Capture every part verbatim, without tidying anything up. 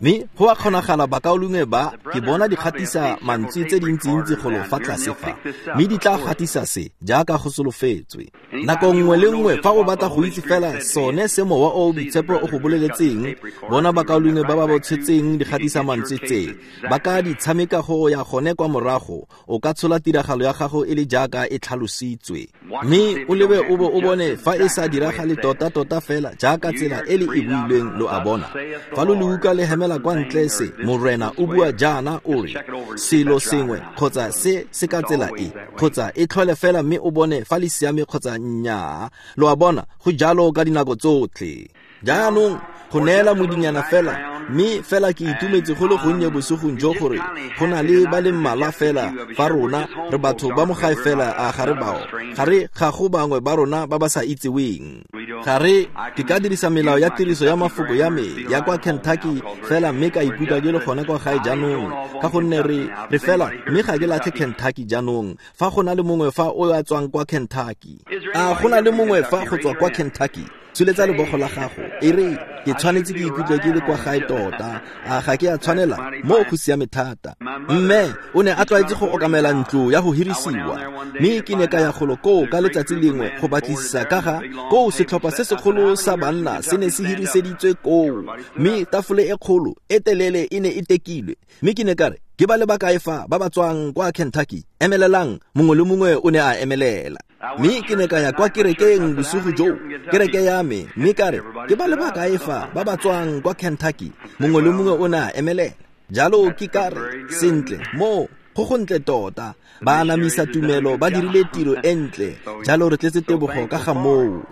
Mme go a kgonagala bakaulengwe ba ke bona di gatisa mantswe tse dintsintsi golo fa tlase fa, mme di tla gatisa se jaaka go solofetswe. Nako nngwe le nngwe fa o batla go itse fela sone se Mowa o o Boitshepo o go boleletseng, bona bakaulengwe ba ba bo tshetseng di gatisa mantswe tse ba ka di tshameka go ya gone kwa morago, o ka tshola tiragalo ya gago e le jaaka e tlhalositswe. Mme o lebe o bo o bone fa e sa diragale tota-tota fela jaaka tsela e le e builweng, lo a bona. Fa lo le utlwa le hemela kwa ntle se Morena o bua jaana o re selo sengwe kgotsa se se ka tsela e, kgotsa e tlhole fela mme o bone fa le siame kgotsa nnyaa. Lo a bona, go jalo ka dinako tsotlhe. Jaanong go neela modinyana fela, mme fela ke itumetse go le gonnye bosigong jo gore go na le ba le mmalwa fela fa rona re batho ba mo gae fela, a ga re bao, ga re ga go bangwe ba rona ba ba sa itseweng. Ga re ke ka dirisa melao ya tiriso ya mafoko ya me ya kwa Kentucky fela mme ka ikutlwa ke le gone kwa gae jaanong, ka gonne re re fela mme ga ke latlhe Kentucky jaanong. Fa go na le mongwe fa o a tswang kwa Kentucky, a go na le mongwe fa go tswa kwa Kentucky, tsholetsa lebogo la gago e re ke tshwanetse ke ikutlwe ke le kwa gae tota, a ga ke a tshwanela, mo go siame thata. Mme o ne a tlwaetse go okamela ntlo ya go hirisiwa, mme ke ne ka ya golo koo ka letsatsi lengwe go batlisisa ka ga koo setlhopha se segolo sa banna se ne se hiriseditswe koo, mme tafole e kgolo e telele e ne e tekilwe. Mme ke ne ka re, ke ba le bakae fa ba ba tswang kwa Kentucky? Emelelang. Mongwe le mongwe o ne a emelela. Mme ke ne ka ya kwa kerekeng bosigo joo, kereke ya me, mme ka re, ke ba le bakae fa ba ba tswang kwa Kentucky? Mongwe le mongwe o ne a emelela. Jalo ke ka re, sentle, mo go gontle tota, ba anamisa tumelo, ba dirile tiro e ntle, jalo re tletse tebogo ka ga moo.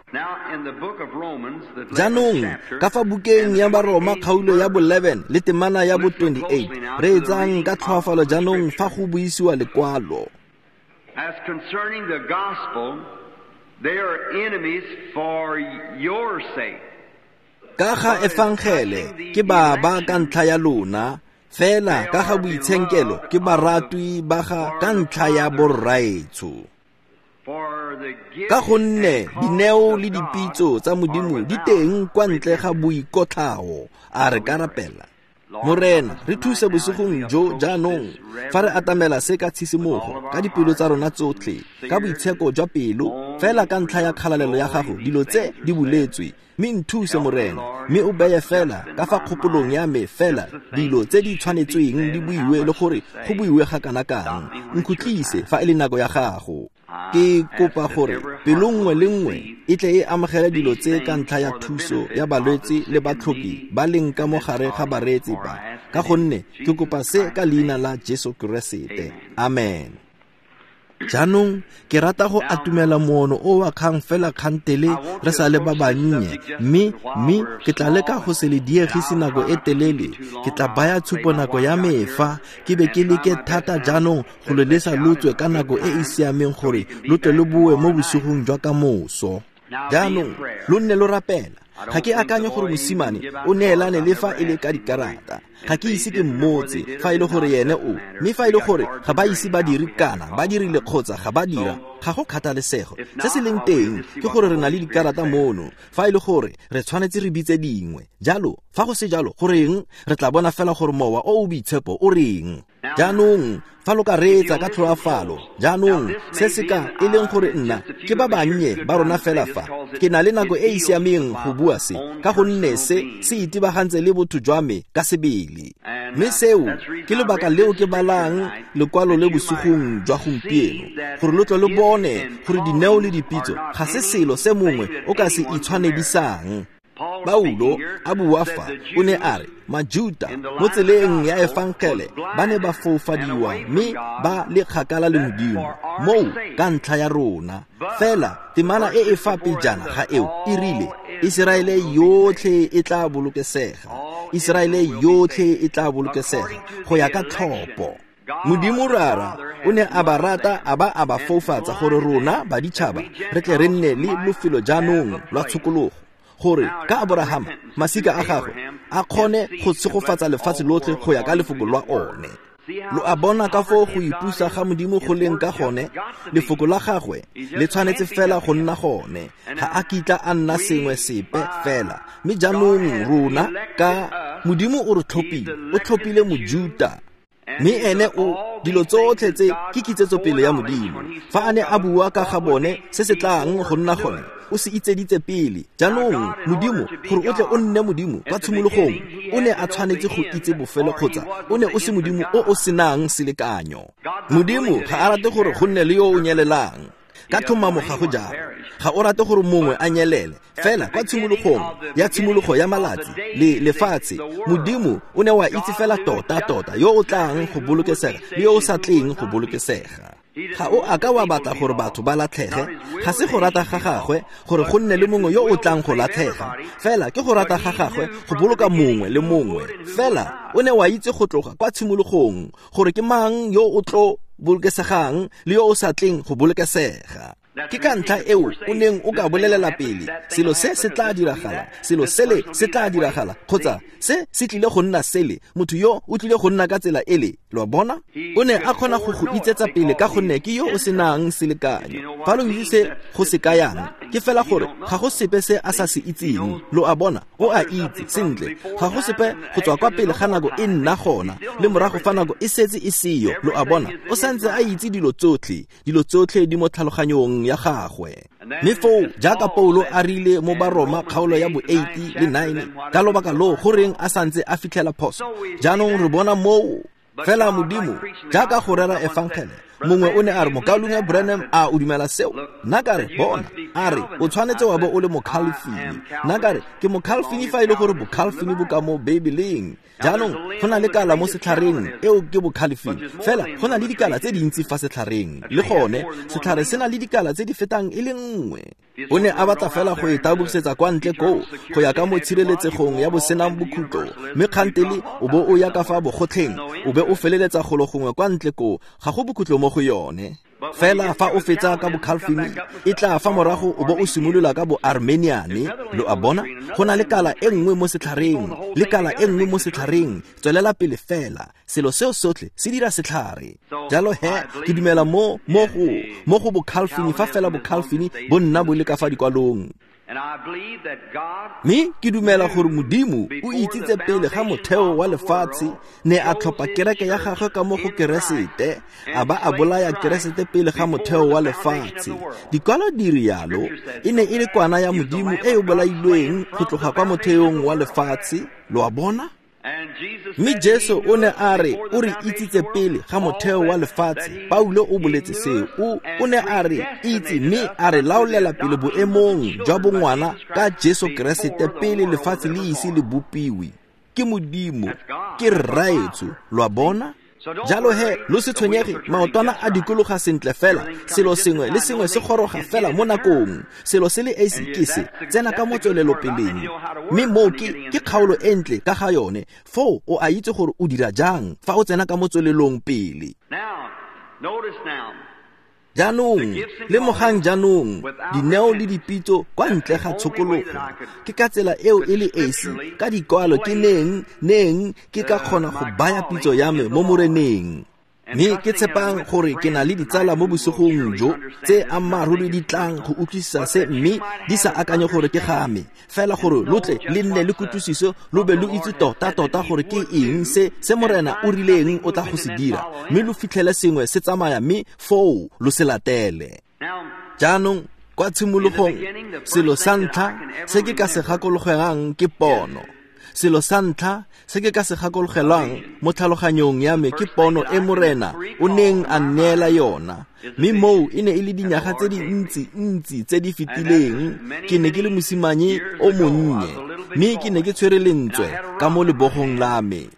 Jaanong ka fa bukeng ya Baroma kgaolo ya bo eleven le temana ya bo twenty-eight, re etsang ka tlhoafalo jaanong fa go buisiwa lekwalo. As concerning the gospel, they are enemies for your sake. Ka ga efangele ke ba ba ka ntlha ya lona, fela ka ga boitshenkelo ke baratwi ba ga ka ntlha ya borraetsho. Ka gonne dineo le dipitso tsa Modimo di teng kwa ntle ga boikotlhao, a re ka rapela. Morena, re thuse bosigong jo jaanong fa re atamela se ka tshisimogo, ka dipelo tsa rona tsotlhe, ka boitsheko jwa pelo, fela ka ntlha ya kgalalelo ya gago dilo tse di buletswe. Mme nthuse Morena, mme o beye fela ka fa kgopolong ya me fela dilo tse di tshwanetsweng di buiwe le gore go buiwe ga kana kang. Nkhutlise fa e le nako ya gago. Ke kopa gore pelo nngwe le nngwe e tle e amogele dilo tse ka ntlha ya thuso ya balwetse le batlhoki ba leng ka mo gare ga bareetsi ba, ka gonne ke kopa se ka leina la Jesu Keresete. Amen. Jaanong ke rata go atumela moono o wa kgang fela kgantele re sa le ba bannye, mme mme ke tla leka go se le diegise nako e telele. Ke tla baya tshupo nako ya me fa ke be ke leke thata jaanong go le lesa lo tswe ka nako e e siameng gore lo tle lo boe mo bosigong jwa kamoso. Jaanong lo nne lo rapela. Ga ke akanye gore mosimane o neelane le fa e le ka dikarata. Ga ke ise ke mmotse fa e le gore ene o, mme fa e le gore ga ba ise ba dire kana ba dirile kgotsa ga ba dira, ga go kgathalesego. Se se leng teng ke gore re na le dikarata mono, fa e le gore re tshwanetse re bitse dingwe. Jalo fa go se jalo, goreng re tla bona fela gore Mowa o o Boitshepo o reng. Jaanong fa lo ka reetsa ka tlhoafalo, jaanong se se ka e leng gore nna ke ba bannye ba rona fela fa ke na le nako e e siameng go bua se, ka gonne se se itebagantse le botho jwa me ka sebele. Mme seo ke lebaka leo ke balang lekwalo le bosigong jwa gompieno, gore lo tle lo bone gore dineo le dipitso ga se selo se mongwe o ka se itshwanedisang. Paulo a bua fa o ne a re Majuta mo tseleng ya efangele ba ne ba foufadiwa mme ba le kgakala le Modimo, moo ka ntlha ya rona. Fela temana e e fa pejana ga eo e rile Iseraele yotlhe e tla bolokesega, Iseraele yotlhe e tla bolokesega go ya ka tlhopho. Modimo Rara o ne a ba rata a ba a ba foufatsa gore rona baditšhaba re tle re nne le lofelo jaanong lwa tshokologo, gore ka Aborahama masika a gagwe a kgone go tshegofatsa lefatshe lotlhe go ya ka lefoko lwa one. Lo a bona ka foo go ipusa ga Modimo go leng ka gone, lefoko la gagwe le tshwanetse fela go nna gone, ga a kitla a nna sengwe sepe fela. Mme jaanong rona ka Modimo o re tlhophile, o tlhophile Mojuta. Mme ene o dilo tsotlhe tse ke kitsetsopele ya Modimo. Fa a ne a bua ka ga bone se se tlang go nna gone, o se itseditse pele. Jaanong Modimo, gore o tle o nne Modimo kwa tshimologong, o ne a tshwanetse go itse bofelo kgotsa o ne o se Modimo o o senang selekanyo. Modimo ga a rate gore go nne le yo o nyelelang. Ka tlhomamo ga go jalo. Ga o rate gore mongwe a nyelele. Fela kwa tshimologong ya tshimologo ya malatsi le lefatshe, Modimo o ne wa itse fela tota tota yo o tlang go bolokesega le yo o sa tleng go bolokesega. Ga o a ka wa batla gore batho ba latlhege, ga se go rata ga gagwe gore go nne le mongwe yo o tlang go latlhega. Fela ke go rata ga gagwe go boloka mongwe le mongwe. Fela o ne wa itse go tloga kwa tshimologong gore ke mang yo o tlo bolokesegang le yo o sa tleng go bolokesega. Ke ka ntlha eo o neng o ka bolelela pele selo se se tla diragala, selo sele se tla diragala, kgotsa se se tlile go nna sele, motho yo o tlile go nna ka tsela ele. Lo a bona? O ne a kgona go go itsetsa pele ka gonne ke yo o senang selekanyo. Fa lo itse se go se kayang, ke fela gore ga go sepe se a sa se itseng. Lo a bona? O a itse sentle. Ga go sepe go tswa kwa pele ga nako e nna gona le morago fa nako e setse e seyo. Lo a bona? O santse a itse dilo tsotlhe, dilo tsotlhe di mo tlhaloganyong ya gagwe. Mme foo jaaka Paulo a rile mo Baroma kgaolo ya bo eight le nine, ka lobaka loo goreng a santse a fitlhela phoso. Jaanong re bona moo fela Modimo jaaka go rera efangele. Mongwe o ne a re, Mokaulengwe Branham, a o dumela seo? Nna ka re, bona. A re, o tshwanetse wa bo o le Mokhalfini. Nna ka re, ke Mokhalfini fa e le gore Bokhalfini bo ka mo Bebeleng. Jaanong go na le kala mo setlhareng, eo ke Bokhalfini. Fela go na le dikala tse dintsi fa setlhareng. Le gone setlhare se na le dikala tse di fetang e le nngwe. O ne a batla fela go e tabogisetsa kwa ntle koo, go ya ka mo tshireletsegong ya bosenang bokhutlo. Mme kgantele o bo o ya ka fa bogotlheng, o be o feleletsa golo gongwe kwa ntle koo, ga go bokhutlo mo go yone. Fela fa o fetsa ka Bokhalfini, e tla fa morago o bo o simolola ka Boarmeniane. Lo a bona? Go na le kala e nngwe mo setlhareng, le kala e nngwe mo setlhareng. Tswelela pele fela, selo seo sotlhe se dira setlhare. Jalo he, ke dumela mo mo go mo go Bokhalfini fa fela Bokhalfini bo nna bo le ka fa dikwalong. Mme ke dumela gore Modimo o itsitse pele ga motheo wa lefatshe, ne a tlhopha kereke ya gagwe ka mo go Keresete, a ba a bolaya Keresete pele ga motheo wa lefatshe. Dikwalo di rialo, e ne e le kwana ya Modimo e e bolailweng go tloga kwa motheong wa lefatshe. Lo a bona? Mme Jesu o ne a re o re itsitse pele ga motheo wa lefatshe. Paulo o boletse seo. O o ne a re itse mme a re laolela pele boemong jwa bongwana ka Jesu Keresete pele lefatshe le ise le bopiwe. Ke Modimo, ke Rraetsho. Lo a bona? Jalo he, lo se tshwenyege, maotwana a dikologa sentle fela, selo sengwe le sengwe se goroga fela mo nakong. Selo se le esi ke se, tsena ka mo tswelelopeleng. Mme moo ke ke kgaolo e ntle ka ga yone. Foo o a itse gore o dira jang fa o tsena ka mo tswelelong pele. Jaanong, lemogang jaanong, dineo le dipitso kwa ntle ga tshokologo. Ke ka tsela eo e le esi, ka dikwalo ke neng, neng, ke ka kgona go baya pitso ya me mo Moreneng. Mme ke tshepang gore ke na le ditsala mo bosigong jo tse ammaaruri di tlang go utlwisisa se, mme di sa akanye gore ke ga me. Fela gore lo tle le nne le kutlwisiso, lo be lo itse tota-tota gore ke eng se se Morena o rileng o tla go se dira, mme lo fitlhele sengwe se tsamaya mme foo lo se latele. Jaanong kwa tshimologong, selo sa ntlha se ke ka se gakologelwang ke pono. Selo sa ntlha se ke ka se gakologelwang mo tlhaloganyong ya me ke pono e Morena o neng a nneela yona. Mme moo e ne e le dinyaga tse dintsi ntsi tse di fetileng. Ke ne ke le mosimane o monnye, mme ke ne ke tshwere lentswe ka mo lebogong la me.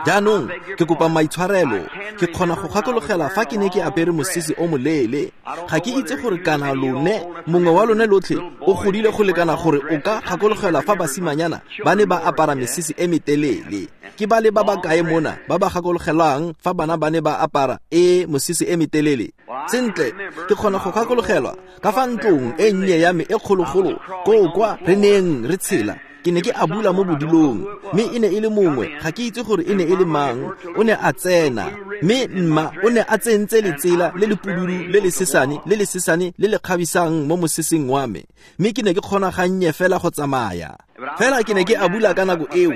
Jaanong ke kopa maitshwarelo, ke kgona go gakologela fa ke ne ke apere mosese o moleele. Ga ke itse gore kana lone mongwe wa lone lotlhe o godile go lekana gore o ka gakologela fa basimanyana ba ne ba apara mesese e metelele. Ke ba le ba ba kae mona ba ba gakologelang fa bana ba ne ba apara e mosese e metelele? Sentle, ke kgona go gakologelwa ka fa ntlong e nnye ya me e kgologolo koo kwa re neng re tshela. Ke ne ke abula mo bodilong, mme e ne e le mongwe, ga ke itse gore e ne e le mang, o ne a tsena. Mme mma o ne a tsentse letsela le le pududu le le sesane le le sesane le le kgabisang mo moseseng wa me, mme ke ne ke kgona gannye fela go tsamaya. Fela ke ne ke abula ka nako eo,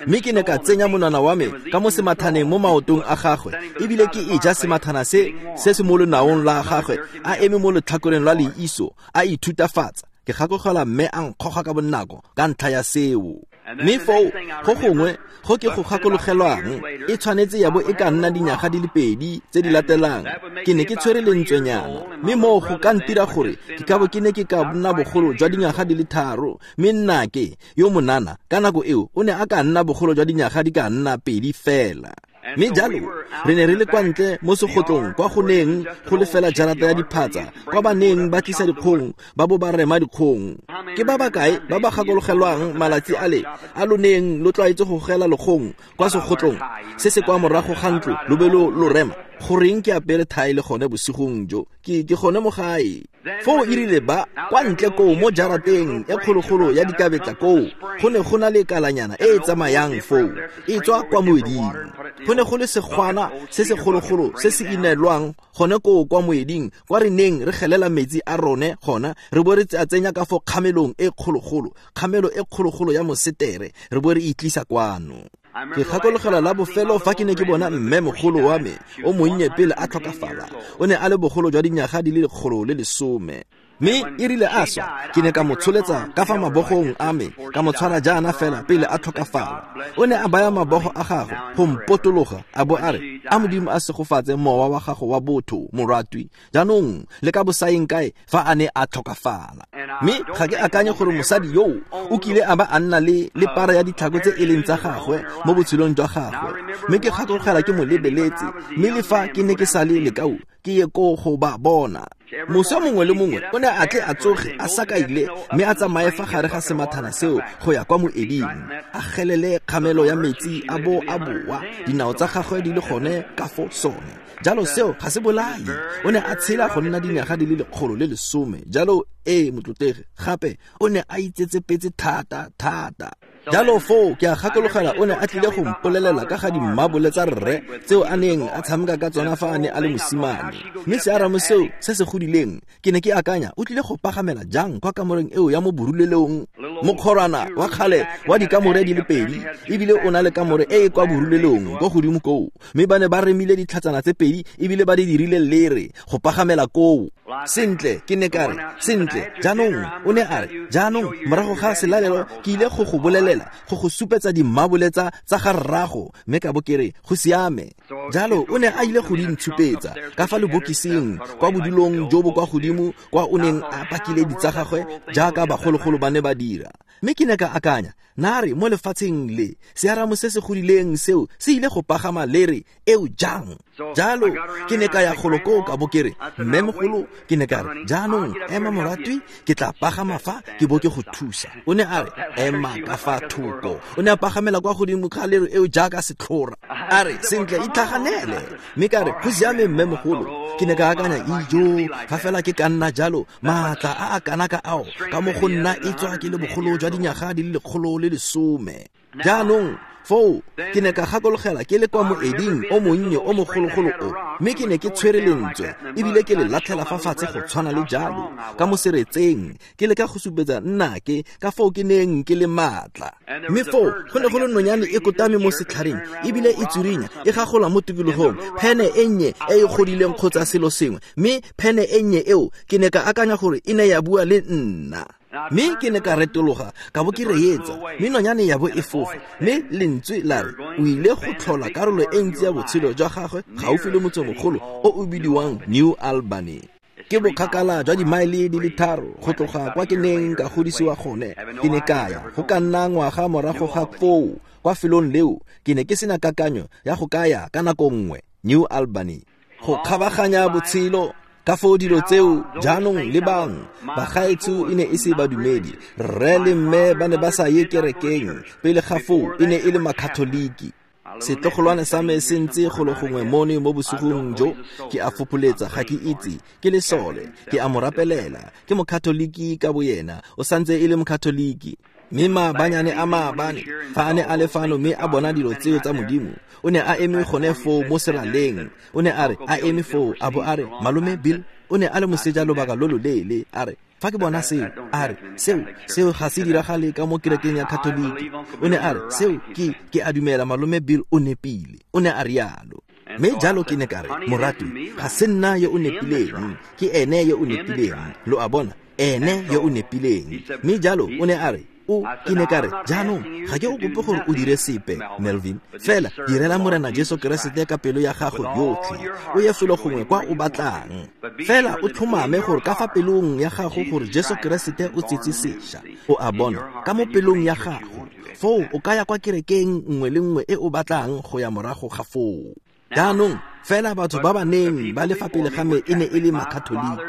mme ke ne ka tsenya monwana wa me ka mo semathaneng mo maotong a gagwe, ebile ke e ja semathana se se se mo lonaong la gagwe, a eme mo letlhakoreng lwa leiso, a ithutafatsa. Ke gakologelwa mme a nkgoga ka bonako ka ntlha ya seo. Mme foo go gongwe go ke go gakologelwang e tshwanetse ya bo e ka nna dinyaga di le pedi tse di latelang. Ke ne ke tshwere lentswenyana, mme moo go ka ntira gore ke ka bo ke ne ke ka nna bogolo jwa dinyaga di le tharo, mme nnake yo monana ka nako eo o ne a ka nna bogolo jwa dinyaga di ka nna pedi fela. Mme jalo re ne re le kwa ntle mo segotlong kwa go neng go le fela jarata ya diphatsa, kwa ba neng ba tlisa dikgong ba bo ba rema dikgong. Ke ba bakae ba ba gakologelwang malatsi ale a lo neng lo tlwaetse go gela lekgong kwa segotlong se se kwa morago ga ntlo lo be lo lo rema? Goreng ke apere thae le gone bosigong jo, ke ke gone mo gae. Foo e rile ba kwa ntle koo mo jarateng e kgologolo ya dikabetla koo, go ne go na le kalanyana e e tsamayang foo e tswa kwa moeding. Go ne go le segwana se se kgologolo se se inelwang gone koo kwa moeding, kwa re neng re gelela metsi a rone gona, re bo re a tsenya ka fo kgamelong e kgologolo, kgamelo e kgologolo ya mosetere, re bo re itlisa kwano. Ke gakologelwa la bofelo fa ke ne ke bona mme mogolo wa me o monnye pele a tlhokafala. O ne a le bogolo jwa dinyaga di le lekgolo le lesome. Mme e rile a swa, ke ne ka mo tsholetsa ka fa mabogong a me, ka mo tshwara jaana fela pele a tlhokafala. O ne a baya mabogo a gagwe go mpotologa, a bo a re, a Modimo a segofatse mowa wa gago wa botho, moratwi, jaanong le ka bosaeng kae fa a ne a tlhokafala. Mme ga ke akanye gore mosadi yoo o kile a ba a nna le le para ya ditlhako tse e leng tsa gagwe mo botshelong jwa gagwe. Mme ke gakologelwa ke mo lebeletse, mme le fa ke ne ke sa le lekau, ke ye ko go ba bona. Moso mongwe le mongwe o ne a tle a tsoge a sakaile, mme a tsamaye fa gare ga semathana seo go ya kwa moeding, a gelele kgamelo ya metsi a bo a boa, dinao tsa gagwe di le gone ka fo sone. Jalo seo ga se bolae. O ne a tshela go nna dinyaga di le lekgolo le lesome. Jalo ee motlotlegi, gape o ne a itsetsepetse thata thata. Jalo foo ke a gakologela o ne a tlile go mpolelela ka ga dimmabole tsa rre tseo a neng a tshameka ka tsona fa a ne a le mosimane. Mme searamo seo se se godileng, ke ne ke akanya o tlile go pagamela jang kwa kamoreng eo ya mo borulelong, mokgorwana wa kgale wa dikamore di le pedi, ebile o na le kamore e e kwa borulelong kwa godimo koo. Mme ba ne ba remile ditlhatsana tse pedi ebile ba di dirile lere go pagamela koo. Sentle, ke ne ka re, sentle, jaanong o ne a re, jaanong morago ga selalelo ke ile go go bolelela, go go supetsa dimmabole tsa tsa ga rrago, mme ka bo ke re go siame. Jalo o ne a ile go di ntshupetsa ka fa lebokising kwa bodulong jo bo kwa godimo kwa o neng a pakile ditsa gagwe jaaka bagologolo ba ne ba dira. Mme ke ne ka akanya, nare mo lefatsheng le searamo se se godileng seo se ile go pagama lere eo jang? Jalo ke ne ka ya golo koo ka bo ke re, mme mogolo, ke ne ka re, jaanong ema moratwi, ke tla pagama fa ke bo ke go thusa. O ne a re, ema ka fa thoko. O ne a pagamela kwa godimo ga lere eo jaaka setlhora. A re, sentle, itlhaganele. Mme ka re, go siame mme mogolo. Ke ne ka akanya, ijo, fa fela ke ka nna jalo, maatla a a kana ka ao ka mo go nna e tswa ke le bogolo jwa dinyaga di le lekgolo le lesome. Jaanong foo ke ne ka gakologela ke le kwa moeding o monnye o mogologolo o, mme ke ne ke tshwere lentswe ebile ke le latlhela fa fatshe go tshwana le jalo ka mo seretseng, ke leka go supetsa nnake ka foo ke neng ke le maatla. Mme foo go ne go le nonyane e kotame mo setlhareng ebile e tsurinya e gagola mo tikologong, phene e nnye e e godileng kgotsa selo sengwe. Mme phene e nnye eo ke ne ka akanya gore e ne ya bua le nna. Mme ke ne ka retologa ka bo ke reetsa, mme nonyane ya bo e fofa, mme lentswe la re o ile go tlhola karolo e ntsi ya botshelo jwa gagwe gaufi le motsemogolo o o bidiwang New Albany. Ke bokgakala jwa dimaele di le tharo go tloga kwa ke neng ka godisiwa gone. Ke ne ka ya go ka nna ngwaga morago ga foo kwa felong leo. Ke ne ke sena kakanyo ya go ka ya ka nako nngwe New Albany go kgabaganya botshelo. Ka foo dilo tseo jaanong le bang bagaetsho e ne e se badumedi. Rre le mme ba ne ba sa ye kerekeng pele ga foo, e ne e le makatholiki. Setlogolwane sa me se ntse golo gongwe mono mo bosigong jo, ke a fopholetsa, ga ke itse, ke lesole, ke a mo rapelela, ke mokatholiki ka boyena, o santse e le mokatholiki. Mme maabanyane a maabane fa a ne a le fano mme a bona dilo tseo tsa Modimo, o ne a eme gone foo mo seraleng. O ne a re a eme foo a bo a re, malome Bill, o ne a le moseja lobaka lo loleele, a re, Fa ke bona seo, a re, seo, seo ga se diragale ka mo kerekeng ya Katoliki. O ne a re, seo ke, ke a dumela malome Bill o nepile. O ne a rialo. Mme jalo ke ne ka re, moratwi, ga se nna yo o nepileng, ke ene yo o nepileng. Lo a bona, ene yo o nepileng. Mme jalo o ne a re, o ke ne ka re, jaanong ga ke o kope gore o dire sepe, Melvin, fela direla Morena Jesu Keresete ka pelo ya gago yotlhe, o ye felo gongwe kwa o batlang. Fela o tlhomame gore ka fa pelong ya gago gore Jesu Keresete o tsetse sešwa. O a bona, ka mo pelong ya gago. Foo o ka ya kwa kerekeng nngwe le nngwe e o batlang go ya morago ga foo. Jaanong fela batho ba ba neng ba le fa pele ga me e ne e le Makatoliki.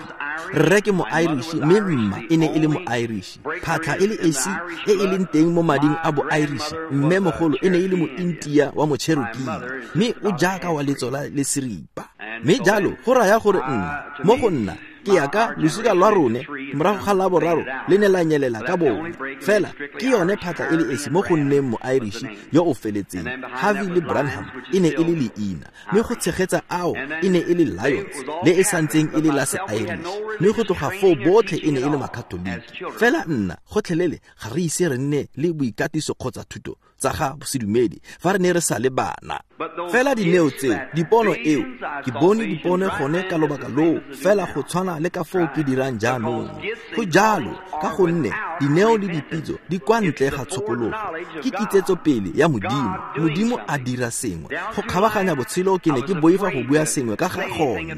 Rre ke mo-Irish mme mma e ne e le mo-Irish. Phatlha e le esi e e leng teng mo mading a bo-Irish, mme mogolo e ne e le mo-India wa mo-Cherokee, mme o jaaka wa letso la le seripa. Mme jalo go raya gore nna, mo go nna, ke ya ka losika lwa rone morago ga la boraro le ne la nyelela ka bone. Fela ke yone phatla e le esi mo go nneng mo-Irish yo o feletseng. Harvey le Branham e ne e le leina, mme go tshegetsa ao e ne e le Lions le e santseng e le la se-Irish, mme go tloga foo botlhe e ne e le Makatoliki. Fela nna gotlhelele ga re ise re nne le boikatiso kgotsa thuto tsa ga sedumedi fa re ne re sa le bana. Fela dineo tseo, dipono eo, ke bone dipono gone ka lobaka loo, fela go tshwana le ka foo ke dirang jaanong. Go jalo ka gonne dineo le dipitso di kwa ntle ga tshokologo. Ke kitsetso pele ya Modimo. Modimo a dira sengwe go kgabaganya botshelo. Ke ne ke boifa go bua sengwe ka ga gone.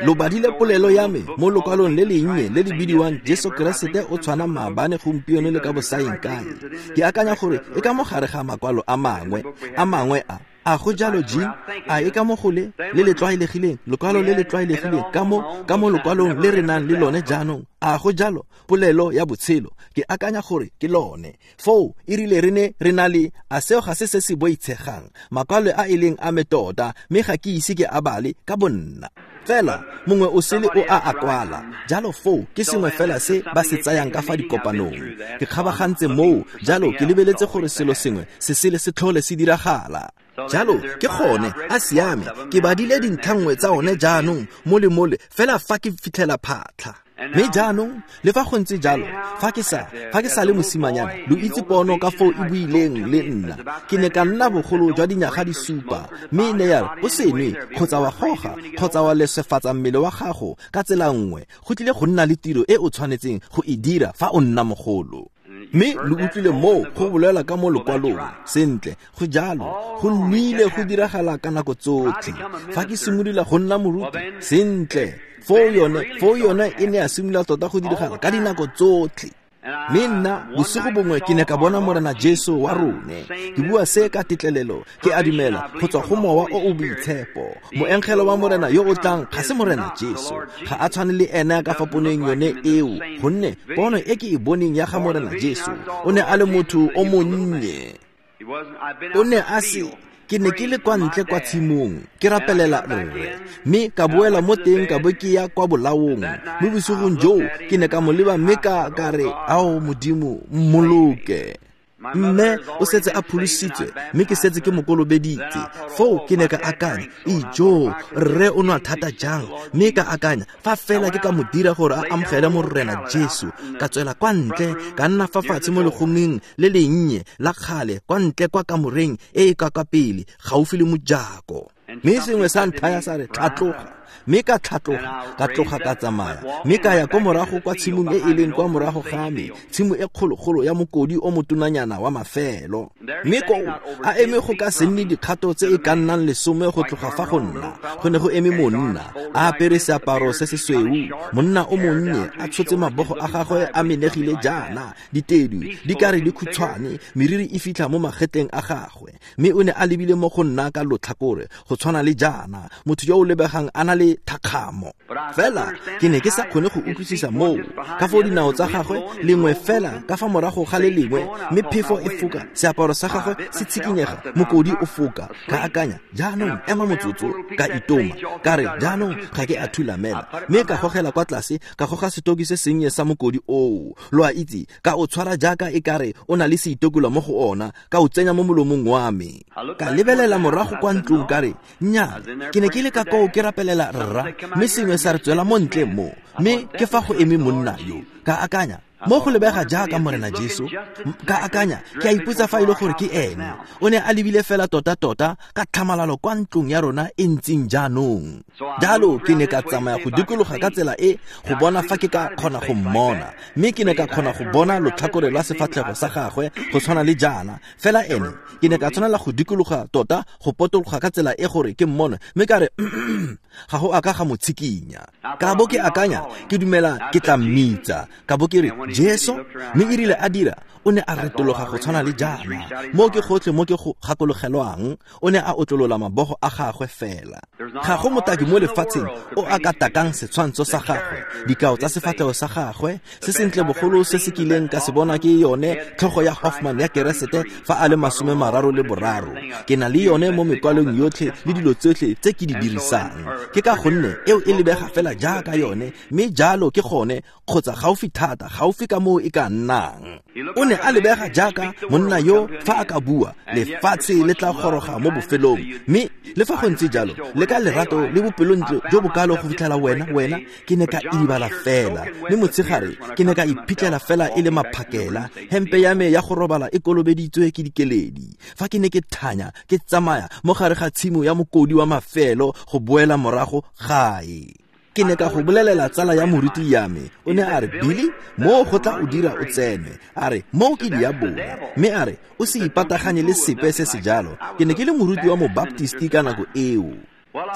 Lo badile polelo ya me mo lokwalong le lennye le le bidiwang Jesu Keresete o tshwana maabane, gompieno le ka bosaeng kae. Ke akanya gore e ka mo gare ga makwalo a mangwe, a mangwe a A go jalo Jim, a e ka mo go le le le tlwaelegileng, lokwalo le le tlwaelegileng ka mo ka mo lokwalong le re nang le lone jaanong. A go jalo polelo ya botshelo, ke akanya gore ke lone. Foo e rile re ne re na le a seo ga se se se boitshegang, makwalo a e leng a me tota, mme ga ke ise ke a bale ka bonna. Fela mongwe o sele o a a kwala. Jalo foo ke sengwe fela se ba se tsayang ka fa dikopanong. Ke kgabagantse moo, jalo ke lebeletse gore selo sengwe se sele se tlhole se diragala. Jalo ke gone a siame, ke badile dintlha nngwe tsa one jaanong mo le mole fela fa ke fitlhela phatlha. Mme jaanong le fa go ntse jalo, fa ke sa fa ke sa le mosimanyana, lo itse pono ka foo e buileng le nna. Ke ne ka nna bogolo jwa dinyaga di supa, mme e ne ya re o se nwe kgotsa wa goga kgotsa wa leswefatsa mmele wa gago ka tsela nngwe, go tlile go nna le tiro e o tshwanetseng go e dira fa o nna mogolo. Mme lo utlwile moo go bolela ka mo lokwalong. Sentle, go jalo, go nnile go diragala ka nako tsotlhe. Fa ke simolola go nna moruti, sentle, foo yone, foo yone e ne ya simolola tota go diragala ka dinako tsotlhe. Mme nna bosigo bongwe ke ne ka bona Morena Jesu wa rone. Ke bua se ka tetlelelo, ke a dumela go tswa go Mowa o o Boitshepo. Moengele wa Morena yo o tlang ga se Morena Jesu, ga a tshwane le ene ka fa poneng yone eo, gonne pono e ke e boneng ya ga Morena Jesu, o ne a le motho o monnye. O ne a se ke ne ke le kwa ntle kwa tshimong ke rapelela rre, mme ka boela mo teng ka bo ke ya kwa bolaong. Mo bosigong joo ke ne ka mo leba mme ka ka re, ao Modimo, mmoloke. Mme o setse a pholositswe, mme ke setse ke mo kolobeditse. Foo ke ne ka akanya, ijo, rre o nwa thata jang. Mme ka akanya, fa fela ke ka mo dira gore a amogele Morena Jesu. Ka tswela kwa ntle, ka nna fa fatshe mo legomeng le lennye la kgale, kwa ntle kwa kamoreng e e ka kwa pele, gaufi le mojako. Mme sengwe sa nthaya sa re, tlhatloga. Mme ka tlhatloga, ka tloga ka tsamaya, mme ka ya kwa morago kwa tshimong e e leng kwa morago ga me, tshimo e kgologolo ya mokodi o motonanyana wa mafelo. Mme koo a eme go ka se nne dikgato tse e ka nnang lesome go tloga fa go nna, go ne go eme monna a apere seaparo se se sweu, monna o monnye a tshotse mabogo a gagwe a menegile jaana, ditedu di ka re di khutshwane, meriri e fitlha mo magetleng a gagwe. Mme o ne a lebile mo go nna ka lotlhakore go tshwana le jaana, motho yo o lebegang a na le thakgamo. Fela ke ne ke sa kgone go utlwisisa moo ka foo dinao tsa gagwe lengwe fela ka fa morago ga le lengwe, mme phefo e foka, seaparo sa gagwe se tshikinyega, mokodi o foka. Ka akanya, jaanong ema motsotso, ka itoma, ka re jaanong ga ke a thulamela, mme ka gogela kwa tlase, ka goga setoki se sennye sa mokodi oo, lo a itse, ka o tshwara jaaka e kare o na le seitokolwa mo go ona, ka o tsenya mo molomong wa me. Ka lebelela morago kwa ntlong ka re, nnyaa, ke ne ke le ka koo ke rapelela dumela rra, mme sengwe sa re tswela mo ntle mo, mme ke fa go eme monna yo. Ka akanya, mo go lebega jaaka Morena Jesu. Ka akanya, ke a ipotsa fa e le gore ke ene. O ne a lebile fela tota-tota ka tlhamalalo kwa ntlong ya rona e ntseng jaanong. Jalo ke ne ka tsamaya go dikologa ka tsela e go bona fa ke ka kgona go mmona, mme ke ne ka kgona go bona lotlhakore lwa sefatlhego sa gagwe go tshwana le jaana. Fela ene ke ne ka tshwanela go dikologa tota go potologa ka tsela e gore ke mmone, mme ka re ga go a ka ga mo tshikinya. Ka bo ke akanya, ke dumela ke tla mmitsa. Ka bo ke re Jesu, mme e rile a dira, o ne a retologa go tshwana le jaana. Mo ke gotlhe mo ke go gakologelwang, o ne a otlolola mabogo a gagwe fela. Ga go motaki mo lefatsheng o a ka takang setshwantsho sa gagwe, dikao tsa sefatlhego sa gagwe, se sentle bogolo se se kileng ka se bona ke yone tlhogo ya Hoffman ya Keresete fa a le masome mararo le boraro. Ke na le yone mo mekwalong yotlhe le dilo tsotlhe tse ke di dirisang. Ke ka gonne eo e lebega fela jaaka yone, mme jalo ke gone kgotsa gaufi thata, gaufi ka moo e ka nnang. O ne a lebega jaaka monna yo fa a ka bua, lefatshe le tla goroga mo bofelong. Mme le fa go ntse jalo, le ka lerato le bopelontle jo bokalo go fitlhela wena, wena, ke ne ka idibala fela. Mme motshegare ke ne ka iphitlhela fela e le maphakela, hempe ya me ya go robala e kolobeditswe ke dikeledi. Fa ke ne ke thanya, ke tsamaya mo gare ga tshimo ya mokodi wa mafelo go boela morago gae. Ke ne ka go bolelela tsala ya moruti ya me, o ne a re, Billy, mo go tla o dira o tsene. A re, mo ke diabolo. Mme a re, o se ipataganye le sepe se se jalo. Ke ne ke le moruti wa mobaptisti ka nako eo.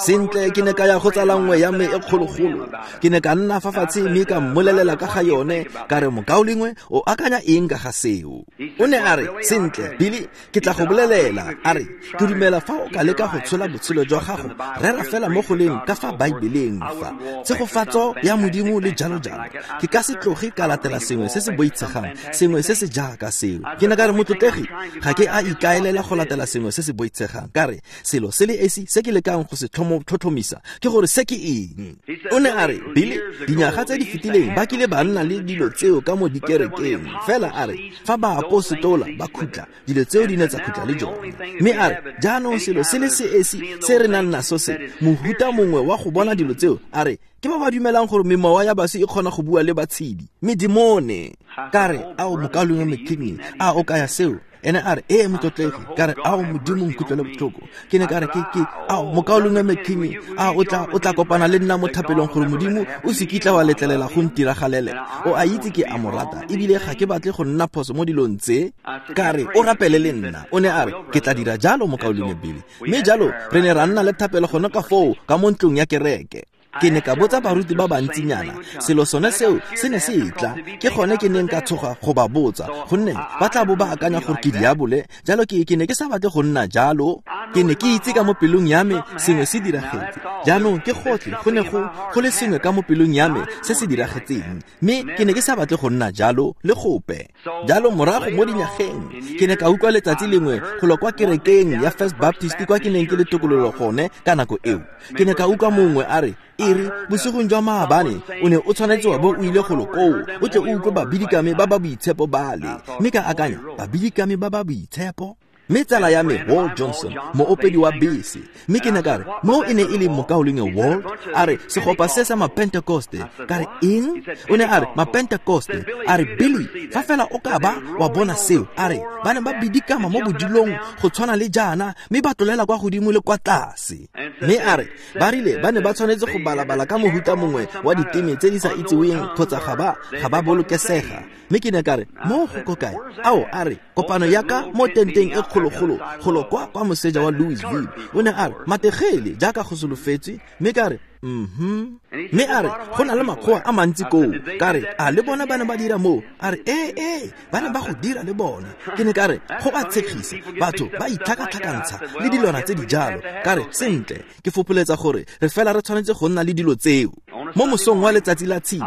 Sentle, ke ne ka ya go tsala nngwe ya me e kgologolo. Ke ne ka nna fa fatshe mme ka mmolelela ka ga yone, ka re, mokaulengwe, o akanya eng ka ga seo? O ne a re, sentle, Billy, ke tla go bolelela. A re, ke dumela fa o ka leka go tshola botshelo jwa gago, rera fela mo go leng ka fa Baebeleng fa tshegofatso ya Modimo le jalo jalo. Ke ka se tloge ka latela sengwe se se boitshegang, sengwe se se jaaka seo. Ke ne ka re, motlotlegi, ga ke a ikaelela go latela sengwe se se boitshegang. Ka re, selo se le esi se ke lekang go se tlhotlhomisa ke gore se ke eng. O ne a re, Billy, dinyaga tse di fetileng ba kile ba nna le dilo tseo ka mo dikerekeng. Fela a re, fa baapostola ba khutla, dilo tseo di ne tsa khutla le jone. Mme a re, jaanong selo se le se esi se re nang naso se, mohuta mongwe wa go bona dilo tseo, a re, ke ba ba dumelang gore memowa ya baswi e kgona go bua le batshedi, medimone. Ka re, ao mokaulengwe McKinney, a o kaya seo? Ene a re, ee motlotlegi. Ka re, ao Modimo nkutlwele botlhoko. Ke ne ka re, ke ke ao mokaulengwe McKinney, a o tla o tla kopana le nna mo thapelong gore Modimo o se kitla wa letlelela go ntiragalele. O a itse ke a mo rata, ebile ga ke batle go nna phoso mo dilong tse. Ka re, o rapele le nna. O ne a re, ke tla dira jalo mokaulengwe Billy. Mme jalo re ne ra nna le thapelo gone ka foo ka mo ntlong ya kereke. Ke ne ka botsa baruti ba bantsinyana, selo sone seo se ne se tla. Ke gone ke neng ka tshoga go ba botsa, gonne ba tla bo ba akanya gore ke diabole. Jalo ke ke ne ke sa batle go nna jalo. Ke ne ke itse ka mo pelong ya me sengwe se diragetse. Jaanong ke gotlhe go ne go go le sengwe ka mo pelong ya me se se diragetseng, mme ke ne ke sa batle go nna jalo le gope. Jalo morago mo dinyageng ke ne ka utlwa letsatsi lengwe go lwa kwa kerekeng ya First Baptist kwa ke neng ke le tokololo gone ka nako eo. Ke ne ka utlwa mongwe a re, e re, bosigong jwa maabane o ne o tshwanetse wa bo o ile golo koo, o tle o utlwe babidikame ba ba boitshepo bale. Mme ka akanya, babidikame ba ba boitshepo? Mme tsala ya me Walt Johnson, moopedi wa bese. Mme ke ne ka re, mo e ne e le mokaulengwe Walt? A re, segopa se sa mapentekoste. Ka re, eng? O ne a re, mapentekoste. A re, Billy, fa fela o ka ba wa bona seo. A re, ba ne ba bidikama mo bodilong go tshwana le jaana, mme ba tlolela kwa godimo le kwa tlase. Mme a re, ba rile ba ne ba tshwanetse go balabala ka mohuta mongwe wa diteme tse di sa itseweng kgotsa ga ba ga ba bolokesega. Mme ke ne ka re, mo go ko kae? Ao, a re, kopano ya ka mo tenteng e kgologolo golo kwa kwa moseja wa Louisville. O ne a re, mategele jaaka go solofetswe. Mme ka re, mhm. Mme a re, go na le makgowa a mantsi koo. Ka re, a le bona ba ne ba dira moo? A re, ee ee, ba ne ba go dira le bona. Ke ne ka re, go ba tshegisa, batho ba itlhakatlhakantsha le dilwana tse di jalo. Ka re, sentle, ke fopholetsa gore re fela re tshwanetse go nna le dilo tseo. Mo mosong wa letsatsi la Tshipi,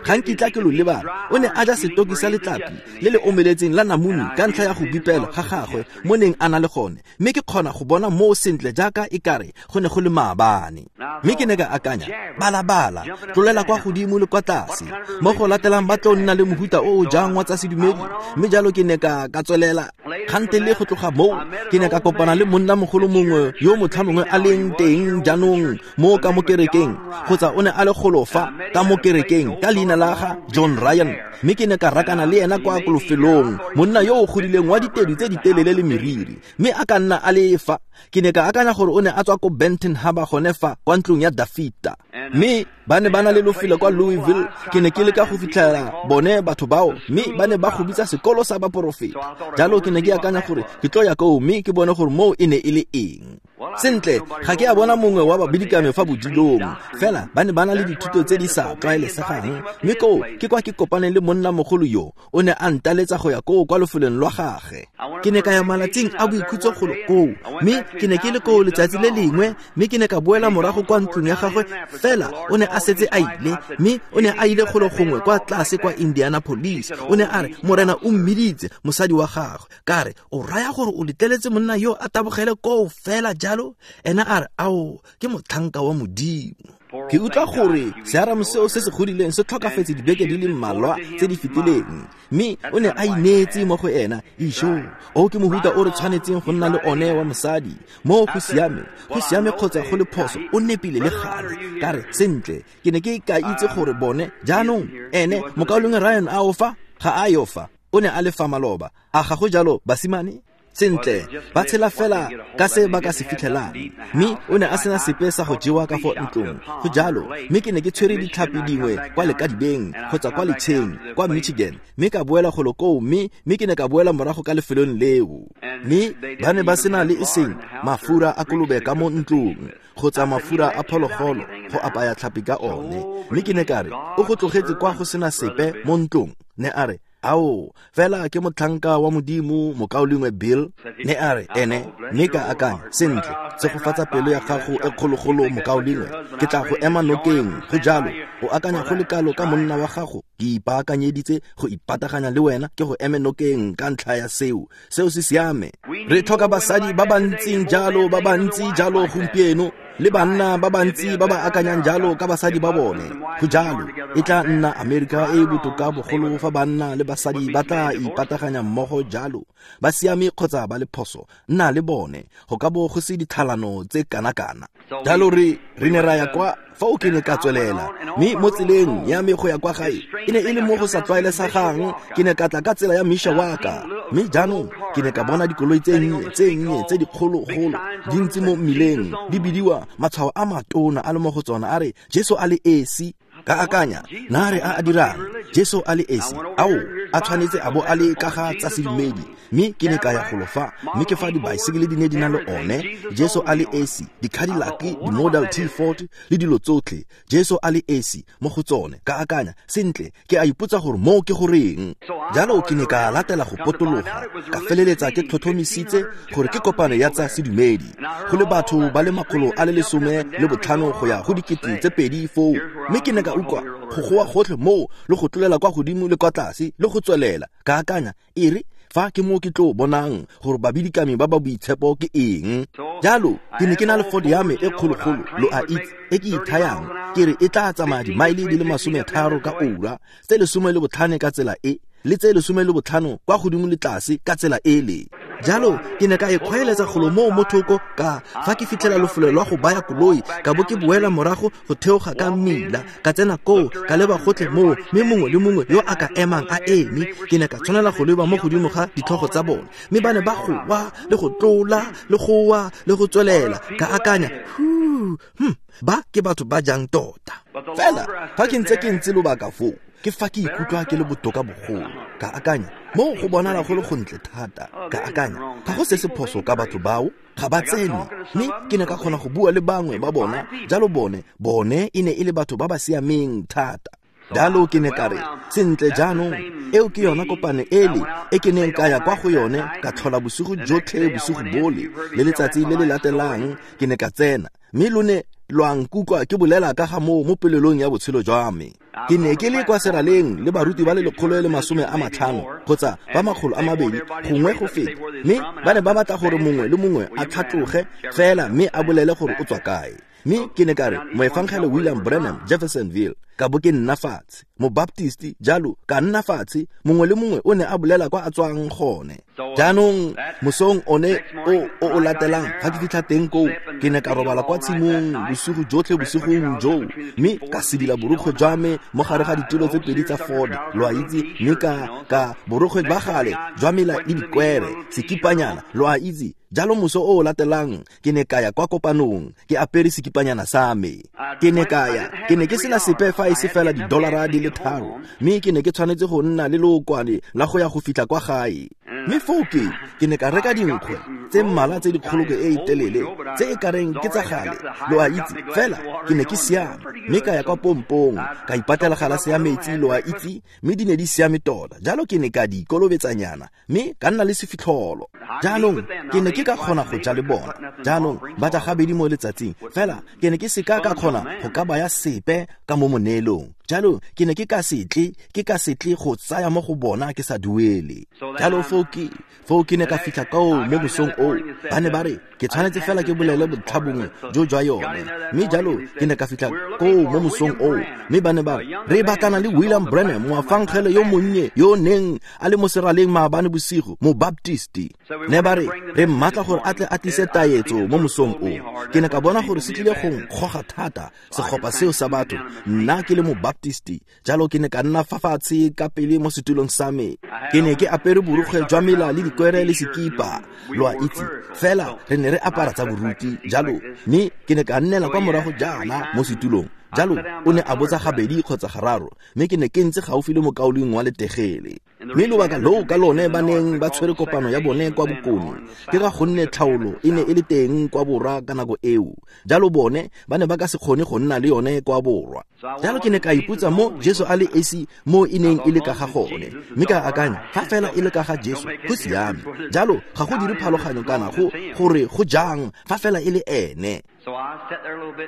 ga nkitla ke lo lebala, o ne a ja setoki sa letlapi le le omeletseng la namune ka ntlha ya go bipela ga gagwe mo neng a na le gone, mme ke kgona go bona moo sentle jaaka e kare go ne go le maabane. Mme ke ne ka akanya, balabala, tlolela kwa godimo le kwa tlase, mo go latelang ba tlo nna le mohuta o o jang wa tsa sedumedi. Mme jalo ke ne ka ka tswelela kgante le go tloga moo ke ne ka kopana le monnamogolo mongwe yo motlha mongwe a leng teng jaanong mo ka mo kerekeng, kgotsa o ne a le golo fa ka mo kerekeng ka leina la ga John Ryan. Mme ke ne ka rakana le ena kwa kolofelong, monna yo o godileng wa ditedu tse di telele le meriri, mme a ka nna a le fa. Ke ne ka akanya gore o ne a tswa ko Benton Harbor gone fa kwa ntlong ya Dafita, mme ba ne ba na le lofelo kwa Louisville. Ke ne ke leka go fitlhela bone batho bao, mme ba ne ba go bitsa sekolo sa baporofeta. Jalo ke ne ke akanya gore ke tlo ya koo mme ke bone gore moo e ne e le eng. Sentle, ga ke a bona mongwe wa babidikame fa bodilong, fela ba ne ba na le dithuto tse di sa tlwaelesegang. Mme koo ke kwa ke kopaneng le monnamogolo yo, o ne a ntaletsa go ya koo kwa lefelong lwa gagwe. Ke ne ka ya malatsing a boikhutso golo koo, mme ke ne ke le koo letsatsi le lengwe, mme ke ne ka boela morago kwa ntlong ya gagwe, fela o ne a setse a ile, mme o ne a ile golo gongwe kwa tlase kwa Indianapolis. O ne a re Morena o mmiditse mosadi wa gagwe. Ka re, o raya gore o letleletse monna yo a tabogele koo fela jalo? Ena a re, ao, ke motlhanka wa Modimo. Ke utlwa gore searamo seo se se godileng se tlhokafetse dibeke di le mmalwa tse di fetileng, mme o ne a ineetse mo go ena. Isho, o ke mohuta o re tshwanetseng go nna le one wa mosadi. Mo go siame, go siame kgotsa go le phoso, o nepile le gale. Ka re, sentle, ke ne ke ka itse gore bone jaanong ene mokaulengwe Ryan a o fa, ga a yo fa, o ne a le fa maloba. A ga go jalo, basimane? Sentle, ba tshela fela ka se ba ka se fitlhelang, mme o ne a sena sepe sa go jewa ka fo ntlong. Go jalo, mme ke ne ke tshwere ditlhapi dingwe kwa lekadibeng kgotsa kwa letsheng kwa Michigan, mme ka boela golo koo, mme mme ke ne ka boela morago ka lefelong leo. Mme ba ne ba sena le eseng mafura a kolobe ka mo ntlong kgotsa mafura a phologolo go apaya tlhapi ka one. Mme ke ne ka re, o go tlogetse kwa go sena sepe mo ntlong? Ne a re, ao, fela ke motlhanka wa Modimo, mokaulengwe Bill. Ne a re, ene, mme ka akanya, sentle, tshegofatsa pelo ya gago e kgologolo, mokaulengwe, ke tla go ema nokeng. Go jalo, o akanya go le kalo ka monna wa gago, ke ipaakanyeditse go ipataganya le wena, ke go eme nokeng ka ntlha ya seo. Seo se siame. Re tlhoka basadi ba ba ntseng jalo, ba ba ntsi jalo gompieno, le banna ba bantsi ba ba akanyang jalo ka basadi ba bone. Go jalo, e tla nna Amerika e e botoka bogolo fa banna le basadi ba tla ipataganya mmogo jalo, ba siame kgotsa ba le phoso, nna le bone, go ka bo go se ditlhalano tse kana-kana. Jalo re re ne ra ya kwa fa o ke ne ka tswelela, mme mo tseleng ya me go ya kwa gae e ne e le mo go sa tlwaelesegang. Ke ne ka tla ka tsela ya Mishawaka, mme jaanong ke ne ka bona dikoloi tse nnye tse nnye tse dikgologolo di ntse mo mmileng, di bidiwa matshwao a matona a le mo go tsona a re Jesu a le esi. Ka akanya, na re a a dirang Jesu a le esi, ao a tshwanetse a bo a le ka ga tsa sedumedi. Mme ke ne ka ya golo fa, mme ke fa dibaesekele di ne di na le one Jesu a le esi, di-Cadillac, di-Model T forty le dilo tsotlhe, Jesu a le esi mo go tsone. Ka akanya, sentle, ke a ipotsa gore moo ke goreng. Jalo ke ne ka latela go potologa, ka feleletsa ke tlhotlhomisitse gore ke kopano ya tsa sedumedi, go le batho ba le makgolo a le lesome le botlhano go ya go dikete tse pedi foo. Mme ke ne ka utlwa go goa gotlhe moo le go tlolela kwa godimo le kwa tlase le go tswelela. Ka akanya, e re fa ke mo ke tlo bonang gore babidikami ba ba boitshepo ke eng. Jalo ke ne ke na le Ford ya me e kgologolo, lo a itse, e ke ithayang ke re e tla tsamaya dimaele di le masome tharo ka ura, tse lesome le botlhano ka tsela e, le tse lesome le botlhano kwa godimo le tlase ka tsela ele. Jalo ke ne ka e kgwaeletsa golo moo mo thoko, ka fa ke fitlhela lefelo lwa go baya koloi, ka bo ke boela morago go theoga ka mmila, ka tsena koo, ka leba gotlhe moo, mme mongwe le mongwe yo a ka emang a eme, ke ne ka tshwanela go leba mo godimo ga ditlhogo tsa bone, mme ba ne ba goa le go tlola le goa le go tswelela. Ka akanya, hu, hm, ba ke batho ba jang tota. Fela fa ke ntse ke ntse lobaka foo, ke fa ke ikutlwa ke le botoka bogolo. Ka akanya, mo go bonala go le gontle thata. Ka akanya, ga go se se phoso ka batho bao, ga ba tsene. Mme ke ne ka kgona go bua le bangwe ba bona, jalo bone bone e ne e le batho ba ba siameng thata. Jalo ke ne ka re, sentle jaanong, eo ke yona kopano ele e ke neng ka ya kwa go yone, ka tlhola bosigo jotlhe bosigo bole, le letsatsi le le latelang ke ne ka tsena. Mme lo ne lwa nkutlwa ke bolela ka ga moo mo pelelong ya botshelo jwa me. Ke ne ke le kwa seraleng le baruti ba le lekgolo le masome a matlhano kgotsa ba makgolo a mabedi gongwe go feta, mme ba ne ba batla gore mongwe le mongwe a tlhatloge fela mme a bolele gore o tswa kae. Mme ke ne ka re moefangele William Branham, Jeffersonville, ka bo ke nna fatshe, mobaptisti jalo ka nna fatshe, mongwe le mongwe o ne a bolela kwa a tswang gone. Jaanong mosong one o o o latelang fa ke fitlha teng koo, ke ne ka robala kwa tshimong bosigo jotlhe bosigong joo, mme ka sedila borukgwe jwa me mo gare ga ditulo tse pedi tsa Ford, lo a itse, mme ka ka borukgwe ba gale jwa mela le dikwere, sekipanyana, lo a itse. Jalo moso o o latelang ke ne ka ya kwa kopanong ke apere sekipanyana sa me. Ke ne ka ya, ke ne ke sena sepe fa e se fela didolara di le tharo, mme ke ne ke tshwanetse go nna le lookwane la go ya go fitlha kwa gae. Mme foo ke ke ne ka reka dinkgwe tse mmalwa tse dikgolokwe e e telele tse e kareng ke tsa gale, lo a itse, fela ke ne ke siame. Mme ka ya kwa pompong ka ipatela galase ya metsi, lo a itse, mme di ne di siame tota. Jalo ke ne ka di kolobetsanyana mme ka nna le sefitlholo. Jaanong ke ne ke ka kgona go ja le bona. Jaanong ba ja gabedi mo letsatsing, fela ke ne ke seka ka kgona go ka baya sepe ka mo moneelong. Jalo ke ne ke ka se tle, ke ka se tle go tsaya mo go bona ke sa duele. Jalo foo ke foo ke ne ka fitlha koo mo mosong oo, ba ne ba re ke tshwanetse fela ke bolele bontlha bongwe jo jwa yone. Mme jalo ke ne ka fitlha koo mo mosong oo, mme ba ne ba re re batlana le William Branham, moafangele yo monnye yo o neng a le mo seraleng maabane bosigo, mobaptisti. Ne ba re re mmatla gore a tle a tlise taetso mo mosong oo. Ke ne ka bona gore se tlile go nkgoga thata segopa seo sa batho, nna ke le mobaptisti. Jalo ke ne ka nna fa fatshe ka pele mo setulong sa me. Ke ne ke apere borukgwe jwa mela le dikwere le sekipa, lo a itse, fela re ne re apara tsa boruti jalo. Mme ke ne ka nnela kwa morago jaana mo setulong. Jalo o ne a botsa gabedi kgotsa gararo, mme ke ne ke ntse gaufi le mokaulengwe wa letegele. Mme lobaka loo ka lone ba neng ba tshwere kopano ya bone kwa bokone ke ka gonne tlhaolo e ne e le teng kwa borwa ka nako eo. Jalo bone ba ne ba ka se kgone go nna le yone kwa borwa. Jalo ke ne ka ipotsa mo Jesu a le esi mo e neng e le ka ga gone, mme ka akanya fa fela e le ka ga Jesu go siame. Jalo ga go dire phaloganyo kana go gore go jang fa fela e le ene.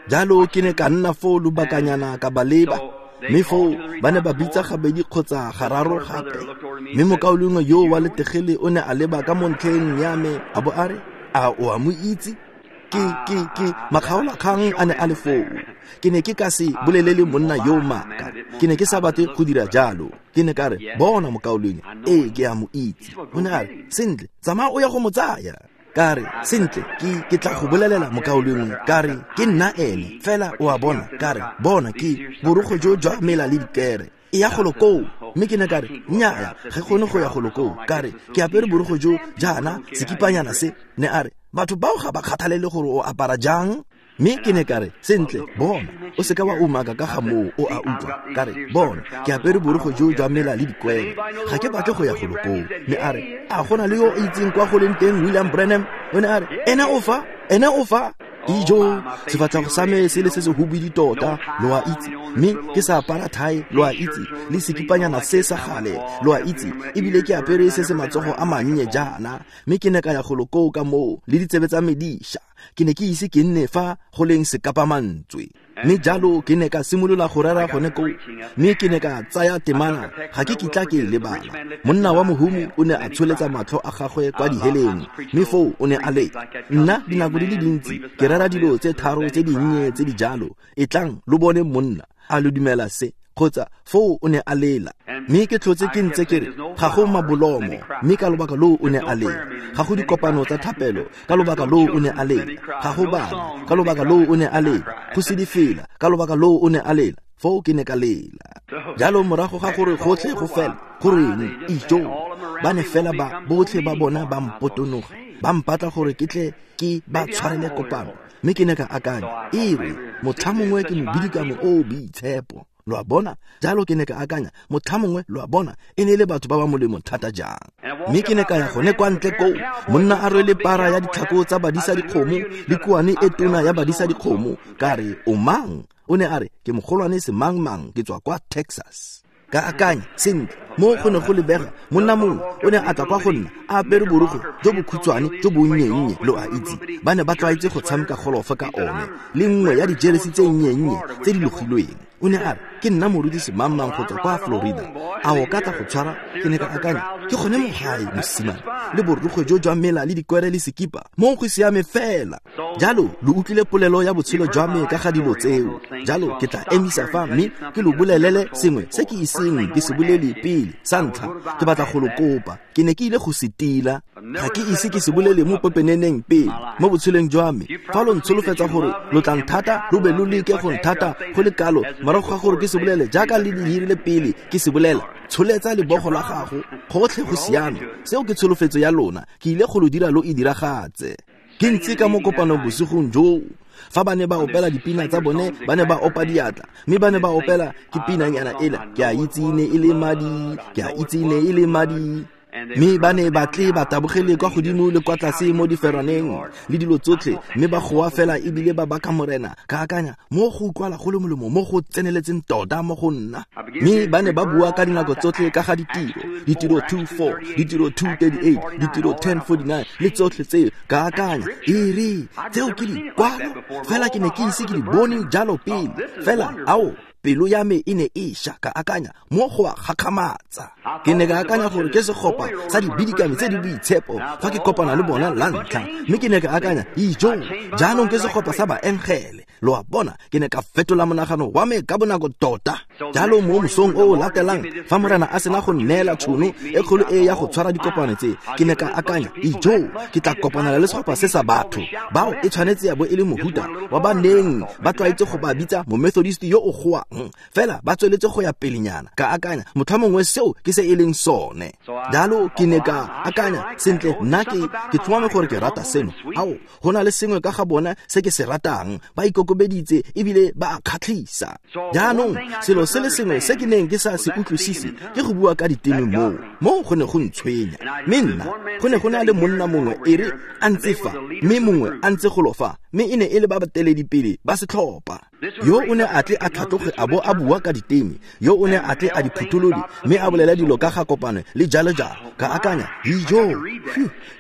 Jalo ke ne ka nna foo lobakanyana ka ba leba, mme foo ba ne ba bitsa gabedi kgotsa gararo gape. Mme mokaulengwe yo wa letegele o ne a leba ka mo ntlheng ya me a bo a re, a o a mo itse? Ke ke ke makgaolakgang a ne a le foo. Ke ne ke ka se bolelele monna yo maaka, ke ne ke sa batle go dira jalo. Ke ne ka re, bona mokaulengwe, ee ke a mo itse. O ne a re, sentle, tsamaya o ya go mo tsaya. Ka re, sentle, ke ke tla go bolelela mokaulengwe, ka re ke nna ene fela, o a bona. Ka re, bona ke borukgwe jo jwa mela le dikere, e ya golo koo. Mme ke ne ka re, nnyaa, ga kgone go ya golo koo. Ka re ke apere borukgwe jo jaana, sekipanyana se. Ne a re, batho bao ga ba kgathalele gore o apara jang. Mme ke ne ka re, sentle, bona, o seka wa umaka ka ga moo, o a utlwa. Ka re, bona, ke apere borukgwe jo jwa mela le dikwere, ga ke batle go ya golo koo. Mme a re, a gona le yo o itseng kwa go leng teng William Branham? O ne a re, ene o fa, ene o fa. Dijo, sefatlhego sa me se le se se hubidi tota, lo a itse, mme ke sa apara thae, lo a itse, le sekipanyana se sa gale, lo a itse, ebile ke apere se se matsogo a mannye jaana. Mme ke ne ka ya golo koo ka moo le ditsebe tsa me di ša. Ke ne ke ise ke nne fa go leng sekapamantswe. Mme jalo ke ne ka simolola go rera gone koo, mme ke ne ka tsaya temana, ga ke kitla ke e lebala. Monna wa mohumi o ne a tsholetsa matlho a gagwe kwa diheleng, mme foo o ne a le, nna dinako di le dintsi ke rera dilo tse tharo tse dinnye tse di jalo, e tlang lo bone monna a lo dumela se, kgotsa foo o ne a lela. Mme ke tlhotse ke ntse ke re ga go mabolomo, mme ka lobaka loo o ne a lela. Ga go dikopano tsa thapelo, ka lobaka loo o ne a lela. Ga go bana, ka lobaka loo o ne a lela. Go se difela, ka lobaka loo o ne a lela. Foo ke ne ka lela. Jalo morago ga gore gotlhe go fela, goreng ijo, ba ne fela ba botlhe ba bona ba mpotonoga, ba mpatla gore ke tle ke ba tshwarele kopano. Mme ke ne ka akanya, e re motlha mongwe ke mobidikamo o o boitshepo, lo a bona. Jalo ke ne ka akanya, motlha mongwe, lo a bona, e ne e le batho ba ba molemo thata jang. Mme ke ne ka ya gone kwa ntle koo, monna a rwele para ya ditlhako tsa badisa dikgomo le kuane e tona ya badisa dikgomo. Ka re, o mang? O ne a re, ke mogolwane semangmang, ke tswa kwa Texas. Ka akanya, sentle, Mo go ne go lebega monna mongwe o ne a tla kwa go nna a apere borokgwe jo bokhutshwane jo bonnye-nnye, lo a itse, ba ne ba tlwaetse go tshameka golofa ka one, le nngwe ya dijeresi tse nnye-nnye tse di logilweng. O ne a re, ke nna morutisi mang-mang go tswa kwa Florida, a o ka tla go tshwara? Ke ne ka akanya, ke gone mo gae mosimane, le borokgwe jo jwa mela le dikwere le sekipa, mo go siame fela. Jalo lo utlwile polelo ya botshelo jwa me ka ga dilo tseo. Jalo ke tla emisa fa mme ke lo bolelele sengwe se ke iseng ke se bolele pele. Sa ntlha, ke batla go lo kopa, ke ne ke ile go se tila, ga ke ise ke se bolele mo pepeneneng pele mo botshelong jwa me. Fa lo ntsholofetsa gore lo tla nthata, lo be lo leke go nthata go le kalo morago ga gore ke se bolele jaaka le dirile pele ke se bolela, tsholetsa lebogo la gago, gotlhe go siame. Seo ke tsholofetso ya lona, ke ile go lo dira lo e diragatse. Ke ntse ka mo kopanong bosigong joo, fa ba ne ba opela dipina tsa bone, ba ne ba opa diatla, mme ba ne ba opela ke pinanyana ela, ke a itse ne e le madi, ke a itse ne e le madi. Mme ba ne ba tle ba tabogele kwa godimo le kwa tlase mo diferaneng le dilo tsotlhe, mme ba goa fela ebile ba baka Morena. Ka akanya, mo go utlwala go le molemo mo go tseneletseng tota mo go nna. Mme ba ne ba bua ka dinako tsotlhe ka ga ditiro, ditiro two four, ditiro two thirty-eight, ditiro ten forty-nine le tsotlhe tseo. Ka akanya, e re tseo ke dikwalo, fela ke ne ke ise ke di bone jalo pele. Fela ao, pelo ya me e ne e ša. Ka akanya, mo go a gakgamatsa. Ke ne ka akanya gore ke segopa sa dibidikami tse di boitshepo fa ke kopana le bona la ntlha, mme ke ne ka akanya, ijo, jaanong ke segopa sa baengele. Lo a bona, ke ne ka fetola monagano wa me ka bonako tota. Jalo mo mosong o o latelang, fa Morena a sena go nneela tšhono e kgolo e ya go tshwara dikopano tse, ke ne ka akanya, ijo, ke tla kopanela le segopa se sa batho bao e tshwanetse ya bo e le mohuta wa ba neng ba tlwaetse go ba bitsa momethodist yo o goang, fela ba tsweletse go ya pelenyana. Ka akanya, motlhamongwe seo ke se e leng sone. Jalo ke ne ka akanya, sentle, nna ke ke tlhomame gore ke rata seno. Ao, go na le sengwe ka ga bona se ke se ratang, ba ikokobeditse ebile ba a kgatlhisa. Jaanong selo se le sengwe se ke neng ke sa se utlwisise ke go bua ka diteme moo, moo go ne go ntshwenya. Mme nna go ne go na le monna mongwe e re a ntse fa, mme mongwe a ntse golo fa, mme e ne e le ba bateledipele ba setlhopha. Yo o ne a tle a tlhatloge a bo a bua ka diteme, yo o ne a tle a di phutholole mme a bolela dilo ka ga kopano le jalo jalo. Ka akanya, ijo,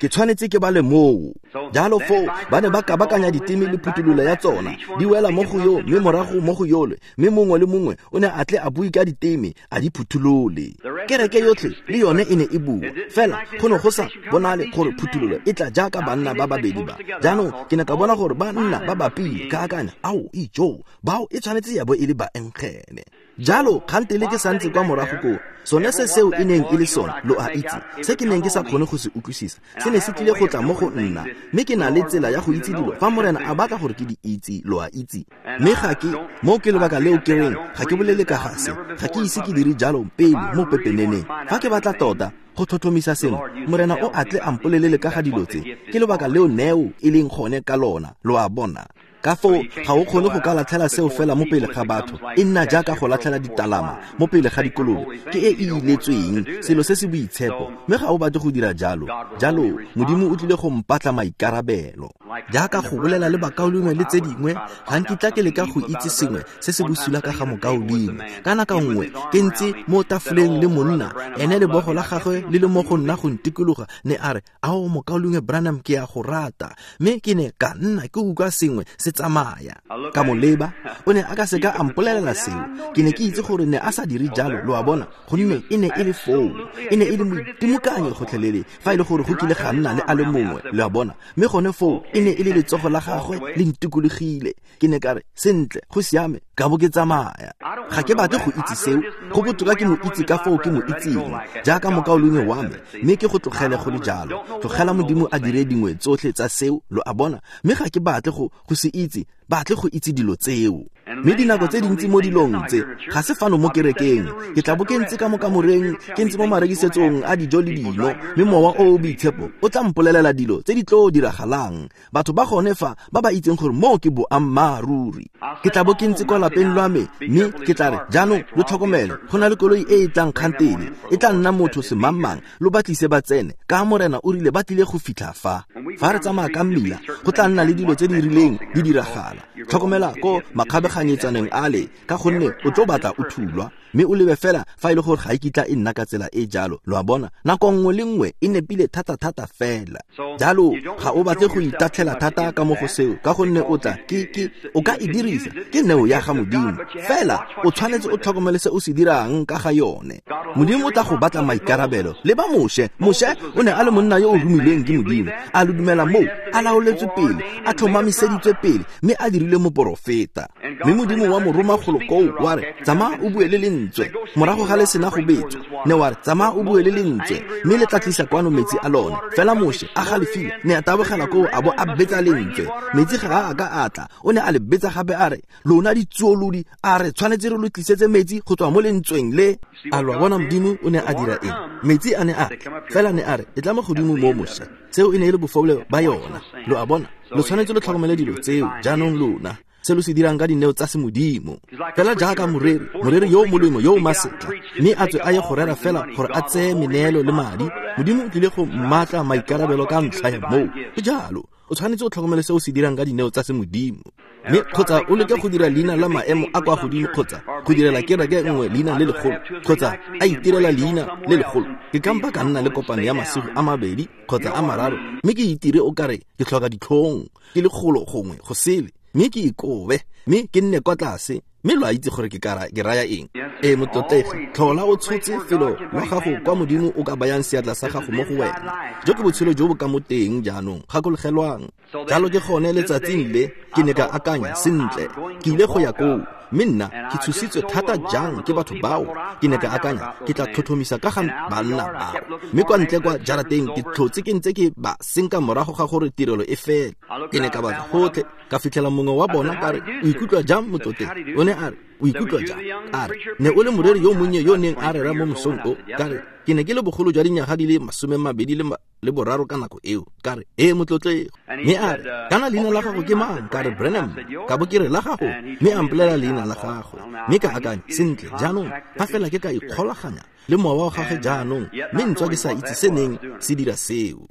ke tshwanetse ke bale moo. Jalo foo ba ne ba kabakanya diteme le phuthololo ya tsona, di wela mo go yo mme morago mo go yole, mme mongwe le mongwe o ne a tle a bue ka diteme a di phutholole. Kereke yotlhe le yone e ne e bua, fela go ne go sa bonale gore phuthololo e tla jaaka banna ba babedi ba. Jaanong ke ne ka bona gore banna ba bapile. Ka akanya, ao, ijo, bao e tshwanetse ya bo e le baengele. Jalo kgantele ke santse kwa morago koo, sone se seo e neng e le sone, lo a itse, se ke neng ke sa kgone go se utlwisisa, se ne se tlile go tla mo go nna. Mme ke na le tsela ya go itse dilo fa Morena a batla gore ke di itse, lo a itse. Mme ga ke, mo ke lebaka leo ke reng, ga ke bolele ka ga se, ga ke ise ke dire jalo pele mo pepeneneng. Fa ke batla tota go tlhotlhomisa sengwe, Morena o a tle a mpolelele ka ga dilo tse. Ke lebaka leo neo e leng gone ka lona, lo a bona. Ka foo ga o kgone go ka latlhela seo fela mo pele ga batho, e nna jaaka go latlhela ditalama mo pele ga dikolobe, ke e e iletsweng, selo se se boitshepo, mme ga o batle go dira jalo. Jalo Modimo o tlile go mpatla maikarabelo. Jaaka go bolela le bakaulengwe le tse dingwe, ga nkitla ke leka go itse sengwe se se bosula ka ga mokaulengwe. Ka nako nngwe ke ntse mo tafoleng le monna, ene lebogo la gagwe le le mo go nna go ntikologa, ne a re, ao mokaulengwe Branham, ke a go rata. Mme ke ne ka nna ke utlwa sengwe se tsamaya. Ka mo leba, o ne a ka seka a mpolelela seo. Ke ne ke itse gore ne a sa dire jalo, lo a bona, gonne e ne e le foo, e ne e le moitimokanyi gotlhelele, fa e le gore go kile ga nna le a le mongwe, lo a bona. Mme gone foo e ne e le letsogo la gagwe le ntikologile. Ke ne ka re, sentle, go siame, ka bo ke tsamaya. Ga ke batle go itse seo, go botoka ke mo itse ka foo ke mo itseng, jaaka mokaulengwe wa me, mme ke go tlogele go le jalo. Tlogela Modimo a dire dingwe tsotlhe tsa seo, lo a bona. Mme ga ke batle go go se itse, batle go itse dilo tseo. Mme dinako tse dintsi mo dilong tse ga se fano mo kerekeng, ke tla bo ke ntse ka mo kamoreng, ke ntse mo marekisetsong a dijo le dino, mme mowa o o boitshepo o tla mpolelela dilo tse di tlo diragalang. Batho ba gone fa ba ba itseng gore moo ke boammaaruri. Ke tla bo ke ntse kwa lapeng lwa me, mme ke tla re, jaanong lo tlhokomele, go na le koloi e e tlang kgantele, e tla nna motho semangmang, lo ba tlise ba tsene, ka Morena o rile ba tlile go fitlha fa. Fa re tsamaya ka mmila, go tla nna le dilo tse di rileng di diragala. Tlhokomela ko makgabeganyetsaneng ale, ka gonne o tlo batla o thulwa. mme o lebe fela fa e le gore ga e kitla e nna ka tsela e jalo. Lo a bona, nako nngwe le nngwe e nepile thata-thata fela. Jalo ga o batle go itatlhela thata ka mo go seo, ka gonne o tla ke ke o ka e dirisa, ke neo ya ga Modimo. Fela o tshwanetse o tlhokomele se o se dirang ka ga yone. Modimo o tla go batla maikarabelo. Le ba Moshe, Moshe o ne a le monna yo o romilweng ke Modimo, a lo dumela moo, a laoletswe pele, a tlhomamiseditswe pele, mme a dirile moporofeta. Mme Modimo wa mo roma golo koo, wa re, tsamaya o bue le lentswe. Morago ga le sena go betswa, ne wa re, tsamaya o bue le lentswe, mme le tla tlisa kwano metsi a lone. Fela Moshe a galefile, ne a tabogela koo a bo a betsa lentswe. Metsi ga a ka a tla, o ne a le betsa gape a re, lona ditsuolodi, a re tshwanetse re lo tlisetse metsi go tswa mo lentsweng le. A lo bona Modimo o ne a dira eng? Metsi a ne a tla, fela ne a re, e tla mo godimo mo Moshe. Seo e ne e le bofole ba yona. Lo a bona, lo tshwanetse lo tlhokomele dilo tseo jaanong lona, se lo se dirang ka dineo tsa semodimo. Fela jaaka moreri, moreri yo o molemo yo o masetla, mme a tswe a ye go rera fela gore a tseye meneelo le madi, Modimo o tlile go mmatla maikarabelo ka ntlha ya moo. Ke jalo, o tshwanetse o tlhokomele se o se dirang ka dineo tsa semodimo. Mme kgotsa o leke go dira leina la maemo a kwa godimo, kgotsa go direla kereke nngwe leina le legolo, kgotsa a itirela leina le legolo. Ke kampa ka nna le kopano ya masigo a mabedi kgotsa a mararo, mme ke itire o kare ke tlhoka ditlhong, ke le golo gongwe go sele, mme ke ikobe, mme ke nne kwa tlase. Mme lo a itse gore ke kara ke raya eng. E motlotlegi, tlhola o tshotse felo wa gago kwa Modimo o ka bayang seatla sa gago mo go wena. Jo ke botshelo jo bo ka mo teng jaanong, gakologelwang. Jalo ke gone letsatsing le ke ne ka akanya sentle, ke ile go ya koo, mme nna ke tshositswe thata jang ke batho bao. Ke ne ka akanya ke tla tlhotlhomisa ka ga banna bao, mme kwa ntle kwa jarateng ke tlhotse ke ntse ke ba senka morago ga gore tirelo e fele. Ke ne ka batla gotlhe, ka fitlhela mongwe wa bona, ka re, o ikutlwa jang motlotlegi? O ne a re, o ikutlwa jang? A re, ne o le moreri yo monnye yo neng a rera mo mosong o. Ka re, ke ne ke le bogolo jwa dinyaga di le masome mabedi le le boraro ka nako eo. Ka re, ee motlotlegi. Mme a re, kana leina la gago ke mang? Ka re, Branham. Ka bo ke re, la gago. Mme a mpolelela leina la gagwe. Mme ka akanya, sentle jaanong fa fela ke ka ikgolaganya le mowa wa gagwe jaanong, mme ntswa ke sa itse se neng se dira seo.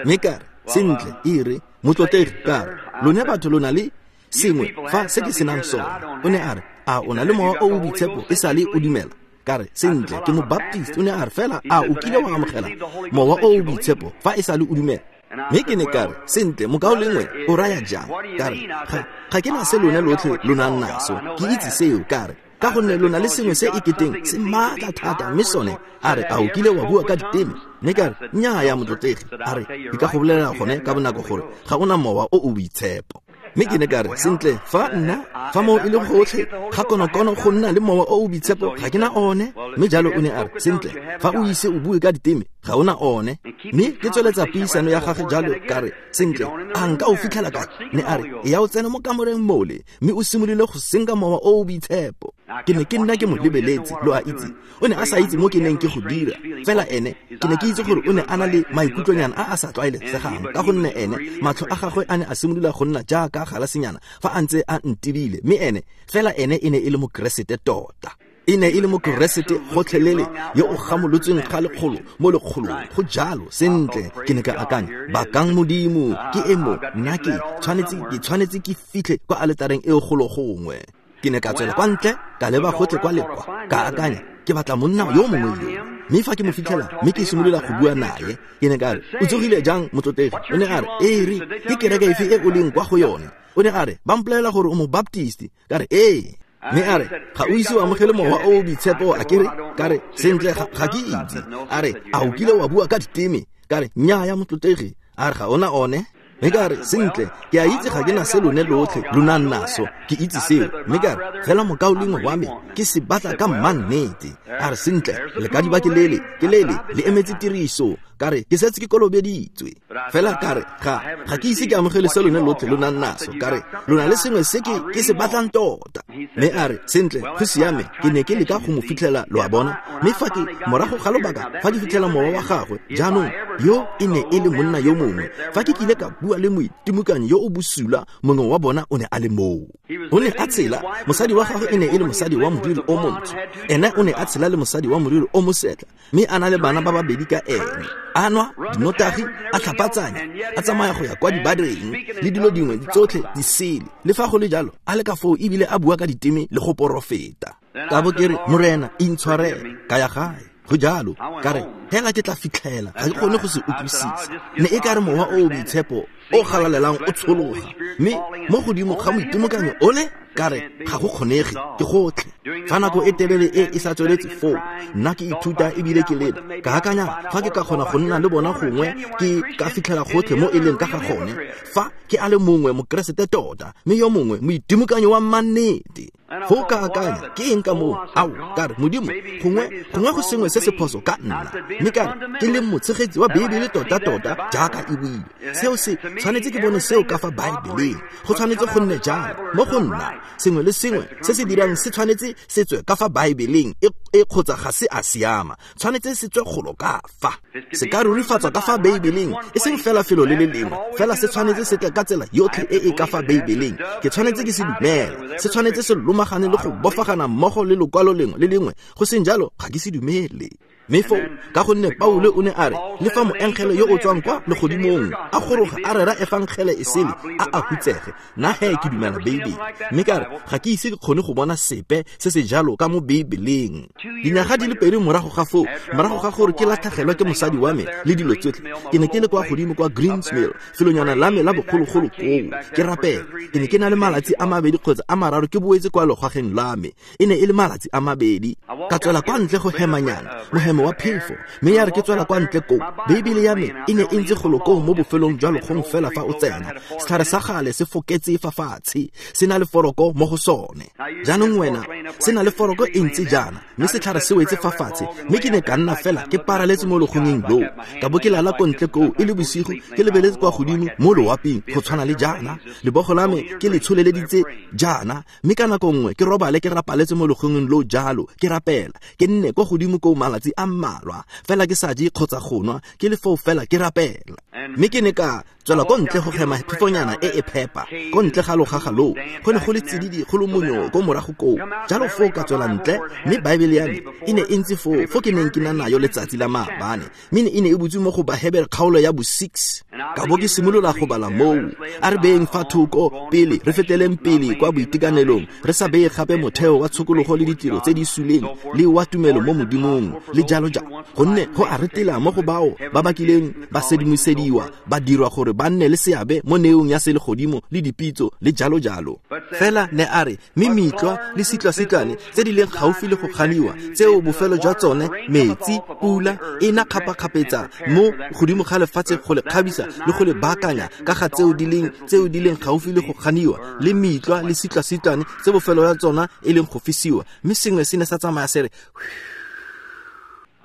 Mme ka re, sentle, e re motlotlegi, ka re, lone batho lo na le sengwe fa se ke senang sone. O ne a re, a o na le mowa o o boitshepo e sale o dumela? Ka re, sentle, ke mobaptist. O ne a re, fela a o kile wa amogela mowa o o boitshepo fa e sale o dumela? Mme ke ne ka re, sentle, mokaulengwe, o raya jang? Ka re, ga ga ke na se lone lotlhe lo nang naso, ke itse seo. Ka re, ka gonne lo na le sengwe se e keteng se maatla thata, mme sone. A re, a o kile wa bua ka diteme? Mme ka re, nnyaa motlotlegi. A re, ke ka go bolelela gone ka bonako gore ga ona mowa o o boitshepo. Mme ke ne ka re, sentle, fa nna fa moo e le gotlhe ga konokono go nna le mowa o o boitshepo, ga ke na one. Mme jalo o ne a re, sentle, fa o ise o bue ka diteme, ga ona one. Mme ke tsweletsa puisano ya gagwe jalo, ka re, sentle, a nka o fitlhela kae? Ne a re, e ya o tsena mo kamoreng mole, mme o simolole go senka mowa o o boitshepo. Ke ne ke nna ke mo lebeletse, lo a itse. O ne a sa itse mo ke neng ke go dira. Fela ene, ke ne ke itse gore o ne a na le maikutlonyana a a sa tlwaelesegang, ka gonne ene matlho a gagwe a ne a simolola go nna jaaka galasenyana fa a ntse a ntebile. Mme ene, fela ene e ne e le mokeresete tota. E ne e le mokeresete gotlhelele yo o gamolotsweng ga lekgolo mo lekgolong. Go jalo, sentle, ke ne ka akanya, bakang Modimo, ke emo, nna ke tshwanetse ke tshwanetse ke fitlhe kwa aletareng eo golo gongwe. Ke ne ka tswela kwa ntle, ka leba gotlhe kwa le kwa, ka akanya, ke batla monna yo mongwe yo. Mme fa ke mo fitlhela, mme ke simolola go bua naye, ke ne ka re, o tsogile jang motlotlegi? O ne a re, ee re, ke kereke efe e o leng kwa go yone? O ne a re, ba mpolelela gore o mobaptist. Ka re, ee. Mme a re, ga o ise o amogele mowa o o boitshepo, a ke re? Ka re, sentle, ga ke itse. A re, a o kile wa bua ka diteme? Ka re, nnyaa motlotlegi. A re, ga ona one. Mme ka re, sentle, ke a itse ga ke na se lone lotlhe lo nang naso, ke itse seo. Mme ka re, fela mokaulengwe wa me ke se batla ka mmannete. A re, sentle, lekadiba ke lele, ke lele, le emetse tiriso. Ka re, ke setse ke kolobeditswe. Fela ka re, ga ga ke ise ke amogele se lone lotlhe lo nang naso. Ka re, lo na le sengwe se ke ke se batlang tota. Mme a re, sentle, go siame, ke ne ke leka go mo fitlhela, lo a bona. Mme fa ke morago ga lobaka, fa ke fitlhela mowa wa gagwe, jaanong yo e ne e le monna yo mongwe. Fa ke kile ka bua le moitimokanyi yo o bosula, mongwe wa bona o ne a le moo. O ne a tshela, mosadi wa gagwe e ne e le mosadi wa moriri o montsho. Ene o ne a tshela le mosadi wa moriri o mosetlha, mme a na le bana ba babedi ka ene. A nwa dinotagi, a tlhapatsanya, a tsamaya go ya kwa dibareng le dilo dingwe tsotlhe di sele. Le fa go le jalo, a le ka foo ebile a bua ka diteme le go porofeta. Ka bo ke re, Morena, intshwarele, ka ya gae. Go jalo, ka re, hela ke tla fitlhela, ga ke kgone go se utlwisisa. Ne e ka re mowa o o boitshepo o galalelang o tshologa, mme mo godimo ga moitimokanyo ole, ka re ga go kgonege, ke gotlhe. Fa nako e telele e e sa tsweletse foo, nna ke ithuta ebile ke lela. Ka akanya fa ke ka kgona go nna le bona gongwe ke ka fitlhela gotlhe mo e leng ka ga gone. Fa ke a le mongwe mokeresete tota, mme yo mongwe moitimokanyo wa mannete. Foo ka akanya, ke eng ka moo? Ao, ka re, Modimo, gongwe gongwe go sengwe se se phoso ka nna. Mme ka re, ke le motshegetsi wa Beibele tota-tota jaaka e buile. Seo se tshwanetse ke bone seo ka fa Baebeleng. Go tshwanetse go nne jalo mo go nna. Sengwe le sengwe se se dirang se tshwanetse se tswe ka fa Baebeleng e e kgotsa ga se a siama. Tshwanetse se tswe golo ka fa. Se ka rurifatswa ka fa Baebeleng, e seng fela felo le le lengwe, fela se tshwanetse se tle ka tsela yotlhe e e ka fa Baebeleng. Ke tshwanetse ke se dumela. Se tshwanetse se lomagane le go bofagana mmogo le lokwalo lengwe le lengwe. Go seng jalo ga ke se dumele. Mme foo, ka gonne Paulo o ne a re, le fa moengele yo o tswang kwa legodimong a goroga a rera efangele e sele, a a hutsege. Nna he ke dumela Beibele. Mme ka re, ga ke ise ke kgone go bona sepe se se jalo ka mo Beibeleng. Dinyaga di le pedi morago ga foo, morago ga gore ke latlhegelwe ke mosadi wa me le dilo tsotlhe, ke ne ke le kwa godimo kwa Greens Mill, felonyana la me la bogologolo koo, ke rapela. Ke ne ke na le malatsi a mabedi kgotsa a mararo ke boetse kwa logageng la me. E ne e le malatsi a mabedi. Ka tswela kwa ntle go hemanyana, mohemo wa phefo, mme ya re ke tswela kwa ntle koo, Beibele ya me e ne e ntse golo koo mo bofelong jwa logong fela fa o tsena. Setlhare sa gale se foketse fa fatshe, se na le foroko mo go sone. Jaanong wena, se na le foroko e ntse jaana, mme setlhare se wetse fa fatshe, mme ke ne ka nna fela ke paraletse mo logongeng loo. Ka bo ke lala ko ntle koo e le bosigo, ke lebeletse kwa godimo mo loaping go tshwana le jaana. Lebogo la me ke le tsholeleditse jaana, mme ka nako nngwe ke robale ke rapaletse mo logongeng loo jalo, ke rapela. Ke nne kwa godimo koo malatsi a mmalwa, fela ke sa je kgotsa go nwa, ke le foo fela ke rapela. Mme ke ne ka tswela ko ntle go hema phefonyana e e phepa, ko ntle ga logaga loo. Go ne go le tsididi go le monyo ko morago koo. Jalo foo ka tswela ntle, mme Baebele ya me e ne e ntse foo, foo ke neng ke na nayo letsatsi la maabane, mme e ne e butswe mo go Bahebere kgaolo ya bo six. Ka bo ke simolola go bala moo. A re beeng fa thoko pele, re feteleng pele kwa boitekanelong, re sa beye gape motheo wa tshokologo le ditiro tse di suleng le wa tumelo mo Modimong le jalo jalo. Gonne go a retela mo go bao ba ba kileng ba sedimosediwa, ba dirwa gore ba nne le seabe mo neong ya selegodimo le dipitso le jalo jalo. Fela ne a re, mme mitlwa le sitlwa-sitlwane tse di leng gaufi le go ganiwa, tseo bofelo jwa tsone metsi, pula e na kgapakgapetsa mo godimo ga lefatshe go le kgabisa le go le baakanya ka ga tseo di leng tseo di leng gaufi le go ganiwa, le mitlwa le sitlwa-sitlwane tse bofelo jwa tsona e leng go fisiwa. Mme sengwe se ne sa tsamaya se re,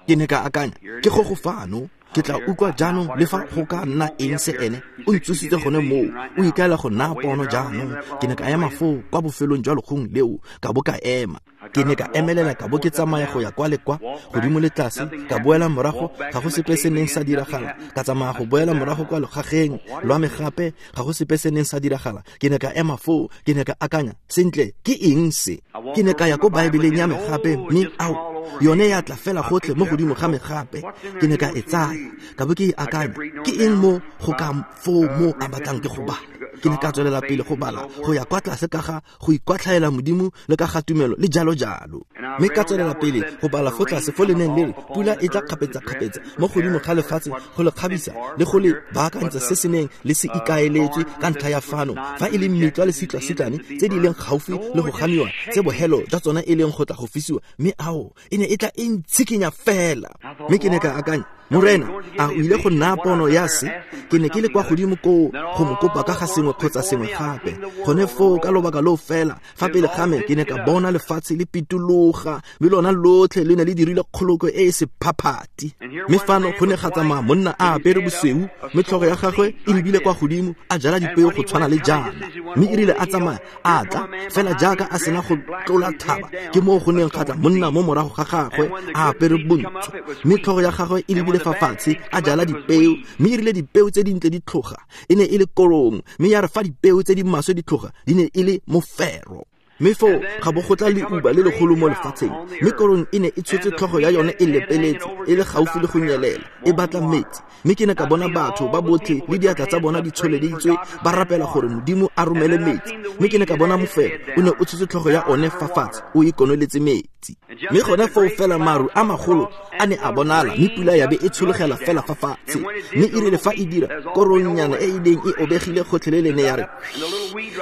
ke ne ka akanya, ke go go fano, ke tla utlwa jaanong le fa go ka nna eng se ene o ntsositse gone moo, o ikaela go nna pono jaanong. Ke ne ka ema foo kwa bofelong jwa logong leo, ka bo ka ema. Ke ne ka emelela, ka bo ke tsamaya go ya kwa le kwa, godimo le tlase, ka boela morago, ga go sepe se neng sa diragala. Ka tsamaya go boela morago kwa logageng lwa me gape, ga go sepe se neng sa diragala. Ke ne ka ema foo, ke ne ka akanya, sentle, ke eng se? Ke ne ka ya ko Baebeleng ya me gape, mme ao, yone ya tla fela gotlhe mo godimo ga me gape. Ke ne ka e tsaya, ka bo ke e akanya, ke eng mo go ka foo mo a batlang ke go bala? Ke ne ka tswelela pele go bala go ya kwa tlase ka ga go ikwatlhaela Modimo le ka ga tumelo le jalo jalo. Mme ka tswelela pele go bala fo tlase fo le neng le re pula e tla kgapetsa-kgapetsa mo godimo ga lefatshe go le kgabisa le go le baakantsa se se neng le se ikaeletswe ka ntlha ya fano, fa e le mitlwa le sitlwa-sitlwane tse di leng gaufi le go ganiwa, tse bohelo jwa tsona e leng go tla go fisiwa. Mme ao, e ne e tla e ntshikinya fela. Mme ke ne ka akanya, Morena, a o ile go nna pono ya se? Ke ne ke le kwa godimo koo go mo kopa ka ga sengwe kgotsa sengwe gape. Gone foo ka lobaka loo fela, fa pele ga me ke ne ka bona lefatshe le pitologa, mme lona lotlhe le ne le dirile kgolokwe e e sephaphati. Mme fano go ne ga tsamaya monna a apere bosweu, mme tlhogo ya gagwe e lebile kwa godimo, a jala dipeo go tshwana le jaana. Mme e rile a tsamaya a tla, fela jaaka a sena go tlola thaba, ke moo go neng ga tla monna mo morago ga gagwe a apere bontsho, mme tlhogo ya gagwe e lebile fa fatshe, a jala dipeo. Mme e rile dipeo tse dintle di tlhoga, e ne e le korong, mme ya re fa dipeo tse di maswe di tlhoga, di ne e le mofero. Mme foo ga bo go tla leuba le legolo mo lefatsheng, mme korong e ne e tshotse tlhogo ya yone e lepeletse, e le gaufi le go nyelela, e batla metsi. Mme ke ne ka bona batho ba botlhe le diatla tsa bona di tsholeditswe ba rapela gore Modimo a romele metsi. Mme ke ne ka bona mofero o ne o tshotse tlhogo ya one fa fatshe, o e konoletse metsi. Mme gone foo fela maru a magolo a ne a bonala, mme pula ya be e tshologela fela fa fatshe. Mme e rile fa e dira, korongnyana e e neng e obegile gotlhelele ne ya re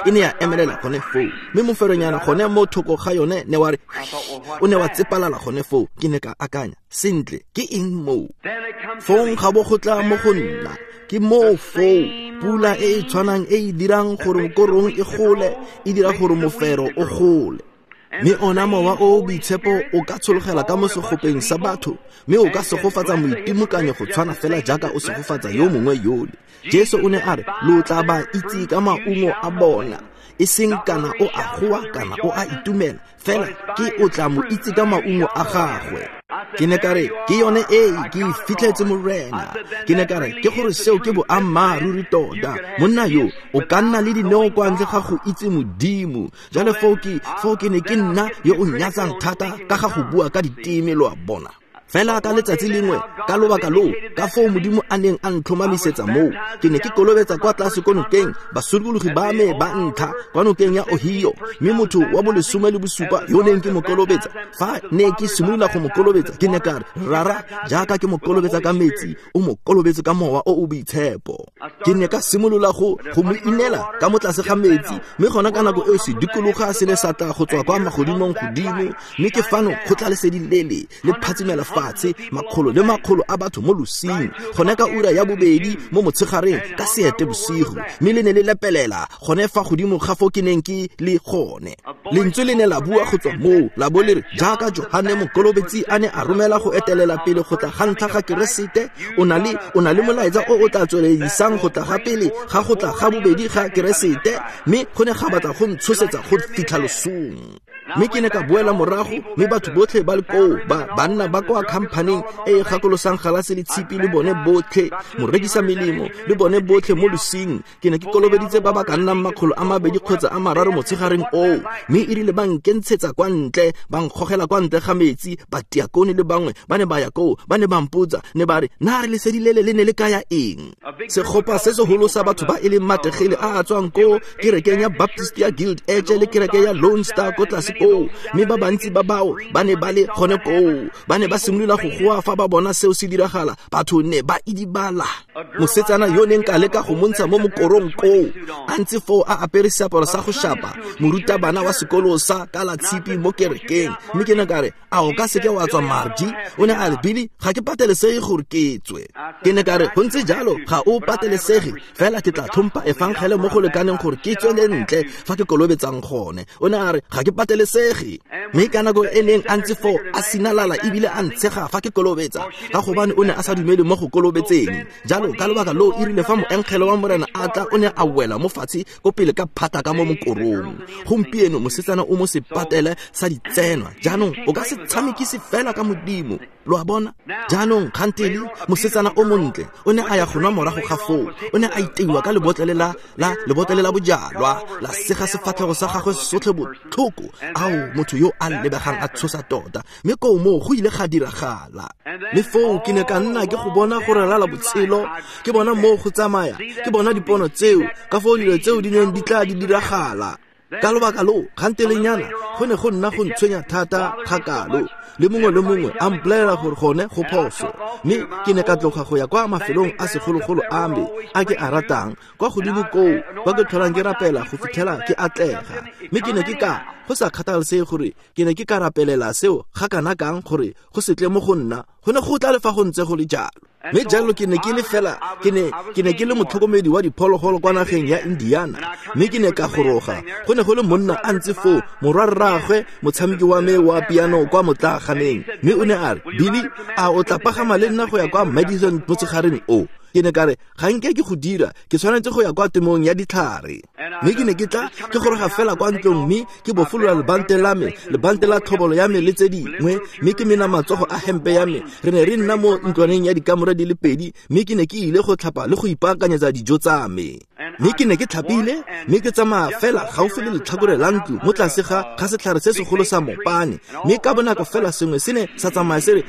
e ne ya emelela gone foo. Mme moferonyana gone mo thoko ga yone ne wa re o ne wa tsepalala gone foo. Ke ne ka akanya, sentle, ke eng moo? Fong ga bo go tla mo go nna, ke moo foo pula e e tshwanang e e dirang gore korong e gole, e dira gore mofero o gole. Mme ona mowa o o boitshepo o ka tshologela ka mo segopeng sa batho, mme o ka segofatsa moitimokanyo go tshwana fela jaaka o segofatsa yo mongwe yole. Jesu o ne a re, lo tla ba itse ka maungo a bona, e seng kana o a goa kana o a itumela, fela ke o tla mo itse ka maungo a gagwe. Ke ne ka re, ke yone e ke e fitlhetse Morena. Ke ne ka re, ke gore seo ke boammaaruri tota. Monna yo o ka nna le dineo kwa ntle ga go itse Modimo. Jalo foo ke foo ke ne ke nna yo o nyatsang thata ka ga go bua ka diteme, lo a bona. Fela ka letsatsi lengwe, ka lobaka loo, ka foo Modimo a neng a ntlhomamisetsa moo, ke ne ke kolobetsa kwa tlase ko nokeng, basokologi ba me ba ntlha kwa nokeng ya Ohio, mme motho wa bolesome le bosupa yo neng ke mo kolobetsa, fa ne ke simolola go mo kolobetsa, ke ne ka re, Rara, jaaka ke mo kolobetsa ka metsi, o mo kolobetse ka mowa o o boitshepo. Ke ne ka simolola go go mo inela ka mo tlase ga metsi, mme gona ka nako eo se dikologa se ne sa tla go tswa kwa magodimong godimo, mme ke fano go tla lesedi lele le phatsimela fa makgolo le makgolo a batho mo losing, gone ka ura ya bobedi mo motshegareng ka seete bosigo, mme le ne le lepelela gone fa godimo ga fo ke neng ke le gone. Lentswe le ne la bua go tswa moo, la bo le re, jaaka Johane Mokolobetsi a ne a romela go etelela pele go tla ga ntlha ga Keresete, o na le o na le molaetsa o o tla tsweledisang go tla ga pele ga go tla ga bobedi ga Keresete, mme go ne ga batla go ntshosetsa go fitlha losong. Mme ke ne ka boela morago, mme batho botlhe ba le koo, ba banna ba kwa khamphaneng e e gakolosang galase le tshipi le bone botlhe, morekisa melemo le bone botlhe mo losing. Ke ne ke kolobeditse ba ba ka nnang makgolo a mabedi kgotsa a mararo motshegareng oo, mme e rile ba nkentshetsa kwa ntle, ba nkgogela kwa ntle ga metsi. Batiakone le bangwe ba ne ba ya koo, ba ne ba mpotsa, ne ba re, na re lesedi lele le ne le kaya eng? Segopa se segolo sa batho ba e leng mategele a a tswang ko kerekeng ya Baptist ya Guild Edge le kereke ya Lone Star ko tlase koo, mme ba bantsi ba bao ba ne ba le gone koo, ba ne ba simolola go goa fa ba bona seo se diragala. Batho ne ba idibala. Mosetsana yo neng ka leka go montsha mo mokorong koo, a ntse foo a apere seaparo sa go shapa, morutabana wa sekolo sa kalatshipi mo kerekeng. Mme ke ne ka re, a o ka seke wa tswa Margie? O ne a re, Billy, ga ke patelesege gore ke tswe. Ke ne ka re, go ntse jalo, ga o patelesege, fela ke tla tlhompha efangele mo go lekaneng gore ke tswele ntle fa ke kolobetsang gone. O ne a re, ga ke patelesege. Mme ka nako e neng a ntse foo a sinalala ebile a ntshega fa ke kolobetsa, ka gobane o ne a sa dumele mo go kolobetseng. Jalo ka lobaka loo e rile fa moengele wa Morena a tla, o ne a wela mo fatshe ko pele ka phata ka mo mokorong. Gompieno mosetsana o mo sepatele sa ditsenwa. Jaanong o ka se tshamekise fela ka Modimo, lo a bona. Jaanong kgantele mosetsana o montle o ne a ya go nwa morago ga foo, o ne a iteiwa ka lebotlele la la lebotlele la bojalwa, la sega sefatlhego sa gagwe sotlhe botlhoko. Ao, motho yo a lebegang a tshosa tota. Mme koo moo go ile ga diragala. Mme foo ke ne ka nna ke go bona go ralala botshelo, ke bona moo go tsamaya, ke bona dipono tseo, ka foo dilo tseo di neng di tla di diragala. Ka lobaka loo, kgantelenyana go ne go nna go ntshwenya thata kgakalo, le mongwe le mongwe a mpolelela gore gone go phoso. Mme ke ne ka tloga go ya kwa mafelong a segologolo a me a ke a ratang, kwa godimo koo kwa ke tlholang ke rapela go fitlhela ke atlega. Mme ke ne ke ka, go sa kgathalesege gore ke ne ke ka rapelela seo ga kana kang gore go se tle mo go nna, go ne go tla le fa go ntse go le jalo. Mme jalo ke ne ke le fela, ke ne ke ne ke le motlhokomedi wa diphologolo kwa nageng ya Indiana. Mme ke ne ka goroga, go ne go le monna a ntse foo, morwarraagwe motshameki wa me wa piano kwa motlaaganeng. Mme o ne a re, Billy, a o tla pagama le nna go ya kwa Madison motshegareng o? Ke ne ka re, ga nke ke go dira, ke tshwanetse go ya kwa temong ya ditlhare. Mme ke ne ke tla ke goroga fela kwa ntlong, mme ke bofolola lebante la me, lebante la tlhobolo ya me le tse dingwe, mme ke mena matsogo a hempe ya me. Re ne re nna mo ntlwaneng ya dikamore di le pedi, mme ke ne ke ile go tlhapa le go ipaakanyetsa dijo tsa me. Mme ke ne ke tlhapile, mme ke tsamaya fela gaufi le letlhakore la ntlo mo tlase ga ga setlhare se segolo sa mopane, mme ka bonako fela sengwe se ne sa tsamaya se re,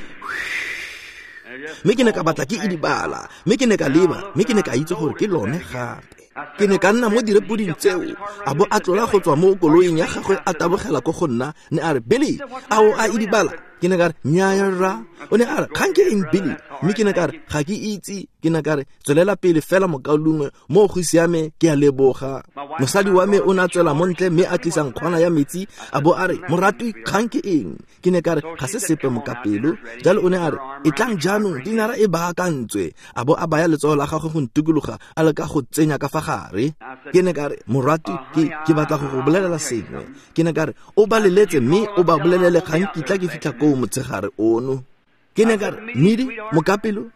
mme ke ne ka batla ke idibala, mme ke ne ka leba, mme ke ne ka itse gore ke lone gape. Ke ne ka nna mo direpoding tseo, a bo a tlola go tswa mo koloing ya gagwe a tabogela ko go nna, ne a re, Billy, a o a idibala? Ke ne ka re, nnyaya rra. O ne a re, kgang ke eng Billy? Mme ke ne ka re, ga ke itse. Ke ne ka re, tswelela pele fela mokaulengwe, mo go siame, ke a leboga. Mosadi wa me o ne a tswela mo ntle mme a tlisa nkgwana ya metsi, a bo a re, moratwi, kgang ke eng? Ke ne ka re, ga se sepe mokapelo. Jalo o ne a re, e tlang jaanong, dinara e baakantswe. A bo a baya letsogo la gagwe go ntikologa, a leka go tsenya ka fa gare. Ke ne ka re, moratwi, ke ke batla go go bolelela sengwe. Ke ne ka re, o ba leletse mme o ba bolelele ga nkitla ke fitlha koo motshegare ono. Ke ne ka re, Midi, mokapelo,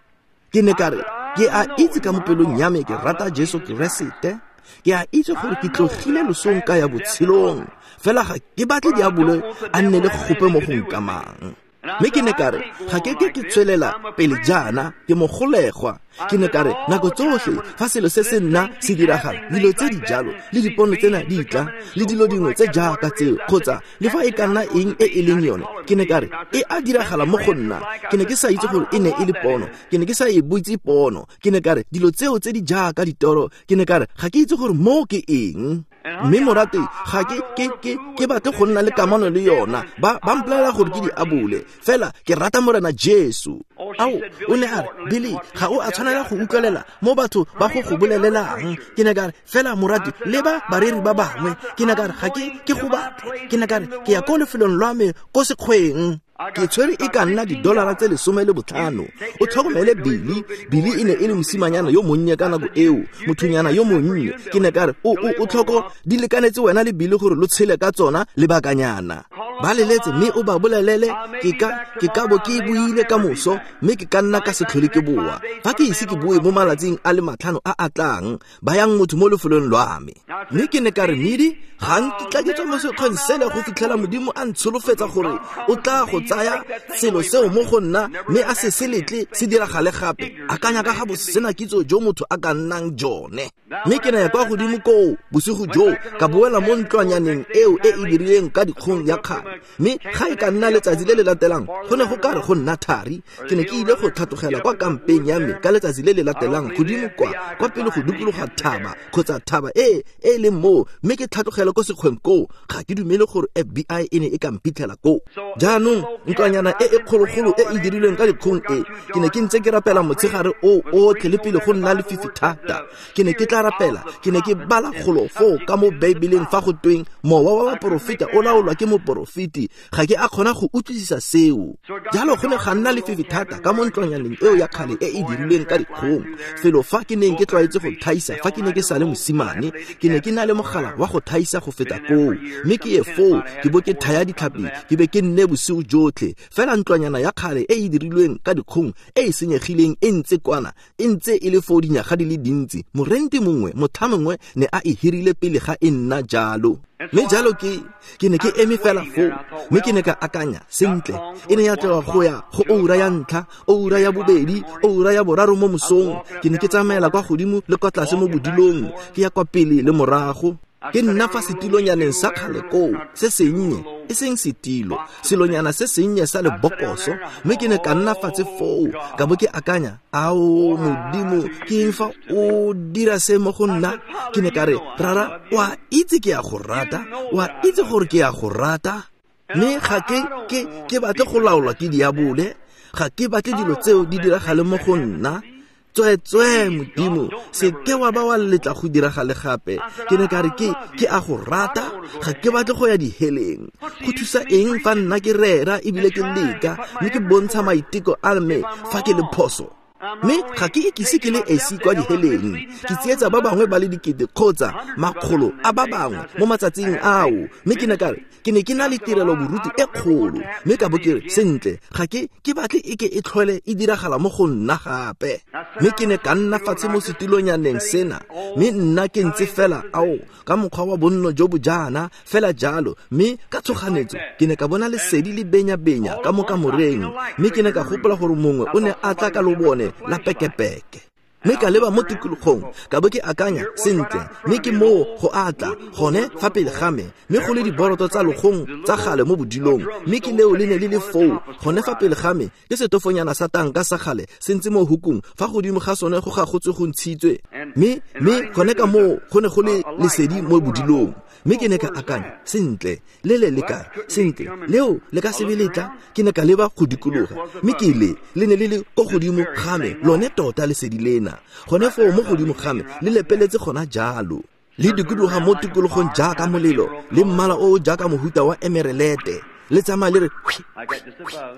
ke ne ka re, ke a itse ka mo pelong ya me ke rata Jesu Keresete. Ke a itse gore ke tlogile losong ka ya botshelong, fela ga ke batle diabolo a nne le gope mo go nkamang. Mme ke ne ka re, ga ke ke ke tswelela pele jaana, ke mogolegwa. Ke ne ka re, nako tsotlhe fa selo se se nna se diragala, dilo tse di jalo le dipono tsena di tla, le dilo dingwe tse jaaka tseo, kgotsa le fa e ka nna eng e e leng yone, ke ne ka re, e a diragala mo go nna. Ke ne ke sa itse gore e ne e le pono, ke ne ke sa e botse pono. Ke ne ka re, dilo tseo tse di jaaka ditoro, ke ne ka re, ga ke itse gore mo ke eng. Mme morate, ga ke ke ke ke batle go nna le kamano le yona. Ba ba mpolelela gore ke diabole, fela ke rata Morena Jesu. Ao, o ne a re, Billy, ga o a tshwanela go utlwelela mo batho ba go go bolelelang. Ke ne ka re, fela morate, le ba bareri ba bangwe. Ke ne ka re, ga ke ke go batle. Ke ne ka re, ke ya ko lefelong lwa me ko sekgweng. Ke tshwere e ka nna didolara tse lesome le botlhano. O tlhokomele Billy. Billy e ne e le mosimanyana yo monnye ka nako eo, mothonyana yo monnye. Ke ne ka re, o o o tlhoko di lekanetse wena le Billy gore lo tshele ka tsona lebakanyana. Ba leletse mme o ba bolelele, ke ka ke ka bo ke buile ka moso, mme ke ka nna ka se tlhole ke boa. Fa ke ise ke boe mo malatsing a le matlhano a a tlang, bayang motho mo lefelong lwa me. Mme ke ne ka re, Midi, ga nkitla ke tswa mo sekgweng sele go fitlhela Modimo a ntsholofetsa gore o tla go tsaya selo seo mo go nna, mme a se se letle se diragale gape. Akanya ka ga bosena kitso jo motho a ka nnang jone. Mme ke ne ya kwa godimo koo bosigo joo, ka boela mo ntlwanyaneng eo e e dirileng ka dikgong ya kgale. Mme ga e ka nna letsatsi le le latelang, go ne go ka re go nna thari. Ke ne ke ile go tlhatlogela kwa kampeng ya me ka letsatsi le le latelang, godimo kwa kwa pele go dikologa thaba kgotsa thaba e e leng moo, mme ke tlhatlogela ko sekgweng koo. Ga ke dumele gore F B I e ne e ka mphitlhela koo. Jaanong ntlwanyana e e kgologolo e e dirilweng ka dikgong e, ke ne ke ntse ke rapela motshegare o otlhe le pele go nna lefifi thata. Ke ne ke tla rapela, ke ne ke bala golo foo ka mo Beibeleng fa go tweng mowa wa baporofeta o laolwa ke moporofeti. Ga ke a kgona go utlwisisa seo. Jalo go ne ga nna lefifi thata ka mo ntlwanyaneng eo ya kgale e e dirilweng ka dikgong, felo fa ke neng ke tlwaetse go thaisa fa ke ne ke sa le mosimane. Ke ne ke na le mogala wa go thaisa go feta koo, mme ke ye foo ke bo ke thaya ditlhapi, ke be ke nne bosigo jotlhe. Fela ntlwanyana ya kgale e e dirilweng ka dikgong e e senyegileng e ntse kwana, e ntse e le foo dinyaga di le dintsi. Morenti mongwe, motho mongwe ne a e hirile pele ga e nna jalo. Mme jalo ke ke ne ke eme fela foo, mme ke ne ka akanya, sentle, e ne ya tloga go ya go oura ya ntlha, oura ya bobedi, oura ya boraro mo mosong. Ke ne ke tsamaela kwa godimo le kwa tlase mo bodilong, ke ya kwa pele le morago. Ke nna fa setilonyaneng sa kgale koo, se sennye, e seng setilo, selonyana se sennye sa lebokoso. Mme ke ne ka nna fatshe foo, ka bo ke akanya, ao Modimo, ke eng fa o dira se mo go nna? Ke ne ka re, Rara, o a itse ke a go rata, o a itse gore ke a go rata. Mme ga ke ke ke batle go laolwa ke diabole, ga ke batle dilo tseo di diragale mo go nna. Tsweetswee Modimo, se ke wa ba wa letla go diragale gape. Ke ne ka re, ke ke a go rata, ga ke batle go ya diheleng. Go thusa eng fa nna ke rera ebile ke leka, mme ke bontsha maiteko a me fa ke le phoso? Mme ga ke ikise ke le esi kwa diheleng, ke tsietsa ba bangwe ba le dikete kgotsa makgolo a ba bangwe mo matsatsing ao. Mme ke ne ka re, ke ne ke na le tirelo boruti e kgolo, mme ka bo ke re, sentle, ga ke ke batle e ke e tlhole e diragala mo go nna gape. Mme ke ne ka nna fatshe mo setilonyaneng sena, mme nna ke ntse fela ao ka mokgwa wa bonno jo bo jaana fela jalo. Mme ka tshoganetso ke ne ka bona lesedi le benya-benya ka mo kamoreng, mme ke ne ka gopola gore mongwe o ne a tla ka lobone la pekepeke. Mme ka leba mo tikologong ka bo ke akanya sentle, mme ke moo go atla gone fa pele ga me, mme go le diboroto tsa logong tsa gale mo bodilong, mme ke leo le ne le le foo gone fa pele ga me, ke setofonyana sa tanka sa gale se ntse mo hukung, fa godimo ga sone go gagotswe go ntshitswe, mme mme gone ka moo go ne go le lesedi mo bodilong. Mme ke ne ka akanya sentle, le le le kae sentle leo le ka sebe letla. Ke ne ka leba go dikologa, mme ke le le ne le le ko godimo ga me, lone tota lesedi lena gone foo mo godimo ga me, le lepeletse gona jalo, le dikologa mo tikologong jaaka molelo, le mmala o o jaaka mohuta wa emerelete, le tsamaya le re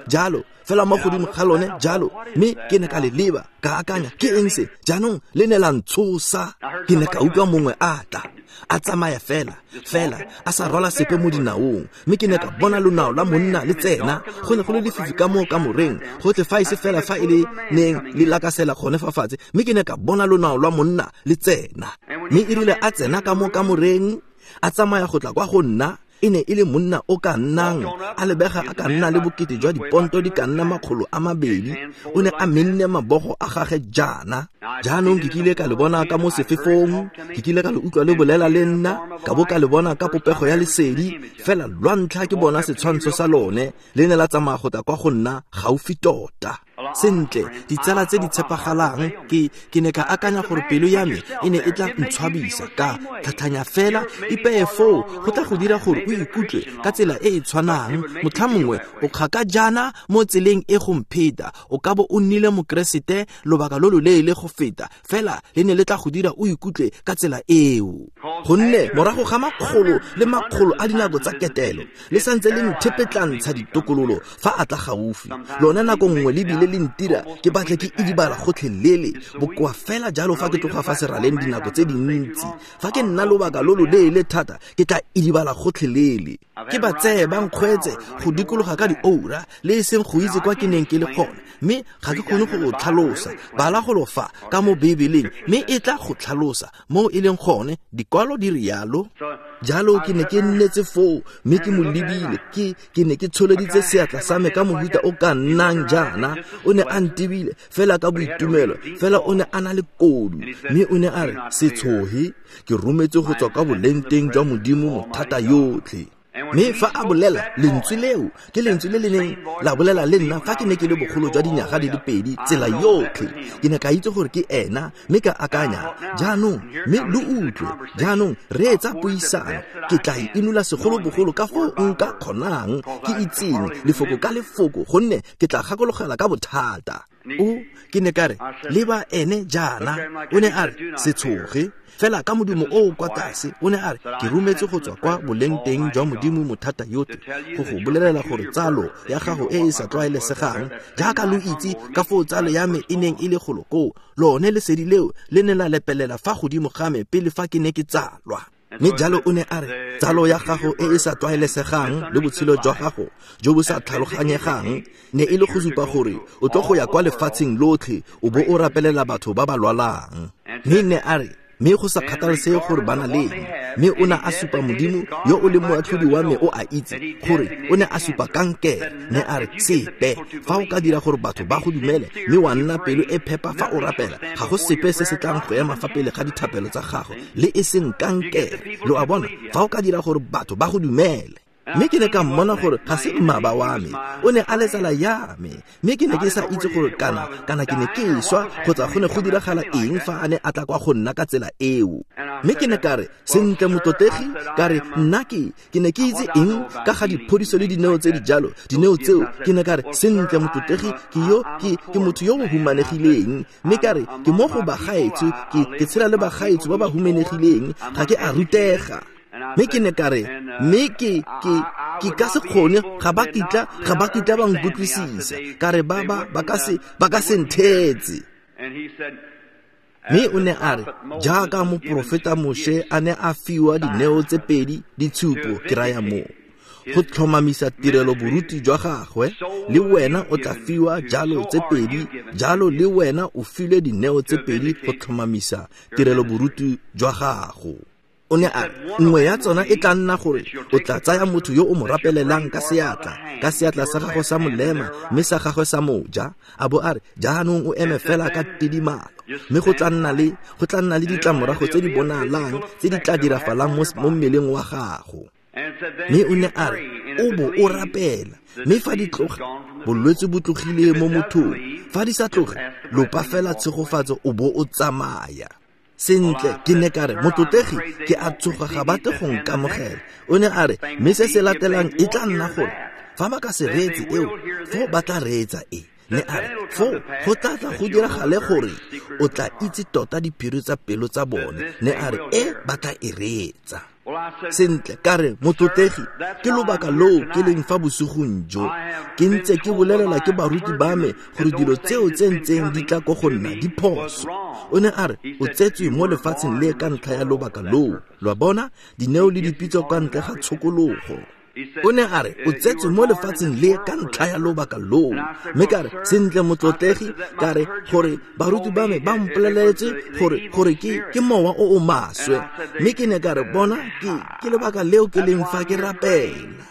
jalo fela mo godimo ga lone jalo. Mme ke ne ka le leba ka akanya ke eng se jaanong, le ne la ntshosa. Ke ne ka utlwa mongwe a tla a tsamaya fela fela a sa rwala sepe mo dinaong, mme ke ne ka bona lonao la monna le tsena. Go ne go le lefifi ka mo kamoreng gotlhe fa e se fela fa e le neng le lakasela gone fa fatshe, mme ke ne ka bona lonao lwa monna le tsena. Mme e rile a tsena ka mo kamoreng a tsamaya go tla kwa go nna, e ne e le monna o ka nnang a lebega a ka nna le bokete jwa diponto di ka nna makgolo a mabedi. O ne a menne mabogo a gagwe jaana. Jaanong ke kile ka le bona ka mo sefefong, ke kile ka le utlwa le bolela le nna, ka bo ka le bona ka popego ya lesedi, fela lwa ntlha ke bona setshwantsho sa lone, le ne la tsamaya go tla kwa go nna gaufi tota. Sentle, ditsala tse di tshepagalang, ke ke ne ka akanya gore pelo ya me e ne e tla ntshwabisa, ka tlhatlhanya fela ipeye foo go tla go dira gore o ikutlwe ka tsela e e tshwanang. Motlha mongwe o kgaka jaana mo tseleng e go mpheta, o ka bo o nnile mokeresete lobaka lo loleele go feta, fela le ne le tla go dira o ikutlwe ka tsela eo. Gonne morago ga makgolo le makgolo a dinako tsa ketelo, le santse le nthepetlantsha ditokololo fa a tla gaufi. Lone nako nngwe le bile le ntira ke batle ke idibala gotlhelele, bokoa fela jalo fa ke tloga fa seraleng dinako tse dintsi. Fa ke nna lobaka lo loleele thata ke tla idibala gotlhelele. Ke ba tseye ba nkgweetse go dikologa ka dioura le e seng go itse kwa ke neng ke le gone, mme ga ke kgone go go tlhalosa. Bala golo fa ka mo Bibeleng, mme e tla go tlhalosa mo e leng gone, dikwalo di rialo. Jalo ke ne ke nnetse foo mme ke mo lebile, ke ke ne ke tsholeditse seatla sa me ka mohuta o ka nnang jaana. O ne a ntebile fela ka boitumelo, fela o ne a na le kodu, mme o ne a re, se tshoge, ke rometse go tswa kwa bolengteng jwa Modimo mothata yotlhe. Mme fa a bolela lentswe leo, ke lentswe le le neng la bolela le nna fa ke ne ke le bogolo jwa dinyaga di le pedi tsela yotlhe. Ke ne ka itse gore ke ena, mme ka akanya jaanong, mme lo utlwe jaanong, reetsa puisano, ke tla e inola segolobogolo ka foo nka kgonang, ke itseng lefoko ka lefoko, gonne ke tla gakologela ka bothata. O ke ne ka re leba ene jaana, o ne a re se tshoge fela ka modumo o o kwa tlase. O ne a re ke rometse go tswa kwa bolengteng jwa Modimo mothata yotlhe go go bolelela gore tsalo ya gago e e sa tlwaelesegang, jaaka lo itse ka foo tsalo ya me e neng e le golo koo, lone lesedi leo le ne la lepelela fa godimo ga me pele fa ke ne ke tsalwa. Mme jalo o ne a re tsalo ya gago e e sa tlwaelesegang le botshelo jwa gago jo bo sa tlhaloganyegang ne e le go supa gore o tlo go ya kwa lefatsheng lotlhe o bo o rapelela batho ba ba lwalang. Mme ne a re mme go sa kgathalesege gore ba na le eng, mme o ne a supa Modimo yo o leng moatlhodi wa me o a itse gore o ne a supa kankere. Ne a re sepe fa o ka dira gore batho ba go dumele mme wa nna pelo e phepa fa o rapela, ga go sepe se se tlang go ema fa pele ga dithapelo tsa gago, le e seng kankere. Lo a bona, fa o ka dira gore batho ba go dumele. Mme ke ne ka mmona gore ga se mmaba wa me, o ne a le tsala ya me, mme ke ne ke sa itse gore kana kana ke ne ke swa kgotsa go ne go diragala eng fa a ne a tla kwa go nna ka tsela eo. Mme ke ne ka re sentle motlotlegi, ka re nna ke ke ne ke itse eng ka ga diphodiso le dineo tse di jalo, dineo tseo. Ke ne ka re sentle motlotlegi, ke yo ke ke motho yo o humanegileng, mme ka re ke mo go bagaetsho, ke ke tshela le bagaetsho ba ba humanegileng, ga ke a rutega. Mme ke ne ka re mme ke ke ke ka se kgone, ga ba kitla ga ba kitla ba nkutlwisisa, ka re ba ba ba ka se ba ka se nthetse. Mme o ne a re jaaka moporofeta Moshe a ne a fiwa dineo tse pedi ditshupo, ke raya moo go tlhomamisa tirelo boruti jwa gagwe, le wena o tla fiwa jalo tse pedi, jalo le wena o filwe dineo tse pedi go tlhomamisa tirelo boruti jwa gago. O ne a re nngwe ya tsona e tla nna gore o tla tsaya motho yo o mo rapelelang ka seatla, ka seatla sa gagwe sa molema mme sa gagwe sa moja, a bo a re jaanong o eme fela ka tidimalo. Mme go tla nna le go tla nna le ditlamorago tse di bonalang tse di tla dirafalang mo mmeleng wa gago. Mme o ne a re o bo o rapela, mme fa di tloga bolwetse bo tlogile mo mothong, fa di sa tloge lopa fela tshegofatso o bo o tsamaya. Sentle, ke ne ka re motlotlegi ke a tsoga ga batle go nkamogela. O ne a re mme se se latelang e tla nna gore fa ba ka se reetse eo, foo ba tla reetsa e. Ne a re foo go tla tla go diragale gore o tla itse tota diphiri tsa pelo tsa bone. Ne a re e ba tla e reetsa. Sentle, ka re motlotlegi ke lobaka loo ke leng fa bosigong jo ke ntse ke bolelela ke baruti ba me gore dilo tseo tse ntseng di tla ko go nna di phoso. O ne a re o tsetswe mo lefatsheng le ka ntlha ya lobaka loo. Lo a bona, dineo le dipitso ka ntle ga tshokologo. O ne a re o tsetswe mo lefatsheng le ka ntlha ya lobaka loo. Mme ka re sentle motlotlegi, ka re gore baruti ba me ba mpoleletse gore gore ke ke mowa o o maswe. Mme ke ne ka re bona ke ke lebaka leo ke leng fa ke rapela.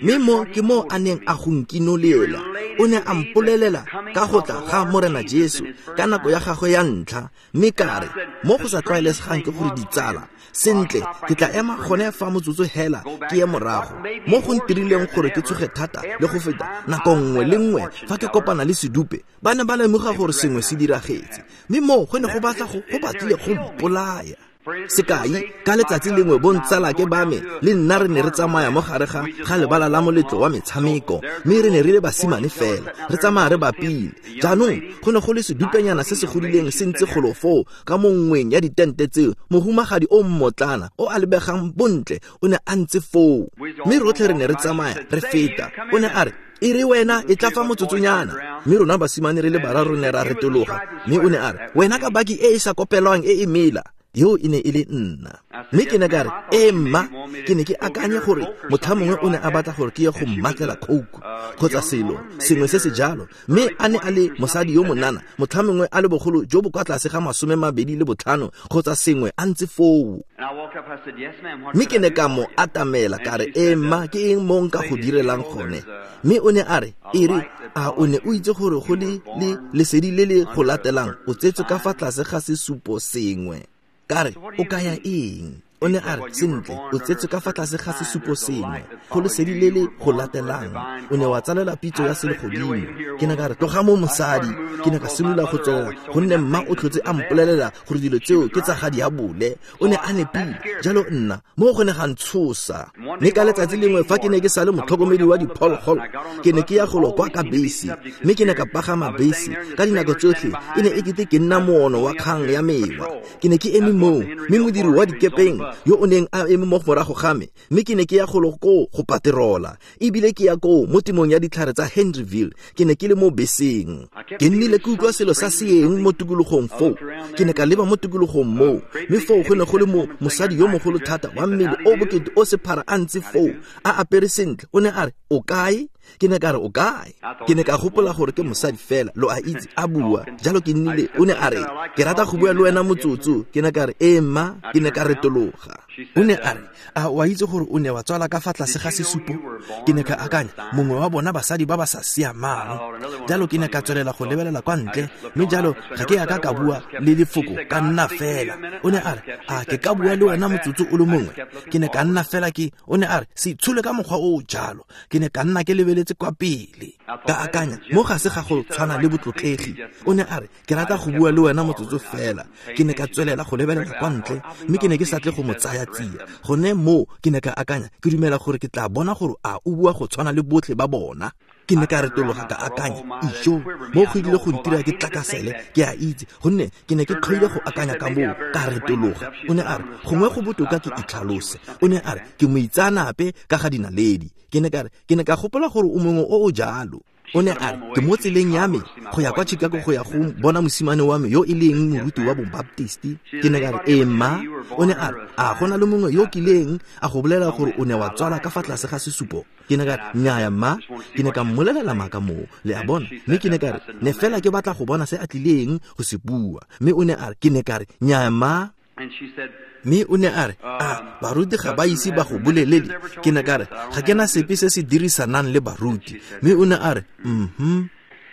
Mme mo ke mo a neng a go nkinolela. O ne a mpolelela ka go tla ga Morena Jesu ka nako ya gagwe ya ntlha. Mme ka re mo go sa tlwaelesegang ke gore ditsala, sentle ke tla ema gone fa motsotso hela ke ye morago. Mo go ntirileng gore ke tsoge thata le go feta nako nngwe le nngwe fa ke kopana le sedupe, ba ne ba lemoga gore sengwe se diragetse. Mme mo go ne go batla go go batlile go mpolaya. Sekai, ka letsatsi lengwe bontsalake ba me le nna re ne re tsamaya mo gare ga ga lebala la moletlo wa metshameko, mme re ne re le basimane fela, re tsamaya re bapile. Jaanong go ne go le sedupenyana se se godileng se ntse golo foo ka mo nngweng ya ditente tseo. Mohumagadi o mmotlana o a lebegang bontle o ne a ntse foo, mme rotlhe re ne re tsamaya re feta. O ne a re e re wena e tla fa motsotsonyana. Mme rona basimane re le bararo ne ra retologa, mme o ne a re wena ka baki e e sa kopelwang e e mela. Yo e ne e le nna. Mme ke ne ka re ee mma, ke ne ke akanye gore motlha mongwe o ne a batla gore ke ye go mmatlela coke kgotsa selo sengwe se se jalo. Mme a ne a le mosadi yo monana, motlha mongwe a le bogolo jo bo kwa tlase ga masome mabedi le botlhano kgotsa sengwe a ntse foo. Mme ke ne ka mo atamela ka re ee mma, ke eng mo nka go direlang gone? Mme o ne a re e re a o ne o itse gore go le le lesedi le le go latelang o tsetswe ka fa tlase ga sesupo sengwe. Ka re o kaya eng? O ne a re sentle o tsetswe ka fa tlase ga sesupo sengwe, go lesedi le le go latelang o ne wa tsalela pitso ya selegodimo. Ke ne ka re tloga mo mosadi. Ke ne ka simolola go tswelela gonne mma o tlhotse a mpolelela gore dilo tseo ke tsa ga diabole. O ne a nepile jalo nna mo go ne ga ntshosa. Mme ka letsatsi lengwe fa ke ne ke sa le motlhokomedi wa diphologolo, ke ne ke ya golo kwa ka bese, mme ke ne ka pagama bese. Ka dinako tsotlhe e ne e kete ke nna moono wa kgang ya mewa. Ke ne ke eme moo, mme modiri wa dikepeng yo o neng a eme mo morago ga me, mme ke ne ke ya golo koo go paterola, ebile ke ya koo mo temong ya ditlhare tsa Henryville. Ke ne ke le mo beseng, ke nnile ke utlwa selo sa seeng mo tikologong foo. Ke ne ka leba mo tikologong moo, mme foo go ne go le mo mosadi yo mogolo thata wa mmele o bokete o sephara a ntse foo a apere sentle. O ne a re o kae? Ke ne ka re o kae? Ke ne ka gopola gore ke mosadi fela, lo a itse, a bua jalo. Ke nnile o ne a re ke rata go bua le wena motsotso. Ke ne ka re ee mma. Ke ne ka retologa. O ne a re a wa itse gore o ne wa tswala ka fa tlase ga sesupo? Ke ne ka akanya mongwe wa bona basadi ba ba sa siamang. Jalo ke ne ka tswelela go lebelela kwa ntle, mme jalo ga ke ya ka ka bua le lefoko ka nna fela. O ne a re a ke ka bua le wena motsotso o le mongwe? Ke ne ka nna fela ke. O ne a re se itshole ka mokgwa o o jalo. Ke ne ka nna ke lebeletse kwa pele, ka akanya mo ga se ga go tshwana le botlotlegi. O ne a re ke rata go bua le wena motsotso fela. Ke ne ka tswelela go lebelela kwa ntle, mme ke ne ke sa tle go mo tsaya tsia. Gone moo ke ne ka akanya ke dumela gore ke tla bona gore a o bua go tshwana le botlhe ba bona. Ke ne ka retologa ka akanya ijo mo go ile go ntira ke tlakasele, ke a itse gonne ke ne ke tlhoile go akanya ka moo. Ka retologa. O ne a re gongwe go botoka ke itlhalose. O ne a re ke moitseanape ka ga dinaledi. Ke ne ka re ke ne ka gopola gore o mongwe o o jalo. O ne a re ke mo tseleng ya me go ya kwa Chicago go ya go bona mosimane wa me yo e leng moruti wa Bobaptisti. Ke ne ka re ee mma. O ne a re a go na le mongwe yo kileng a go bolela gore o ne wa tswala ka fa tlase ga sesupo? Ke ne ka re nnyaya mma. Ke ne ka mmolelela maaka moo, le a bona. Mme ke ne ka re ne fela ke batla go bona se a tlileng go se bua. Mme o ne a re ke ne ka re nnyaya mma. Mme o ne a re a baruti ga ba ise ba go bolelele? Ke ne ka re ga ke na sepe se se dirisanang le baruti. Mme o ne a re mhm.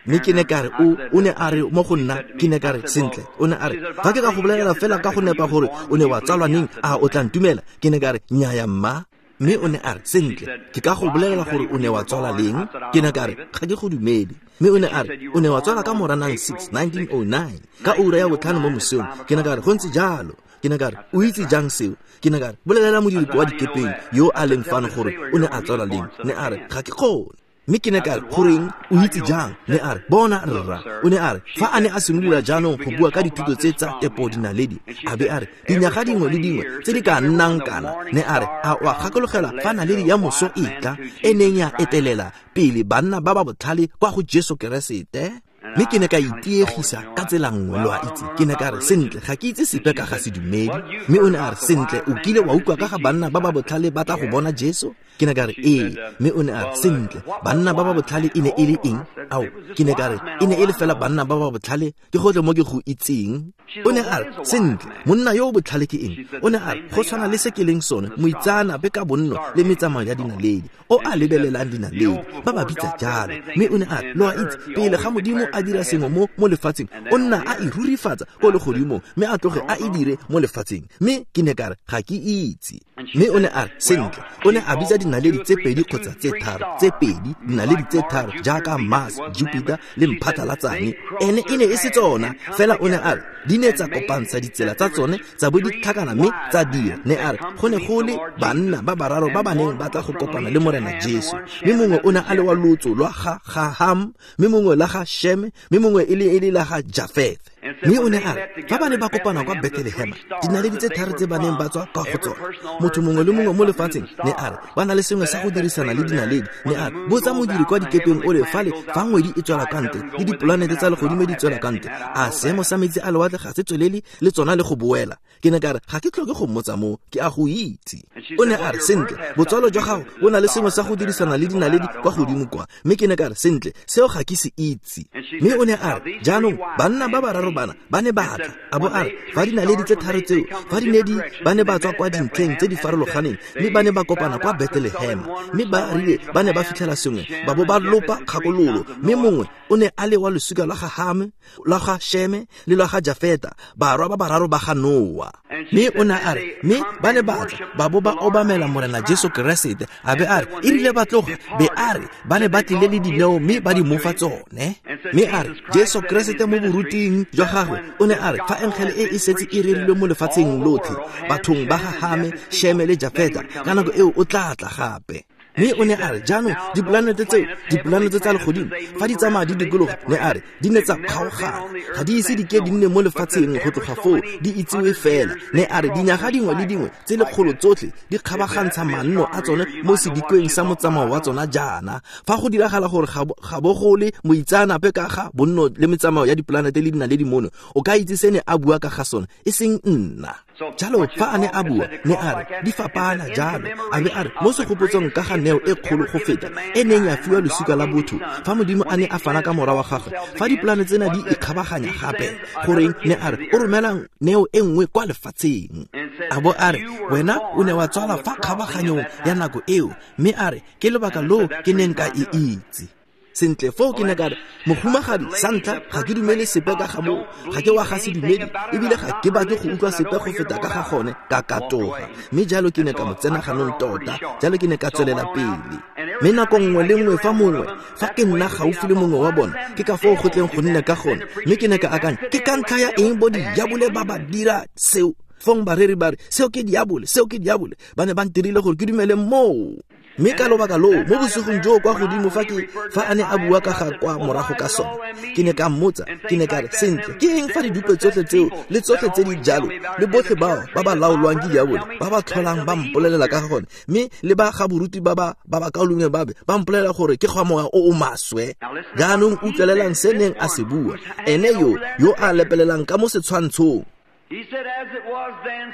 Mme ke ne ka re o o ne a re mo go nna, ke ne ka re sentle. O ne a re fa ke ka go bolelela fela ka go nepa gore o ne wa tsalwa neng, a o tla ntumela? Ke ne ka re nnyaya mma. Mme o ne a re sentle, ke ka go bolelela gore o ne wa tswala leng? Ke ne ka re ga ke go dumele. Mme o ne a re o ne wa tswala ka Moranang six, nineteen oh nine, ka ura ya botlhano mo mosong. Ke ne ka re go ntse jalo. Ke ne ka re o itse jang seo? Ke ne ka re bolelela modiri wa dikepeng yo a leng fano gore o ne a tswala leng. Ne a re ga ke kgone. Mme ke ne ka re goreng o itse jang? Ne a re bona rra. O ne a re fa a ne a simolola jaanong go bua ka dithuto tse tsa tepo dinaledi, a be a re dinyaga dingwe le dingwe tse di ka nnang kana. Ne a re a o a gakologela fa naledi ya moso e tla e neng ya etelela pele banna ba ba botlhale kwa go Jesu Keresete? Mme ke ne ka itiegisa ka tsela nngwe, lo a itse. Ke ne ka re sentle, ga ke itse sepe ka ga sedumedi. Mme o ne a re sentle, o kile wa utlwa ka ga banna ba ba botlhale ba tla go bona Jesu? Ke ne ka re ee. Mme o ne a re sentle, banna ba ba botlhale e ne e le eng? Ao, ke ne ka re e ne e le fela banna ba ba botlhale, ke gotlhe mo ke go itseng. O ne a re sentle, monna yo o botlhale ke eng? O ne a re go tshwana le se ke leng sone, moitseanape ka bonno le metsamao ya dinaledi, o a lebelelang dinaledi, ba ba bitsa jalo. Mme o ne a re lo a itse, pele ga Modimo a dira sengwe mo mo lefatsheng, o nna a e rurifatsa ko legodimong, mme a tloge a e dire mo lefatsheng. Mme ke ne ka re ga ke itse. Mme o ne a re sentle, o ne a bitsa dinaledi tse pedi kgotsa tse tharo, tse pedi dinaledi tse tharo jaaka Mars, Jupiter le Mphatlalatsane. Ene e ne e se tsona fela, o ne a re di ne tsa kopantsha ditsela tsa tsone tsa bo di tlhakana mme tsa dira. Ne a re go ne go le banna ba bararo ba ba neng ba tla go kopana le Morena Jesu, mme mongwe o ne a le wa lotso lwa ga ga Ham, mme mongwe la ga Shem, mme mongwe e le e le la ga Jafeth. Mme o ne a re fa ba ne ba kopana kwa Bethlehema, dinaledi tse tharo tse ba neng ba tswa kwa go tsona, motho mongwe le mongwe mo lefatsheng, ne a re ba na le sengwe sa go dirisana le dinaledi. Ne a re botsa modiri kwa dikepeng o le fale fa ngwedi e tswela ka ntle le dipolanete tsa legodimo di tswela ka ntle, a seemo sa metsi a lewatle ga se tswelele le tsona le go boela? Ke ne ka re ga ke tlhoke go mmotsa moo, ke a go itse. O ne a re sentle, botswalo jwa gago bo na le sengwe sa go dirisana le dinaledi kwa godimo kwa. Mme ke ne ka re sentle, seo ga ke se itse. Mme o ne a re jaanong banna ba bararo bana ba ne ba tla, a bo a re fa dinaledi tse tharo tseo fa di ne di ba ne ba tswa kwa dintlheng tse di farologaneng, mme ba ne ba kopana kwa Bethlehema, mme ba rile ba ne ba fitlhela sengwe, ba bo ba lopa kgakololo. Mme mongwe o ne a le wa losika lwa ga Hame, lwa ga Sheme le lwa ga Jafeta, barwa ba bararo ba ga Noa. Mme o ne a re mme ba ne ba tla ba bo ba obamela Morena Jesu Keresete, a be a re e rile ba tloga, be a re ba ne ba tlile le dineo mme ba di mofa tsone. Mme a re Jesu Keresete mo boruting jwa gagwe o ne a re fa engele e e setse e rerilwe mo lefatsheng lotlhe, bathong ba ga Hame, Sheme le Jafeta, ka nako eo o tla tla gape. Mme o ne a re jaanong dipolanete tseo, dipolanete tsa legodimo, fa di tsamaya di dikologa, ne a re di ne tsa kgaogana, ga di ise di ke di nne mo lefatsheng go tloga foo di itsiwe fela. Ne a re dinyaga dingwe le dingwe tse lekgolo tsotlhe di kgabagantsha manno a tsone mo sedikweng sa motsamao wa tsona jaana. Fa go diragala gore ga bo go le moitseanape ka ga bonno le metsamao ya dipolanete le dinaledi mono, o ka itse se ne a bua ka ga sone, e seng nna. Jalo fa a ne a bua, ne a re di fapana jalo, a be a re mo segopotsong ka ga neo e kgolo go feta e neng ya fiwa losika la botho fa Modimo a ne a fana ka mora wa gagwe, fa dipolane tsena di ikgabaganya gape, goreng ne a re o romela neo e nngwe kwa lefatsheng. A bo a re wena o ne wa tswala fa kgabaganyong ya nako eo, mme a re ke lebaka loo ke neng ka e itse. Sentle foo ke ne ka re mohumagadi, sa ntlha ga ke dumele sepe ka ga moo, ga ke wa ga sedumedi, ebile ga ke batle go utlwa sepe go feta ka ga gone, ka katoga. Mme jalo ke ne ka mo tsena ganong tota, jalo ke ne ka tswelela pele. Mme nako nngwe le nngwe fa mongwe, fa ke nna gaufi le mongwe wa bona, ke ka foo go tleng go nne ka gone. Mme ke ne ka akanya, ke ka ntlha ya eng bo diabole ba ba dira seo? Fong bareri ba re seo ke diabole, seo ke diabole, ba ne ba ntirile gore ke dumele moo. Mme ka lobaka loo mo bosigong joo kwa godimo fa ke fa a ne a bua ka ga kwa morago ka sone, ke ne ka mmotsa, ke ne ka re sentle, ke eng fa didupe tsotlhe tseo le tsotlhe tse di jalo le botlhe bao ba ba laolwang ke diabole ba ba tlholang ba mpolelela ka ga gone, mme le ba ga boruti ba ba ba ba kaolongwe ba be ba mpolelela gore ke gwa moya o o maswe. Jaanong utlwelelang se neng a se bua, ene yo yo a lepelelang ka mo setshwantshong.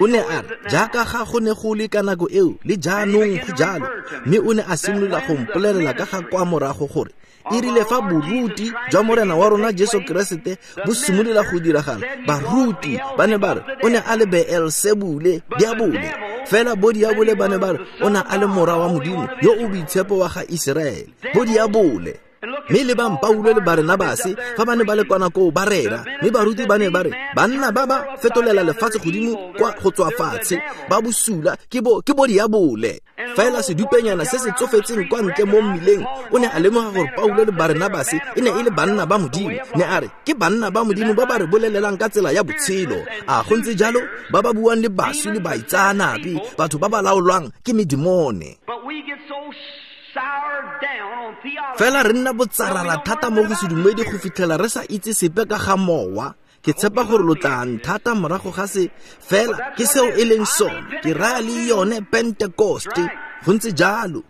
O ne a re jaaka ga go ne go le ka nako eo le jaanong go jalo. Mme o ne a simolola go mpolelela ka ga kwa morago gore e rile fa boruti jwa Morena wa rona Jesu Keresete bo simolola go diragala, baruti ba ne ba re o ne a le Beelsebule, diabole. Fela bo diabole ba ne ba re o ne a le mora wa Modimo yo o boitshepo wa ga Iseraele, bo diabole. Mme lebang Paulo le Barenabase fa ba ne ba le kwa nako ba rera, mme baruti ba ne ba re banna ba ba fetolela lefatshe godimo kwa go tswa fatshe, ba bosula ke bo ke bo diabole. Fela sedupenyana se se tsofetseng kwa ntle mo mmileng o ne a lemoga gore Paulo le Barenabase e ne e le banna ba Modimo. Ne a re ke banna ba Modimo ba ba re bolelelang ka tsela ya botshelo. A go ntse jalo? Ba ba buang le baswi le baitsaanape, batho ba ba laolwang ke medimone. Fela re nna botsarara thata mo go sedumedi go fitlhela re sa itse sepe ka ga mowa. Ke tshepa gore lo tla nthata morago ga se, fela ke seo e leng sone. Ke raya le yone Pentekoste. Go ntse jalo.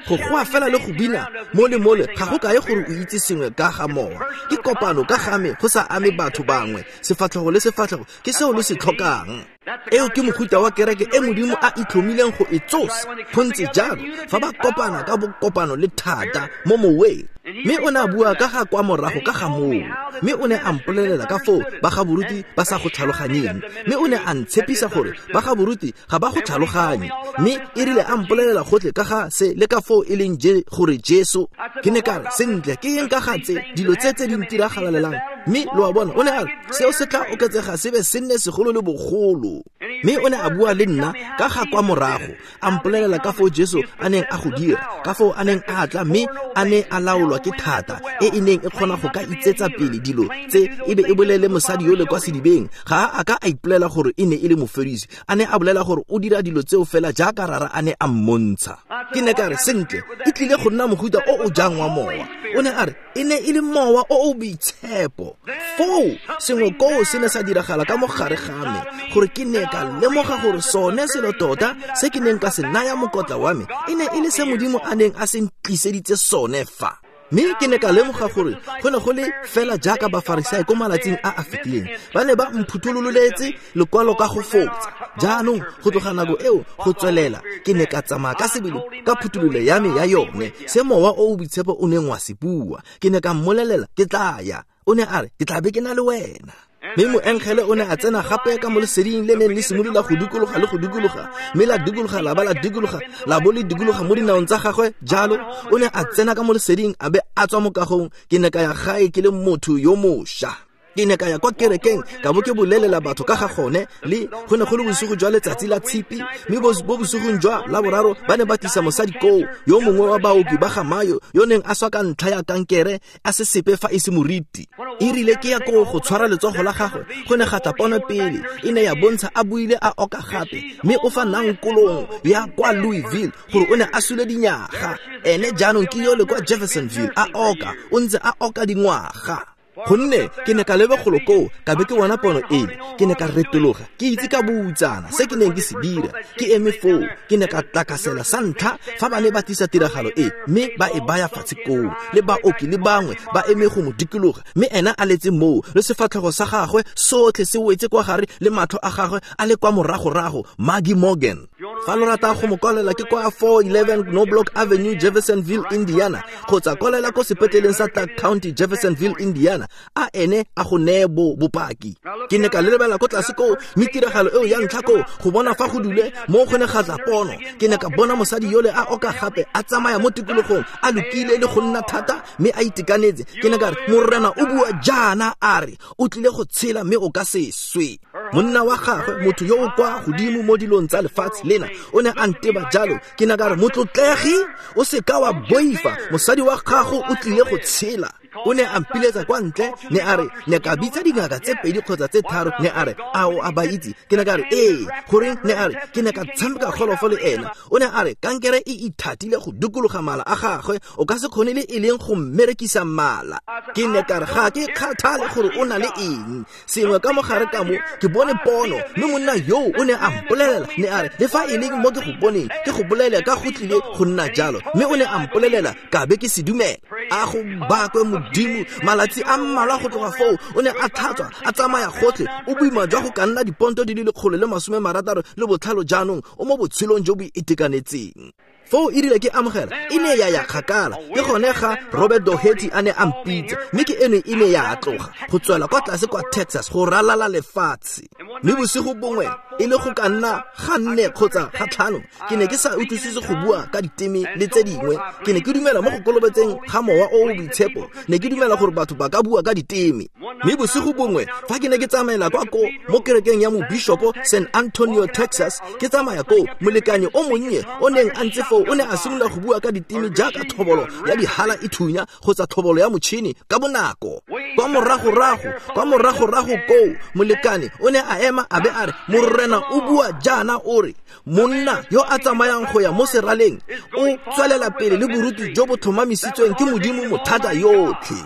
Go goa fela le go bina mo le mole ga go kae gore o itse sengwe ka ga mowa. Ke kopano ka ga me go sa ame batho bangwe, sefatlhego le sefatlhego ke seo lo se tlhokang. Eo ke mofuta wa kereke e Modimo a itlhomileng go e tsosa. Go ntse jalo fa ba kopana ka bokopano le thata mo moweng. Mme o ne a bua ka ga kwa morago ka ga moo, mme o ne a mpolelela ka foo ba ga boruti ba sa go tlhaloganyeng, mme o ne a ntshepisa gore ba ga boruti ga ba go tlhaloganye. Mme e rile a mpolelela gotlhe ka ga se le ka foo e leng je gore Jesu. Ke ne ka re sentle ke eng ka ga tse dilo tse tse di ntiragalelang? Mme lo a bona, o ne a re seo se tla oketsega se be se nne segolo le bogolo. Mme o ne a bua le nna ka ga kwa morago, a mpolelela ka foo Jesu a neng a go dira, ka foo a neng a tla mme a ne a laolwa ke thata e e neng e kgona go ka itsetsa pele dilo tse, e be e bolele mosadi yole kwa sedibeng. Ga a ka a ipolela gore e ne e le moferisi, a ne a bolela gore o dira dilo tseo fela jaaka rara a ne a mmontsha. Ke ne ka re sentle e tlile go nna mohuta o o jang wa mowa. O ne a re e ne e le mowa o o boitshepo. Foo sengwe koo se ne sa diragala ka mo gare ga me, gore ke ne ka lemoga gore sone selo tota se ke neng ka se naya mokotla wa me e ne e le se Modimo a neng a se ntliseditse sone fa. Mme ke ne ka lemoga gore go ne go le fela jaaka Bafarisai ko malatsing a a fetileng, ba ne ba mphuthololetse lekwalo ka go fotsa. Jaanong go tloga nako eo go tswelela ke ne ka tsamaya ka sebele ka phuthololo ya me ya yone, se mowa o o boitshepo o neng wa se bua. Ke ne ka mmolelela ke tla ya. O ne a re ke tla be ke na le wena. Mme moengele o ne a tsena gape ka mo leseding le neng le simolola go dikologa le go dikologa, mme la dikologa la ba la dikologa la bo le dikologa mo dinaong tsa gagwe jalo. O ne a tsena ka mo leseding a be a tswa mo kagong. Ke ne ka ya gae ke le motho yo mošwa. Ke ne ka ya kwa kerekeng ka bo ke bolelela batho ka ga gone, le go ne go le bosigo jwa letsatsi la tshipi. Mme bo bosigong jwa la boraro ba ne ba tlisa mosadi koo, yo mongwe wa baoki ba ga Mayo yo neng a swa ka ntlha ya kankere, a se sepe fa e se moriti. E rile ke ya koo go tshwara letsogo la gagwe, go ne ga tla pono pele, e ne ya bontsha a buile a oka gape, mme o fa nankolong ya kwa Louisville gore o ne a sule dinyaga. Ene jaanong ke yole kwa Jeffersonville a oka, o ntse a oka dingwaga. Gonne ke ne ka leba golo koo ka be ke bona pono ele, ke ne ka retologa ke itse ka boutsana se ke neng ke se dira. Ke eme foo, ke ne ka tlakasela sa ntlha fa ba ne ba tlisa tiragalo e, mme ba e baya fatshe koo, le baoki le bangwe ba eme go mo dikologa, mme ena a letse moo le sefatlhego sa gagwe sotlhe se wetse kwa gare le matlho a gagwe a le kwa moragorago. Maggie Morgan. Fa lo rata go mo kwalela ke kwa four eleven Knobloch Avenue, Jeffersonville, Indiana, kgotsa kwalela ko sepetleleng sa Clark County, Jeffersonville, Indiana. A ene a go neye bo bopaki. Ke ne ka lebela ko tlase koo, mme tiragalo eo ya ntlha koo go bona fa go dule mo go ne ga tla pono. Ke ne ka bona mosadi yole a oka gape a tsamaya mo tikologong a lokile le go nna thata mme a itekanetse. Ke ne ka re Morena o bua jaana a re o tlile go tshela mme o ka se swe. Monna wa gagwe, motho yo o kwa godimo mo dilong tsa lefatshe lena, o ne a nteba jalo. Ke ne ka re motlotlegi o se ka wa boifa, mosadi wa gago o tlile go tshela. O ne a mpiletsa kwa ntle, ne a re ne ka bitsa dingaka tse pedi kgotsa tse tharo. Ne a re a o a ba itse? Ke ne ka re ee. Goreng? Ne a re ke ne ka tshameka golofo le ena. O ne a re kankere e ithatile go dikologa mala a gagwe, o ka se kgone le e leng go mmerekisa mala. Ke ne ka re ga ke kgathale gore o na le eng, sengwe ka mogare ka mo ke bone pono. Mme monna yoo o ne a mpolelela, ne a re le fa e leng mo ke go boneng ke go bolele ka go tlile go nna jalo. Mme o ne a mpolelela ka be ke se dumela. A go bakwe Modimo. Malatsi a mmalwa go tloga foo o ne a tlhatswa a tsamaya gotlhe, o boima jwa go ka nna diponto di le lekgolo le masome marataro le botlhano jaanong o mo botshelong jo bo itekanetseng. Foo e rile ke amogela e ne ya ya kgakala, ke gone ga Robert Doherty a ne a mpitsa, mme ke eno e ne ya tloga go tswela kwa tlase kwa Texas go ralala lefatshe. Mme bosigo bongwe e le go ka nna ga nne kgotsa ga tlhano, ke ne ke sa utlwisise go bua ka diteme le tse dingwe. Ke ne ke dumela mo go kolobetseng ga Mowa o o Boitshepo, ne ke dumela gore batho ba ka bua ka diteme. Mme bosigo bongwe fa ke ne ke tsamaela kwa ko mo kerekeng ya mobishopo San Antonio, Texas, ke tsamaya koo, molekane o monnye o neng a ntse foo o ne a simolola go bua ka diteme jaaka thobolo ya dihala e thunya kgotsa thobolo ya motšhini ka bonako. Kwa moragorago, kwa moragorago koo, molekane o ne a ema a be a re, Morena o bua jaana o re, monna yo a tsamayang go ya mo seraleng o tswelela pele le boruti jo bo tlhomamisitsweng ke Modimo mothata yotlhe.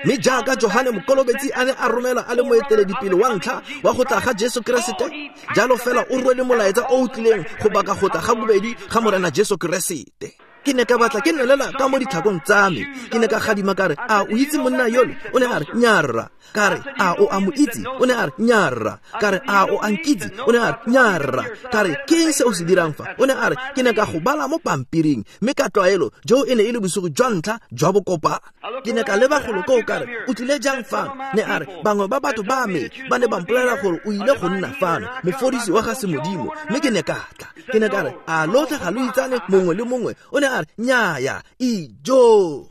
Mme jaaka Johane Mokolobetsi a ne a romela a le moeteledipele wa ntlha wa go tla ga Jesu Keresete, jalo fela o rwele molaetsa o o tlileng go baka go tla ga bobedi ga Morena Jesu Keresete. Ke ne ka batla ke nelela ka mo ditlhakong tsa me. Ke ne ka gadima ka re, a o itse monna yole? O ne a re, nyarra. Ka re, a o a mo itse? O ne a re, nyarra. Ka re, a o a nkitse? O ne a re, nyarra. Ka re, ke eng se o se dirang fa? O ne a re, ke ne ka go bala mo pampiring, mme ka tlwaelo jo e ne e le bosigo jwa ntlha jwa bokopano. Ke ne ka leba golo koo ka re, o tlile jang fano? Ne a re, bangwe ba batho ba me ba ne ba mpolelela gore o ile go nna fano, mofodisi wa ga semodimo, mme ke ne ka tla. Ke ne ka re, a lotlhe ga lo itsane mongwe le mongwe? O ne a re, nnyaya, ijo.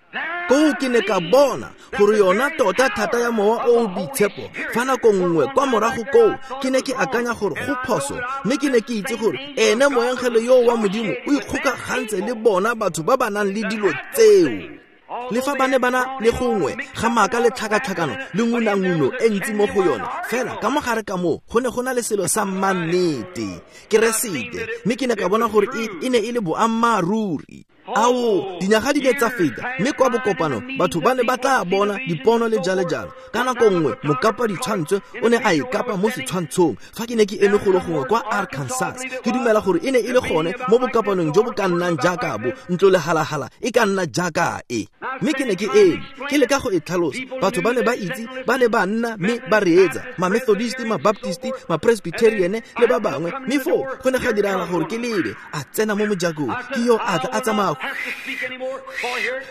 Koo ke ne ka bona gore yona tota thata ya Mowa o o Boitshepo fa nako nngwe kwa morago koo ke ne ke akanya gore go phoso, mme ke ne ke itse gore ene moengele yo wa Modimo o ikgokagantse le bona batho ba ba nang le dilo tseo. Le fa ba ne ba na le gongwe ga maaka le tlhakatlhakano le ngunanguno e ntsi mo go yone, fela ka mo gare ka moo go ne go na le selo sa mannete, Keresete, mme ke ne ka bona gore e, e ne e le boammaaruri. Ao, dinyaga di ne tsa feta, mme kwa bokopano batho ba ne ba tla bona dipono le jalo jalo. Ka nako nngwe mokapa ditshwantsho o ne a ikapa mo setshwantshong fa ke ne ke eme golo gongwe kwa Arkansas. Ke dumela gore e ne e le gone mo bokopanong jo bo ka nnang jaaka bo ntlo lehalahala e ka nna jaaka e. Mme ke ne ke eme ke leka go e tlhalosa. Batho ba ne ba itse, ba ne ba nna mme ba reetsa, ma-Methodist, ma-Baptist, ma-Presbyterian le ba bangwe. Mme foo go ne ga diragala gore ke lebe a tsena mo mojakong, ke yo a tla a tsamaya.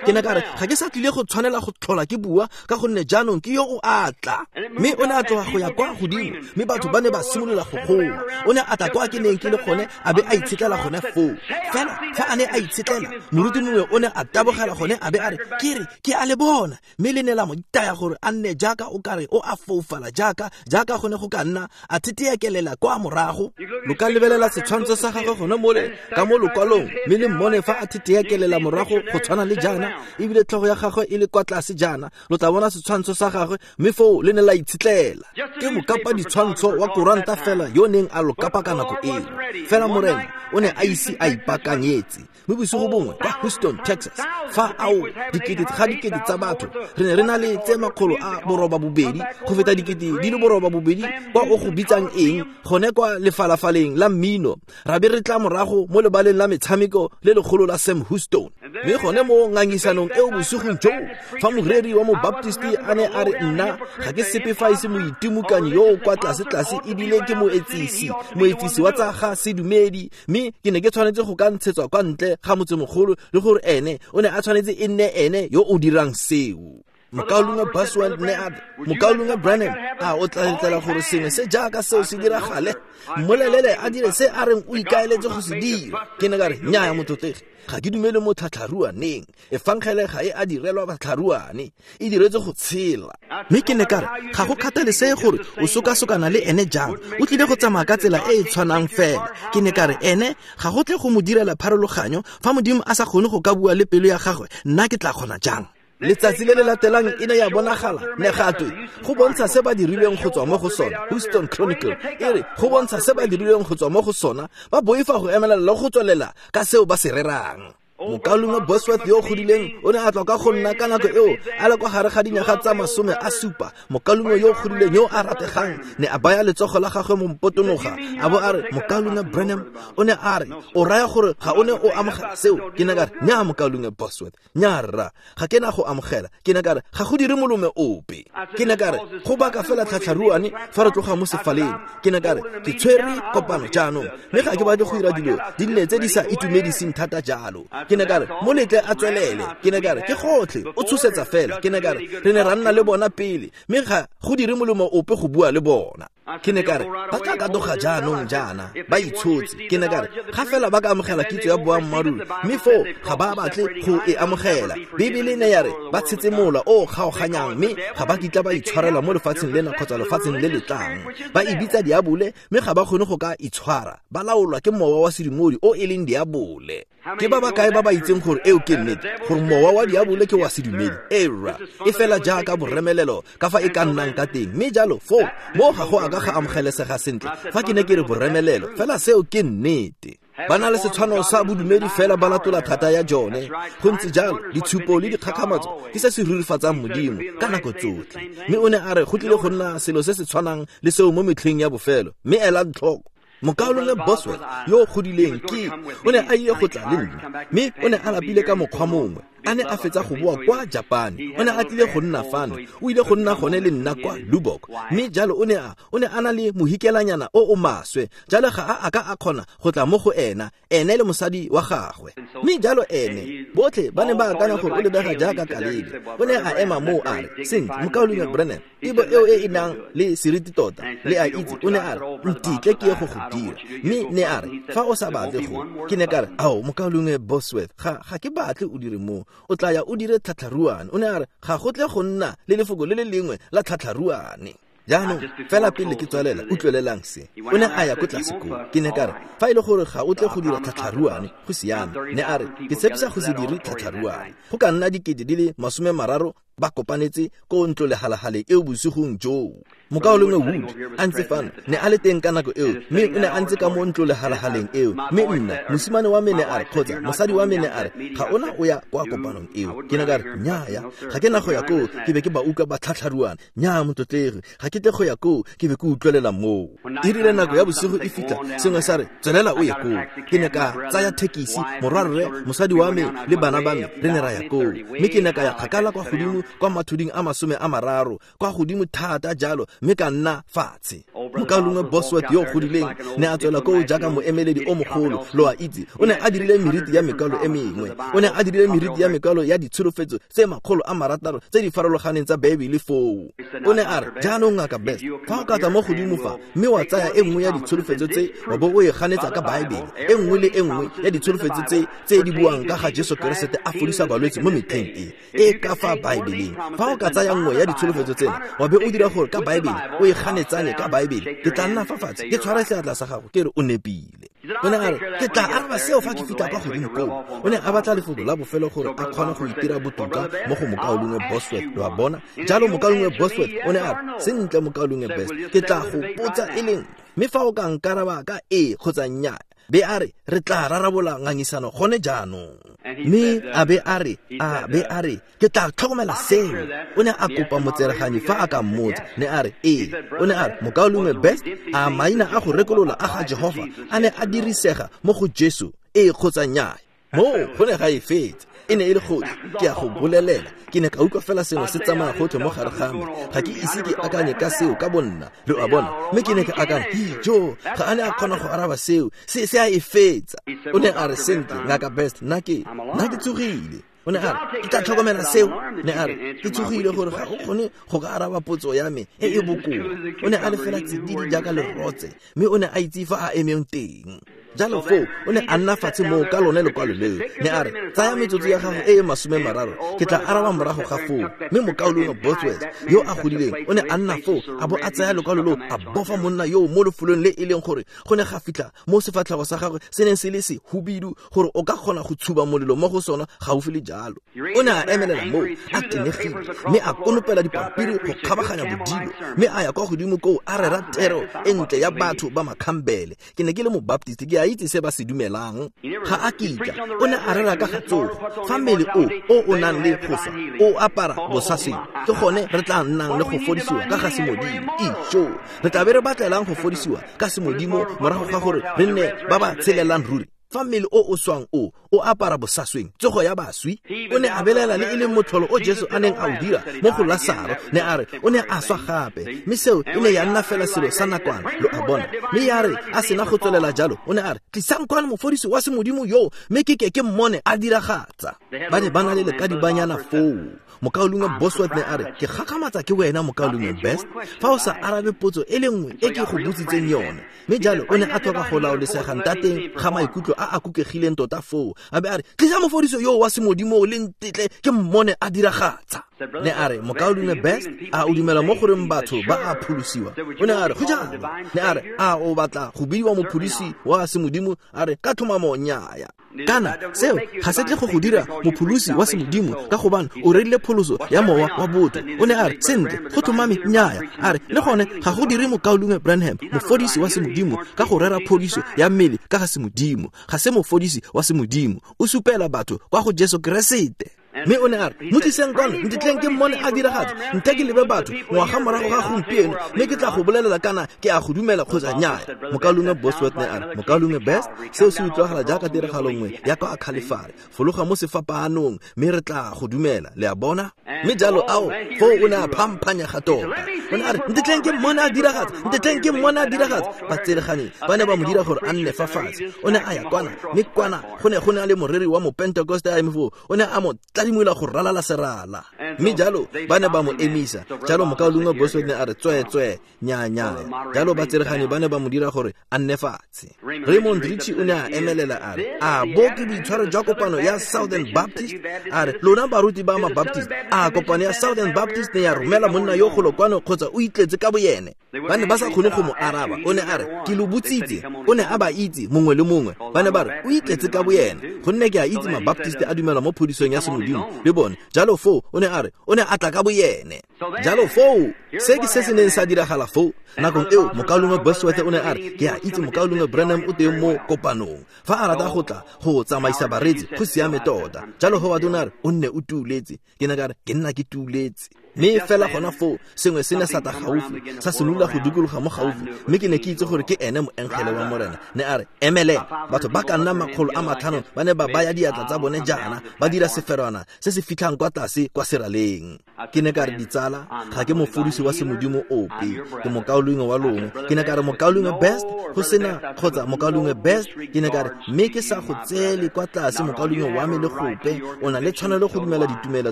Ke ne ka re, ga ke sa tlile go tshwanela go tlhola ke bua ka gonne jaanong ke yo o a tla. Mme o ne a tloga go ya kwa godimo, mme batho ba ne ba simolola go goa. O ne a tla kwa ke neng ke le gone, a be a itshetlela gone foo. Fela fa a ne a itshetlela, moruti mongwe o ne a tabogela gone a be a re, ke re ke a le bona. Mme le ne la mo itaya gore a nne jaaka o kare o a foufala, jaaka jaaka gone go ka nna a theteekelela kwa morago. Lo ka lebelela setshwantsho sa gagwe gone mole ka mo lokwalong, mme le mmone fa a theteekelela morago go tshwana le jaana, ebile tlhogo ya gagwe e le kwa tlase jaana. Lo tla bona setshwantsho sa gagwe, mme foo le ne la itshetlela. Ke mokapa ditshwantsho wa koranta fela yo neng a lo kapa ka nako eo. Fela Morena o ne a ise a ipaakanyetse. Mme bosigo bongwe kwa Houston, Texas, fa ao dikete ga dikete tsa batho, re ne re na le tse makgolo a boroba bobedi go feta dikete di le boroba bobedi kwa o go bitsang eng gone kwa lefalafaleng la mmino. Ra be re tla morago mo lebaleng la metshameko le legolo la Sam Houston. Mme gone mo ngangisanong eo bosigong joo, fa moreri wa mobaptisti a ne a re, nna ga ke sepe fa e se moitimokanyi yo o kwa tlase-tlase ebile ke moetsisi, moetsisi wa tsa ga sedumedi, mme ke ne ke tshwanetse go ka ntshetswa kwa ntle ga motsemogolo, le gore ene o ne a tshwanetse e nne ene yo o dirang seo. Mokaulengwe Bosworth ne a re, Mokaulengwe Branham, a o tla letlela gore sengwe se jaaka seo se diragale? Mmolelele a dire se a reng o ikaeletse go se dira. Ke ne ka re, nnyaya motlotlegi, ga ke dumele mo tlhatlharuaneng. Efangele ga e a direlwa batlharuane, e diretswe go tshela. Mme ke ne ka re, ga go kgathalesege gore o sokasokana le ene jang, o tlile go tsamaya ka tsela e e tshwanang fela. Ke ne ka re, ene ga go tle go mo direla pharologanyo. Fa Modimo a sa kgone go ka bua le pelo ya gagwe, nna ke tla kgona jang? Letsatsi le le latelang e ne ya bonagala ne gatwe go bontsha se ba dirilweng go tswa mo go sona. Houston Chronicle e re go bontsha se ba dirilweng go tswa mo go sona, ba boifa go emelela le go tswelela ka seo ba se rerang. Mokaulengwe Bosworth yo o godileng o ne a tla ka go nna ka nako eo a le kwa gare ga dinyaga tsa masome a supa. Mokaulengwe yo o godileng yo a rategang ne a baya letsogo la gagwe mo mpotonoga, a bo a re, Mokaulengwe Branham, o ne a re, o raya gore ga o ne o amogela seo? Ke ne ka re, nnyaa Mokaulengwe Bosworth, nnyaa rra, ga ke na go amogela. Ke ne ka re, ga go dire molome ope. Ke ne ka re, go baka fela tlhatlharuane fa re tloga mo sefaleng. Ke ne ka re, ke tshwere kopano jaanong, mme ga ke batle go dira dilo di nne tse di sa itumediseng thata jalo. Ke ne ka re mo letle a tswelele. Ke ne ka re ke gotlhe o tshosetsa fela. Ke ne ka re re ne ra nna le bona pele, mme ga go dire molemo ope go bua le bona. Ke ne ka re ba tla ka doga jaanong jaana ba itshotse. Ke ne ka re ga fela ba ka amogela kitso ya boammaaruri, mme foo ga ba batle go e amogela. Bibele ne ya re ba tshetse mola o kgaoganyang, mme ga ba kitla ba itshwarela mo lefatsheng lena kgotsa lefatsheng le le tlang. Ba e bitsa diabole, mme ga ba kgone go ka itshwara. Ba laolwa ke mowa wa sedumodi o e leng diabole. Ke ba ba kae ba ba itseng gore eo ke nnete, gore mowa wa diabole ke wa sedumedi? Era e fela jaaka boremelelo ka fa e ka nnang ka teng. Mme jalo foo mo ga go a ka ga amogelesega sentle fa ke ne ke re boremelelo, fela seo ke nnete. Ba na le setshwano sa bodumedi fela ba latola thata ya jone. Go ntse jalo, ditshupo le dikgakgamatso ke se se rurifatsang Modimo ka nako tsotlhe. Mme o ne a re go tlile go nna selo se se tshwanang le seo mo metlheng ya bofelo. Mme elang tlhoko, Mokaulengwe Bosworth yo o godileng ke o ne a ile go tla le nna, mme o ne a lapile ka mokgwa mongwe. A ne a fetsa go boa kwa Japane, o ne a tlile go nna fano, o ile go nna gone le nna kwa Lubbock. Mme jalo o ne a o ne a na le mohikelanyana o o maswe, jalo ga a a ka a kgona go tla mo go ena, ene le mosadi wa gagwe. Mme jalo ene botlhe ba ne ba akanya gore o lebega jaaka Kalebe. O ne a ema moo a re, sentle Mokaulengwe Branham, tebo eo e e nang le seriti tota le a itse. O ne a re ntitle ke ye go go dira. Mme ne a re fa o sa batle go, ke ne ka re ao Mokaulengwe Bosworth, ga ga ke batle o dire moo, o tla ya o dire tlhatlharuane. O ne a re ga go tle go nna le lefoko le le lengwe la tlhatlharuane. Jaanong fela pele ke tswalela, utlwelelang se. O ne a ya ko tlase koo. Ke ne ka re fa e le gore ga o tle go dira tlhatlharuane, go siame. Ne a re ke tshepisa go se dire tlhatlharuane. Go ka nna dikete di le masome mararo ba kopanetse ko ntlo lehalahale eo bosigong joo. Mokaulengwe Wood a ntse fano, ne a le teng ka nako eo, mme o ne a ntse ka mo ntlo lehalahaleng eo. Mme nna mosimane wa me ne a re, kgotsa mosadi wa me ne a re, ga ona o ya kwa kopanong eo. Ke ne ka re nnyaya, ga ke na go ya koo, ke be ke ba utlwa ba tlhatlharuana. Nnyaa motlotlegi, ga ke tle go ya koo, ke be ke utlwelela moo. E rile nako ya bosigo e fitlha, sengwe sa re tswelela o ye koo. Ke ne ka tsaya thekisi, morwarre, mosadi wa me le bana ba me, re ne ra ya koo. Mme ke ne ka ya kgakala kwa godimo kwa mathuding a masome a mararo, kwa godimo thata jalo, mme ka nna fatshe. Mokaulengwe Bosworth yo o godileng ne a tswela koo jaaka moemeledi o mogolo, lo a itse. O ne a dirile meriti ya mekwalo e mengwe. O ne a dirile meriti ya mekwalo ya ditsholofetso tse makgolo a marataro tse di farologaneng tsa Baebele foo. O ne a re jaanong Ngaka Best, fa o ka tla mo godimo fa mme wa tsaya e nngwe ya ditsholofetso tse wa bo o e ganetsa ka Baebele, e nngwe le e nngwe ya ditsholofetso tse tse di buang ka ga Jesu Keresete a fodisa balwetse mo metlheng e e ka fa Baebeleng, fa o ka tsaya nngwe ya ditsholofetso tsena wa be o dira gore ka Baebele o e ganetsane ka Baebele, ke tla nna fa fatshe ke tshwara seatla sa gago ke re o nepile. O ne a re ke tla araba seo fa ke fitlha kwa godimo koo. O ne a batla lefoko la bofelo gore a kgone go itira botoka mo go Mokaulengwe Bosworth, lo a bona. Jalo Mokaulengwe Bosworth o ne a re sentle Mokaulengwe Best, ke tla go potsa e leng, mme fa o ka nkaraba ka ee kgotsa nnyaa, be a re re tla rarabola ngangisano gone jaanong. Mme a be a re a be a re ke tla tlhokomela seo. O ne a kopa motsereganyi fa a ka mmotsa, ne a re ee. O ne a re Mokaulengwe Best, a maina a go rekolola a ga Jehova a ne a dirisega mo go Jesu, ee kgotsa nnyaa? Mo go ne ga e fetsa. E ne e le gotlhe, ke a go bolelela. Ke ne ka utlwa fela sengwe se tsamaya gotlhe mo gare ga me. Ga ke ise ke akanye ka seo ka bonna, lo a bona. Mme ke ne ke akanya, jo, ga a ne a kgona go araba seo, se se a e fetsa. O ne a re sentle Ngaka Best, nna ke nna ke tsogile. O ne a re ke tla tlhokomela seo. Ne a re ke tsogile gore ga o kgone go ka araba potso ya me e e bokoa. O ne a le fela tsididi jaaka lerotse, mme o ne a itse fa a emeng teng. Jalo foo o ne a nna fatshe moo ka lone lekwalo leo. Ne a re tsaya metsotso ya gago e e masome mararo, ke tla araba morago ga foo. Mme Mokaulengwe Bosworth yo a godileng o ne a nna foo a bo a tsaya lekwalo leo a bofa monna yo mo lefelong le e leng gore go ne ga fitlha mo sefatlhego sa gagwe se neng se le sehubidu gore o ka kgona go tshuba molelo mo go sona gaufi le jalo. O ne a emelela moo a tenegile, mme a konopela dipampiri go kgabaganya bodilo, mme a ya kwa godimo koo a rera thero e ntle ya batho ba Makhambele. Ke ne ke le Mobaptist, ke a itse se ba se dumelang. Ga a kitla, o ne a rera ka ga tsogo. Fa mmele o o o nang le go swa o apara bosasweng, ke gone re tla nnang le go fodisiwa ka ga semodimo. Ijo, re tla be re batlelang go fodisiwa ka semodimo morago ga gore re nne ba ba tshelelang ruri. Fa mmele o o swang o o apara bosasweng, tsogo ya baswi. O ne a belela le e leng motlholo o Jesu a neng a o dira mo go Lasaro. Ne a re o ne a swa gape, mme seo e ne ya nna fela selo sa nakwana, lo a bona. Mme ya re a sena go tswelela jalo, o ne a re tlisang kwano mofodisi wa semodimo yo, mme ke ke ke mmone a diragatsa. Ba ne ba na le lekadibanyana foo. Mokaulengwe Bosworth ne a re, ke gakgamatsa ke wena mokaulengwe Best, fa o sa arabe potso e le nngwe e ke go botsitseng yone. Mme jalo o ne a tlhoka go laolesega ntateng ga maikutlo a a kukegileng tota foo. A be a re, tlisa mofodiso yo wa semodimo le ntetle ke mmone a diragatsa. Ne a re, mokaulengwe Best, a o dumela mo goreng batho ba a pholosiwa? O ne a re, go jalo. Ne a re, a o batla go bidiwa mophodisi wa semodimo? A re, ka tlhomamo nnyaya. Kana seo ga se tle go go dira mopholosi wa semodimo, ka gobane o rerile pholoso ya mowa wa botho. O ne a re, sentle, go tlhomame nnyaya. A re, le gone ga go dire mokaulengwe Branham mofodisi wa semodimo ka go rera phodiso ya mmele ka ga semodimo. Ga se mofodisi wa semodimo, o supela batho kwa go Jesu Keresete. Mme o ne a re, mo tliseng kwano, ntetleng ke mmone a diragatsa, nte ke lebe batho ngwaga morago ga gompieno, mme ke tla go bolelela kana ke a go dumela kgotsa nnyaya. Mokaulengwe Bosworth ne a re, mokaulengwe Best, seo se utlwagala jaaka tiragalo nngwe ya kwa Khalifare. Fologa mo sefapaanong, mme re tla go dumela, le a bona. Mme jalo ao, foo o ne a phamphanyega tota. O ne a re, ntetleng ke mmone a diragatsa, ntetleng ke mmone a diragatsa. Batsereganyi ba ne ba mo dira gore a nne fa fatshe. O ne a ya kwana, mme kwana go ne go na le moreri wa Mopentekoste a eme foo. O ne a mo tladimola go ralala serala. Mme jalo ba ne ba mo emisa. Jalo mokaulengwe Bosworth ne a re, tswe tswe, nya nya. Jalo batsereganyi ba ne ba mo dira gore a nne fatshe. Raymond Richie o ne a emelela a re, a bo ke boitshwaro jwa kopano ya Southern Baptist? A re, lona baruti ba ma-Baptist, a kopano ya Southern Baptist ne ya romela monna yo golo kwano kgotsa o itletse ka boyene? Ba ne ba sa kgone go mo araba. O ne a re, ke lo botsitse. O ne a ba itse mongwe le mongwe. Ba ne ba re, o itletse ka boyene, gonne ke a itse ma-Baptist a dumela mo phodisong ya semodimo le bone. Jalo foo o ne a re, o ne a tla ka boyene. Jalo foo se ke se se neng sa diragala foo. Nakong eo mokaulengwe Bosworth o ne a re, ke a itse mokaulengwe Branham o teng mo kopanong, fa a rata go tla go tsamaisa bareetsi, go siame tota. Jalo Howard o ne a re, o nne o tuuletse. Ke ne ka re, ke nna ke tuuletse. Mme fela gona foo sengwe se ne sa tla gaufi, sa simolola go dikologa mo gaufi, mme ke ne ke itse gore ke ene moengele wa Morena. Ne a re, emelela. Batho ba ka nna makgolo a matlhano ba ne ba baya diatla tsa bone jaana, ba dira seferwana se se fitlhang kwa tlase kwa seraleng. Ke ne ka re, ditsala, ga ke mofodisi wa semodimo ope, ke mokaulengwe wa lona. Ke ne ka re, mokaulengwe Best, go sena kgotsa mokaulengwe Best, ke ne ka re, mme ke sa go tseele kwa tlase mokaulengwe wa me le gope, o na le tshwanelo go dumela ditumelo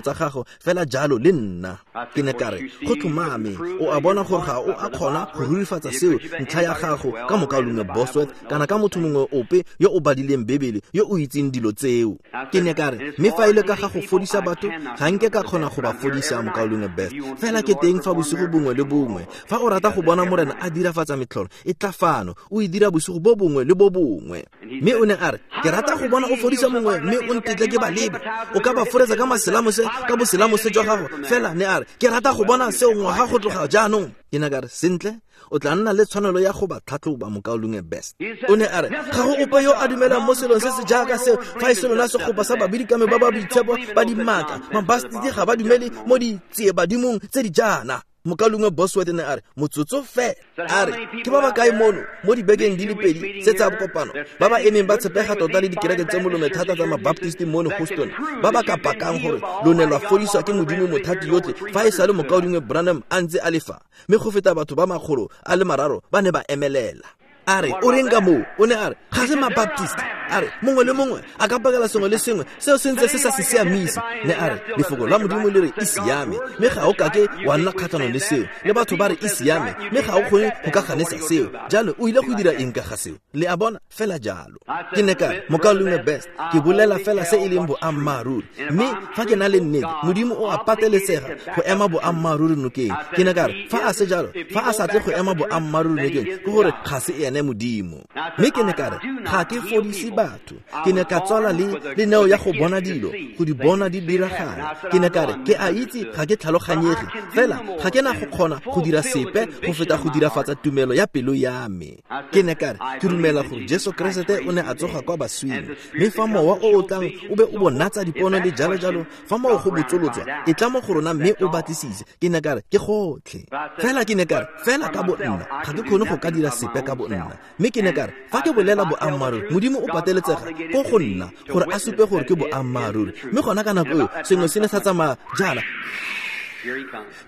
tsa gago fela jalo le nna. Ke ne ka re, go tlhomame, o a bona gore ga o a kgona go rurifatsa seo ntlha ya gago ka mokaulengwe Bosworth kana ka motho mongwe ope yo o badileng Bebele yo o itseng dilo tseo. Ke ne ka re, mme fa e le ka ga go fodisa batho, ga nke ka kgona go ba fodisa mokaulengwe Best, fela ke teng fa bosigo bongwe le bongwe. Fa o rata go bona Morena a dirafatsa metlholo, e tla fano, o e dira bosigo bo bongwe le bo bongwe. Mme o ne a re, ke rata go bona o fodisa mongwe, mme o ntetle ke ba lebe. O ka ba foretsa ka maselamose, ka boselamose jwa gago, fela ne a re, ke rata go bona seo ngwaga go tloga jaanong. Ke ne ka re, sentle, o tla nna le tshwanelo ya go ba tlhatlhoba mokaulengwe Best. O ne a re, ga go ope yo a dumelang mo selong se se jaaka seo, fa e se lona segopa sa babidikame ba ba boitshepo ba dimaka. Mabaptist ga ba dumele mo ditsiebadimong tse di jaana. Mokaulengwe Bosworth ne a re, motsotso fela. A re, ke ba ba kae mono mo dibekeng di le pedi tse tsa bokopano ba ba emeng ba tshepega tota le dikereke tse molome thata tsa Mabaptist mono Houston, ba ba ka pakang gore lo ne lwa fodiswa ke Modimo mothati yotlhe fa e sale mokaulengwe Branham a ntse a le fa? Mme go feta batho ba makgolo a le mararo ba ne ba emelela. A re, o reng ka moo? O ne a re, ga se Mabaptist. A re, mongwe le mongwe a ka pakela sengwe le sengwe seo se ntse se sa se siamise. Ne a re, lefoko la Modimo le re e siame, mme ga o kake wa nna kgatlhanong le seo. Le batho ba re e siame, mme ga o kgone go ka ganetsa seo. Jalo o ile go dira eng ka ga seo? Le a bona, fela jalo. Ke ne ka re, mokaulengwe Best, ke bolela fela se e leng boammaaruri, mme fa ke na le nnete, Modimo o a pateletsega go ema boammaaruri nokeng. Ke ne ka re, fa a se jalo, fa a sa tle go ema boammaaruri nokeng, ke gore ga se ene Modimo. Mme ke ne ka re, ga ke fodise batho, ke ne ka tswala le le neo ya go bona dilo, go di bona di diragala. Ke ne ka re, ke a itse ga ke tlhaloganyege, fela ga ke na go kgona go dira sepe go feta go dirafatsa tumelo ya pelo ya me. Ke ne ka re, ke dumela gore Jesu Keresete o ne a tsoga kwa baswing, mme fa mowa o o tlang o be o bonatsa dipono le jalo jalo, fa moo go botsolotswa, e tla mo go rona mme o batlisise. Ke ne ka re, ke gotlhe. Fela ke ne ka re, fela ka bo nna ga ke kgone go ka dira sepe ka bo nna. Mme ke ne ka re, fa ke bolela boammaaruri, Modimo o pateletsega ko go nna gore a supe gore ke boammaaruri. Mme gona ka nako eo sengwe se ne sa tsamaya jaana,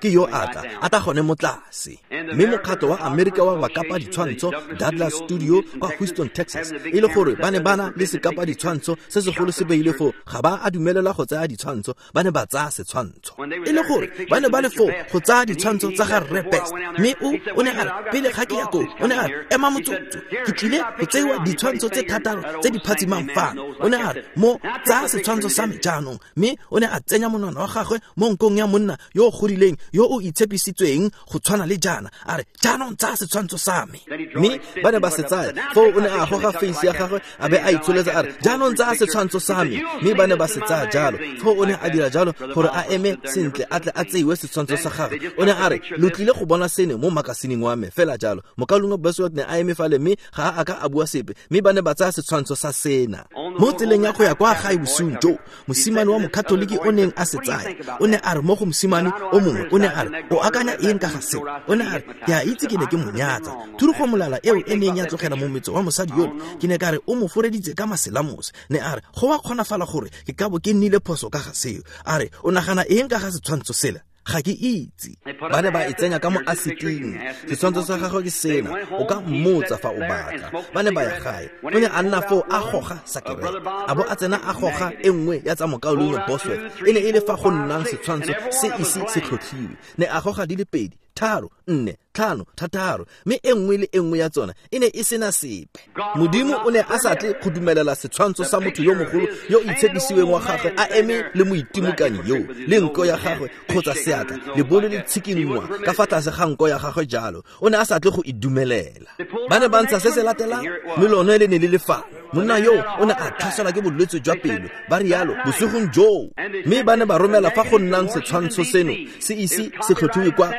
ke yo a tla a tla gone mo tlase. Mme mokgatlho wa Amerika wa bakapa ditshwantsho Douglas Studio kwa Houston, Texas, e le gore ba ne ba na le sekapa ditshwantsho se segolo se beile foo, ga ba a dumelela go tsaya ditshwantsho, ba ne ba tsaya setshwantsho. E le gore ba ne ba le foo go tsaya ditshwantsho tsa ga Rre Best. Mme o o ne a re pele ga ke ya koo, o ne a re ema motsotso, ke tlile go tseiwa ditshwantsho tse thataro tse di phatsimang fano. O ne a re mo tsaya setshwantsho sa me jaanong. Mme o ne a tsenya monwana wa gagwe mo nkong ya monna yo godileng yo o itshepisitsweng go tshwana le jaana, a re jaanong tsaya setshwantsho sa me. Mme ba ne ba se tsaya. Foo o ne a goga face ya gagwe a be a itsholetsa a re jaanong tsaya setshwantsho sa me. Mme ba ne ba se tsaya jalo. Foo o ne a dira jalo gore a eme sentle a tle a tseiwe setshwantsho sa gagwe. O ne a re lo tlile go bona seno mo makasineng wa me fela jalo. Mokaulengwe Bosworth ne a eme fale mme ga a ka a bua sepe, mme ba ne ba tsaya setshwantsho sa sena. Mo tseleng ya go ya kwa gae bosiung jo, mosimane wa mokatoliki o neng a se tsaya o ne a re mo go mosimane o mongwe, o ne a re o akanya eng ka ga seo? O ne a re ke a itse ke ne ke mo nyatsa thurugo molala eo e neng ya tlogela mo metso wa mosadi yone, ke ne ka re o mo foreditse ka maselamose. Ne a re go wa kgonafala gore ke ka bo ke nnile phoso ka ga seo. A re o nagana eng ka ga setshwantsho sela? Ga ke itse. Ba ne ba e tsenya ka mo asiting. Setshwantsho sa gagwe ke sena, o ka mmotsa fa o batla. Ba ne ba ya gae. O ne a nna foo a goga sakerete, a bo a tsena a goga e nngwe ya tsa mokaulengwe Bosworth. E ne e le fa go nnang setshwantsho se ise se tlhotlhiwe. Ne a goga di le pedi, tharo, nne, tlhano, thataro, mme e nngwe le e nngwe ya tsona e ne e sena sepe. Modimo o ne a sa tle go dumelela setshwantsho sa motho yo mogolo yo itshepisiweng wa gagwe a eme le moitimokanyi yo le nko ya gagwe kgotsa seatla lebole le tshikinngwa ka fa tlase ga nko ya gagwe jalo. O ne a sa tle go e dumelela. Ba ne ba ntsha se se latelang, mme lone le ne le le fa. Monna yo o ne a tlhaselwa ke bolwetse jwa pelo, ba rialo bosigong joo. Mme ba ne ba romela fa go nnang setshwantsho seno se ise se tlhotlhiwe kwa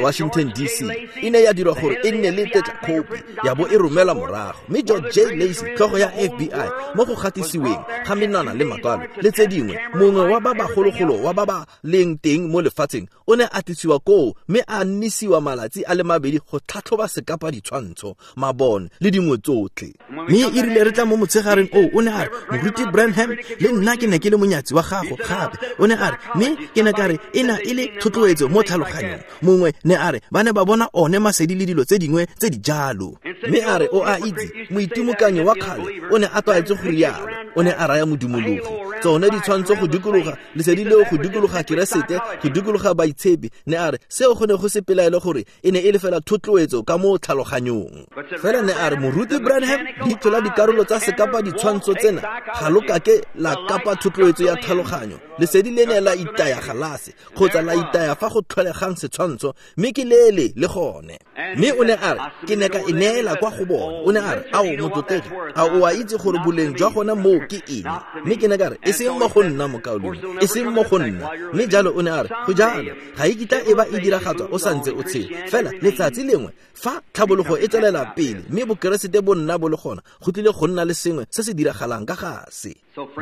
Washington D C. E ne ya dirwa gore e nne le tetla copy ya bo e romelwa morago. Mme George J. Lacy, tlhogo ya F B I, mo go gatisiweng ga menwana le makwalo le tse dingwe, mongwe wa ba bagologolo wa ba ba leng teng mo lefatsheng, o ne a tlisiwa koo mme a nnisiwa malatsi a le mabedi go tlhatlhoba sekapa ditshwantsho, mabone le dingwe tsotlhe. Mme e rile re tla mo motshegareng oo, o ne a re moruti Branham le nna ke ne ke le monyatsi wa gago gape. O ne a re mme ke ne ka re e na e le thotloetso mo tlhaloganyong. Mongwe ne a re ba ne ba bona one masedi le dilo tse dingwe tse di jalo. Mme a re o a itse moitimokanyi wa kgale o ne a tlwaetse go rialo. O ne a raya modumologi tsone ditshwantsho go dikologa lesedi leo go dikologa Keresete, go dikologa baitshepi. Ne a re seo go ne go se pelaelo gore e ne e le fela thotloetso ka mo tlhaloganyong. Fela ne a re moruti Branham, leitlho la dikarolo tsa sekapa ditshwantsho tsena ga lo kake la kapa thotloetso ya tlhaloganyo. Lesedi le ne la itaya galase kgotsa la itaya fa go tlholegang setshwantsho, mme ke lele le gone. Mme o ne a re ke ne ka e neela kwa go bone. O ne a re ao motlotlegi, a o a itse gore boleng jwa gona moo ke eng? Mme ke ne ka re e seng mo go nna mokaulengwe, e seng mo go nna. Mme jalo o ne a re go jalo ga e kitla e ba e diragatswa o santse o tshela. Fela letsatsi lengwe fa tlhabologo e tswelela pele mme bokeresete bo nna bo le gona, go tlile go nna le sengwe se se diragalang ka ga se.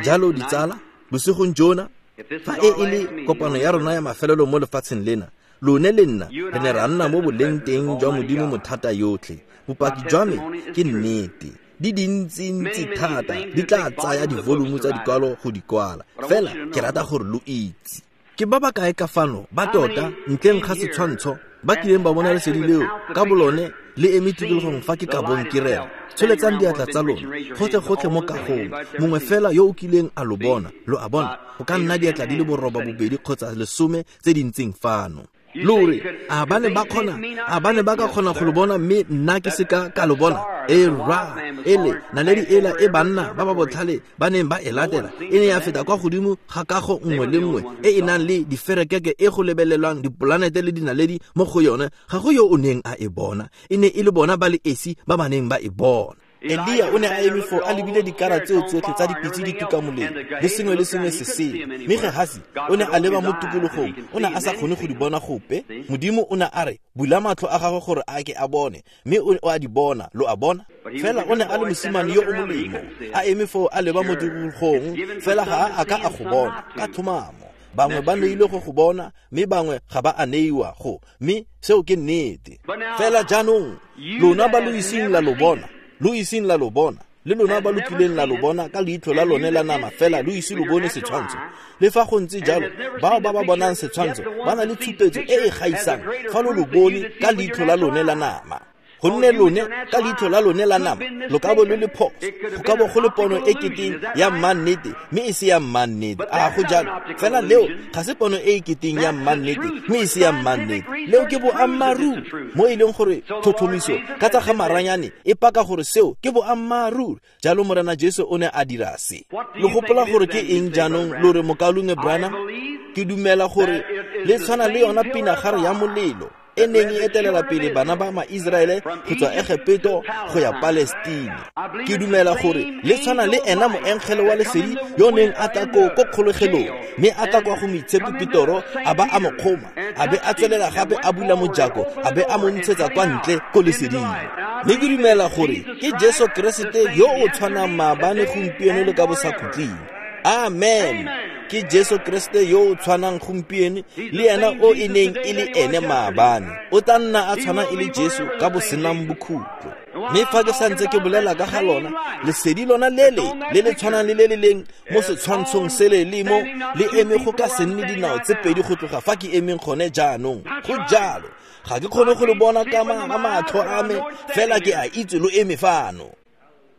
Jalo ditsala, bosigong jona fa e e le kopano ya rona ya mafelelo mo lefatsheng lena, lone le nna re ne ra nna mo boleng teng jwa Modimo mothata yotlhe. Bopaki jwa me ke nnete, di dintsintsi thata, di tla tsaya divolumo tsa dikwalo go di kwala. Fela ke rata gore lo itse ke ba ba kae ka fano ba tota ntleng ga setshwantsho ba kileng ba bona lesedi leo ka bolone le eme tikologong fa ke ka bong ke rera. Tsholetsang diatla tsa lona gotlhe-gotlhe mo kagong, mongwe fela yo o kileng a lo bona. Lo a bona, go ka nna diatla di le boroba bobedi kgotsa lesome tse di ntseng fano. Lo re a ba ne ba kgona, a ba ne ba ka kgona go lo bona mme nna ke seka ka lo bona? E ra ele naledi ela e banna ba ba botlhale ba neng ba e latela e ne ya feta kwa godimo ga kago nngwe le nngwe e e nang le diferekeke e go lebelelwang dipolanete le dinaledi mo go yone. Ga go yo o neng a e bona, e ne e le bona ba le esi ba ba neng ba e bona. Elia o ne a eme foo a lebile dikara tseo tsotlhe tsa dipitse di tuka molelo le sengwe le sengwe se sele. Mme Gehasi o ne a leba mo tikologong, o ne a sa kgone go di bona gope. Modimo o ne a re bula matlho a gagwe gore a ke a bone, mme o a di bona. Lo a bona? Fela o ne a le mosimane yo o molemo, a eme foo a leba mo tikologong, fela ga a ka a go bona ka tlhomamo. Bangwe ba neilwe go go bona, mme bangwe ga ba a neiwa go, mme seo ke nnete. Fela jaanong lona ba lo iseng la lo bona, lo iseng la lo bona, Le lona ba lo kileng la lo bona ka leitlho la lone la nama fela lo ise lo bone setshwantsho. Le fa go ntse jalo, bao ba ba bonang setshwantsho ba na le tshupetso e e gaisang fa lo lo bone ka leitlho la lone la nama. Gonne lone ka leitlho la lone la nama lo ka bo lo le phoso, go ka bo go le pono e keteng ya mmannete mme e se ya mmannete. A go jalo? Fela leo ga se pono e e keteng ya mmannete mme e se ya mmannete. Leo ke boammaaruri, mo e leng gore tlhotlhomiso ka tsa ga maranyane e paka gore seo ke boammaaruri. Jalo Morena Jesu o ne a dira se. Lo gopola gore ke eng jaanong lo re mokaulengwe Branham? Ke dumela gore le tshwana le yona pinagare ya molelo e neng e etelela pele bana ba ma-Iseraele go tswa Egepeto go ya Palestine. Ke dumela gore le tshwana le ena moengele wa lesedi yo neng a tla ko ko kgolegelong, mme a tla kwa go moitshepi Petoro a ba a mo kgoma, a be a tswelela gape a bula mojako, a be a mo ntshetsa kwa ntle ko leseding. Mme ke dumela gore ke Jesu Keresete yo o tshwanang maabane, gompieno le ka bosakhutleng. Amen. Ke Jesu Kriste yo o tshwanang gompieno le ena o e neng e le ene maabane. O tla nna a tshwana e le Jesu ka bosenang bokhutlo. Mme fa ke santse ke bolela ka ga lona, lesedi lona lele le le tshwanang le le le leng mo setshwantshong sele le mo le eme go ka se nne dinao tse pedi go tloga fa ke emeng gone jaanong. Go jalo. Ga ke kgone go le bona ka matlho a me, fela ke a itse lo eme fano.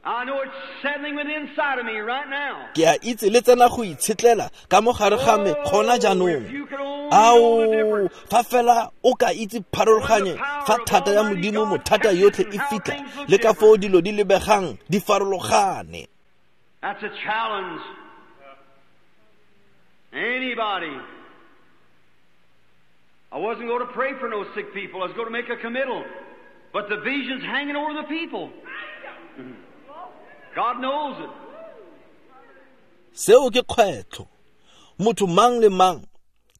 I know it's settling within inside of me right now. Ke a itse le tsena go itshetlela ka mo gare ga me gona jaanong. Ao, fa fela o ka itse pharologanyo fa thata ya Modimo mothata yotlhe e fitlha, le ka foo dilo di lebegang di farologane. That's a challenge. Anybody. I wasn't going to pray for no sick people. I was going to make a committal. But the vision's hanging over the people. God knows it. Seo ke kgwetlho. Motho mang le mang,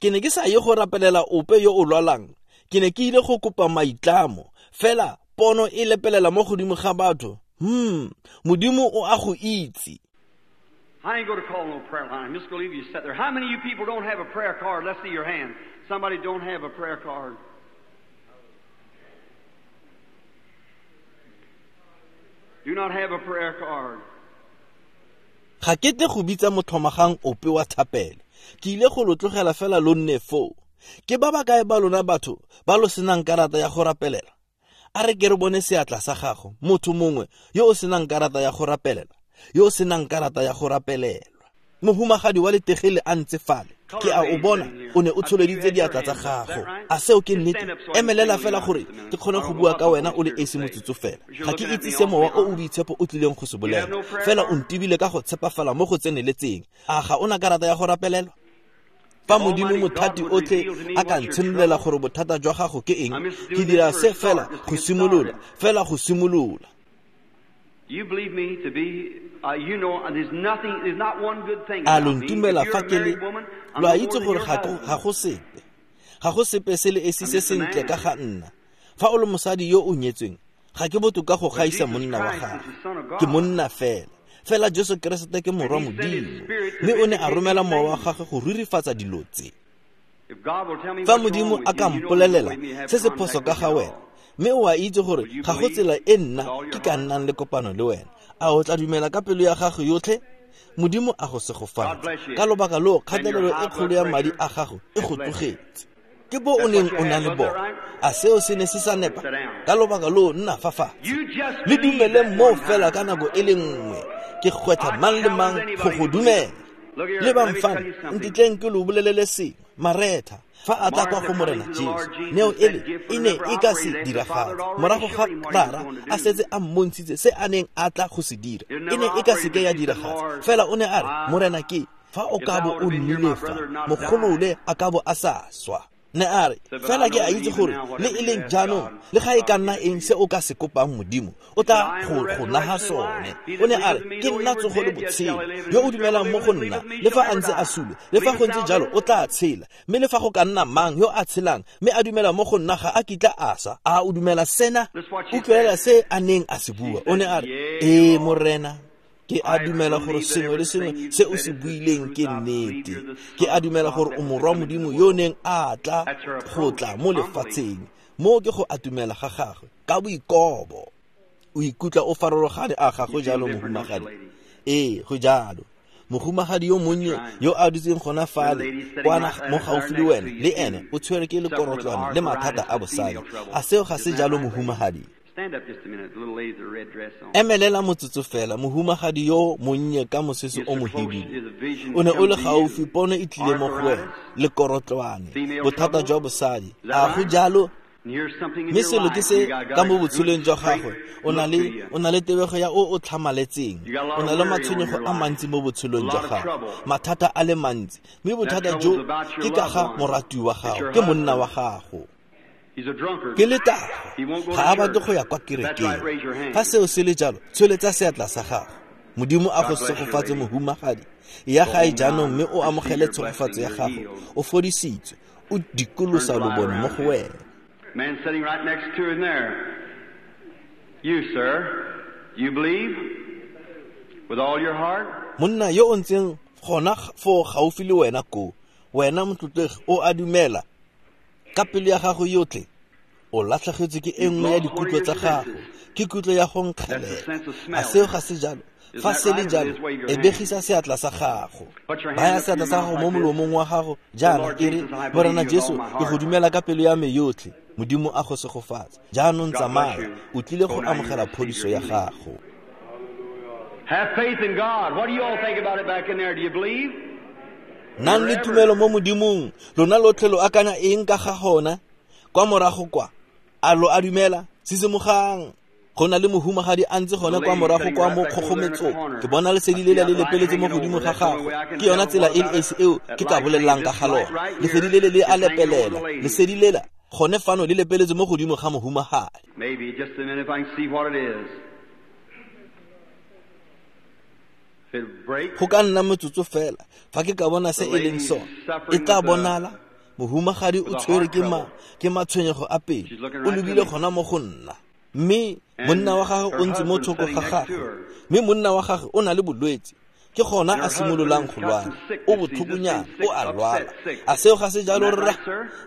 ke ne ke sa ye go rapelela ope yo o lwalang. Ke ne ke ile go kopa maitlamo. Fela pono e lepelela mo godimo ga batho. Hmm, Modimo o a go itse. I ain't going to call no prayer line. I'm just going to leave you sit there. How many of you people don't have a prayer card? Let's see your hand. Somebody don't have a prayer card. Do not have a prayer card. Ga ke tle go bitsa motlhomagang ope wa thapelo. Ke ile go lo tlogela fela lo nne foo. Ke ba ba kae ba lona batho ba lo senang karata ya go rapelela? A re ke re bone seatla sa gago, motho mongwe yo o senang karata ya go rapelela, yo o senang karata ya go rapelelwa. Mohumagadi wa letegele a ntse fale. Ke a o bona o ne o tsholeditse diatla tsa gago. A seo ke nnete? Emelela fela gore ke kgone go bua ka wena o le esi motsotso fela. Ga ke itse se mowa o o boitshepo o tlileng go se bolela, fela o ntibile ka go tshepafala mo go tseneletseng. A ga ona karata ya go rapelelwa? Fa Modimo mothati otlhe a ka ntshenolela gore bothata jwa gago ke eng, ke dira se fela go simolola, fela go simolola. You believe me to be, uh, you know, there's nothing, there's not one good thing A about lo me. ntumela If you're fa a ke le, married woman, I'm lo a no more itse than gore your ga go husband. ga go sepe. Ga go sepe se le esi I'm se just a sentle ka man. ga nna. Fa o le mosadi yo o nyetsweng, ga ke botoka go But gaisa Jesus monna wa Christ gagwe. is the Son of Ke God. monna fela. Fela Jesu Keresete ke morwa And he sent his Modimo, spirit to mme o ne a vindicate romela these mowa wa things. gagwe go rurifatsa dilo tse. If God will tell me Fa what's wrong Modimo with a ka you, you know mpolelela there's no way me have se se contact phoso ka with ga you at wena, all. mme o a itse gore Will you ga go believe tsela e nna with all your ke ka heart? nnang le kopano le wena. A o tla dumela ka pelo ya gago yotlhe? Modimo a go God segofatse. bless you. Ka lobaka loo And your kgatelelo e high kgolo blood ya madi pressure a gago e is go less. tlogetse. Ke bo o That's neng what you o na had, le wasn't that bona. right? A seo se ne se sa nepa? Sit down. Ka lobaka loo nna fa fatshe. You just Le believe dumele that mo one fela time. ka nako e le nngwe. Ke kgwetlha I mang le challenge mang go anybody go to believe. dumela. Look here, Lebang let me fano, tell you something. ntitleng ke lo bolelele sengwe. Maretha, fa a tla kwa Martha go Morena coming to the Jesu, Lord Jesus, neo that ele gift e would ne never e ka se operate after the diragale. Father had already Morago ga showed him what he was Rara going to a do. setse a mmontshitse se a neng a tla go se dira, It e never ne e ka operated, seke ya but she said, diragatsa. Lord, Fela o ne a re, I, Morena ke fa o if ka thou bo would o have been here, nnile my fa, brother would not have died. mogolole a ka bo a sa swa. Ne a re, Said, but I fela ke know a that itse even gore now, le whatever e you leng ask jaanong, God, le ga e ka God nna give it to eng se you. o ka se kopang Modimo, o He said, tla I am go the go naga resurrection and sone. life. He O that ne a re, believeth in me, ke though he nna were tsogo le dead, yet shall botshelo. he live. And Yo o whosoever dumelang mo liveth go and nna, believeth me le shall fa a never ntse a die. sule, le fa go Believest ntse thou jalo this? o tla tshela. Mme le fa go ka nna mang yo a tshelang, mme a dumela mo go nna ga a kitla a swa. A o dumela sena? That's what she Utlwelela said. se a neng a se She bua. O ne said, a re, Yea, ee Lord. Morena, ke a I dumela gore believe that sengwe le everything sengwe you've se o said se is the buileng truth. ke I believe nnete. you're the Ke Son a of dumela God gore that o was to morwa come into Modimo the yo world. neng a tla That's her go approach, tla mo humbly. lefatsheng. Mo ke go atumela ga gagwe ka boikobo. O ikutlwa o farologane, a ga go jalo mohumagadi? Ee, go jalo. Mohumagadi yo monnye yo a dutseng gona fale kwana mo gaufi le wena, le ene o tshwere ke lekorotlwane le mathata a bosadi. A seo ga se jalo mohumagadi? Emelela motsotso fela, mohumagadi yo monnye ka mosese o mohibidu. O ne o le gaufi, pono e tlile mo go wena, lekorotlwane, bothata jwa bosadi. A go jalo? Mme selo ke se ka mo botshelong jwa gagwe, o na le o na le tebego ya o o tlhamaletseng, o na le matshwenyego a mantsi mo botshelong jwa gagwe, mathata a le mantsi. Mme bothata jo ke ka ga morati wa gago, ke monna wa gago. Ke letago, ga a batle go ya kwa kerekeng. Fa seo se le jalo, tsholetsa seatla sa gago. Modimo a go segofatse mohumagadi. Ya gae jaanong mme o amogele tshegofatso ya gago. O fodisitswe, o dikolosa lobone mo go wena. Man sitting right next to him there. You, sir, you believe with all your heart? Monna yo o ntseng gona fo gaufi le wena ko, wena motlotlegi o a dumela ka pelo ya gago yotlhe. O latlhegetswe ke e nngwe ya dikutlo tsa gago, ke kutlo ya go nkgelela. A seo ga se jalo? Fa se le jalo, e begisa seatla sa gago. Baya seatla sa gago mo molomong wa gago jaana, e re, Morena Jesu, ke go dumela ka pelo ya me yotlhe. Modimo a go segofatse. Jaanong tsamaya, o tlile go amogela phodiso ya gago. Have faith in God. What do you all think about it back in there? Do you believe? Nang le tumelo mo Modimong. Lona lotlhe lo akanya eng ka ga gona? Kwa morago kwa, a lo a dumela? Sisimogang. Go na le mohumagadi a ntse gone kwa morago kwa mo kgogometsong. Ke bona lesedi lela le lepeletse mo godimo ga gagwe. Ke yona tsela e le esi eo ke ka bolelelang ka ga lona. Lesedi lele le a lepelela. Lesedi lela gone fano le lepeletse mo godimo ga mohumagadi. Maybe just a minute if I can see what it is. Go ka nna motsotso fela fa ke ka bona se e leng sone. E tla bonala mohumagadi o tshwere ke ma ke matshwenyego a pelo. O lebile gona mo go nna. Mme monna wa gagwe o ntse mo thoko ga gagwe, mme monna wa gagwe o na le bolwetse. Ke gona a simololang go lwala, o botlhokonyana, o a lwala. A seo ga se jalo rra?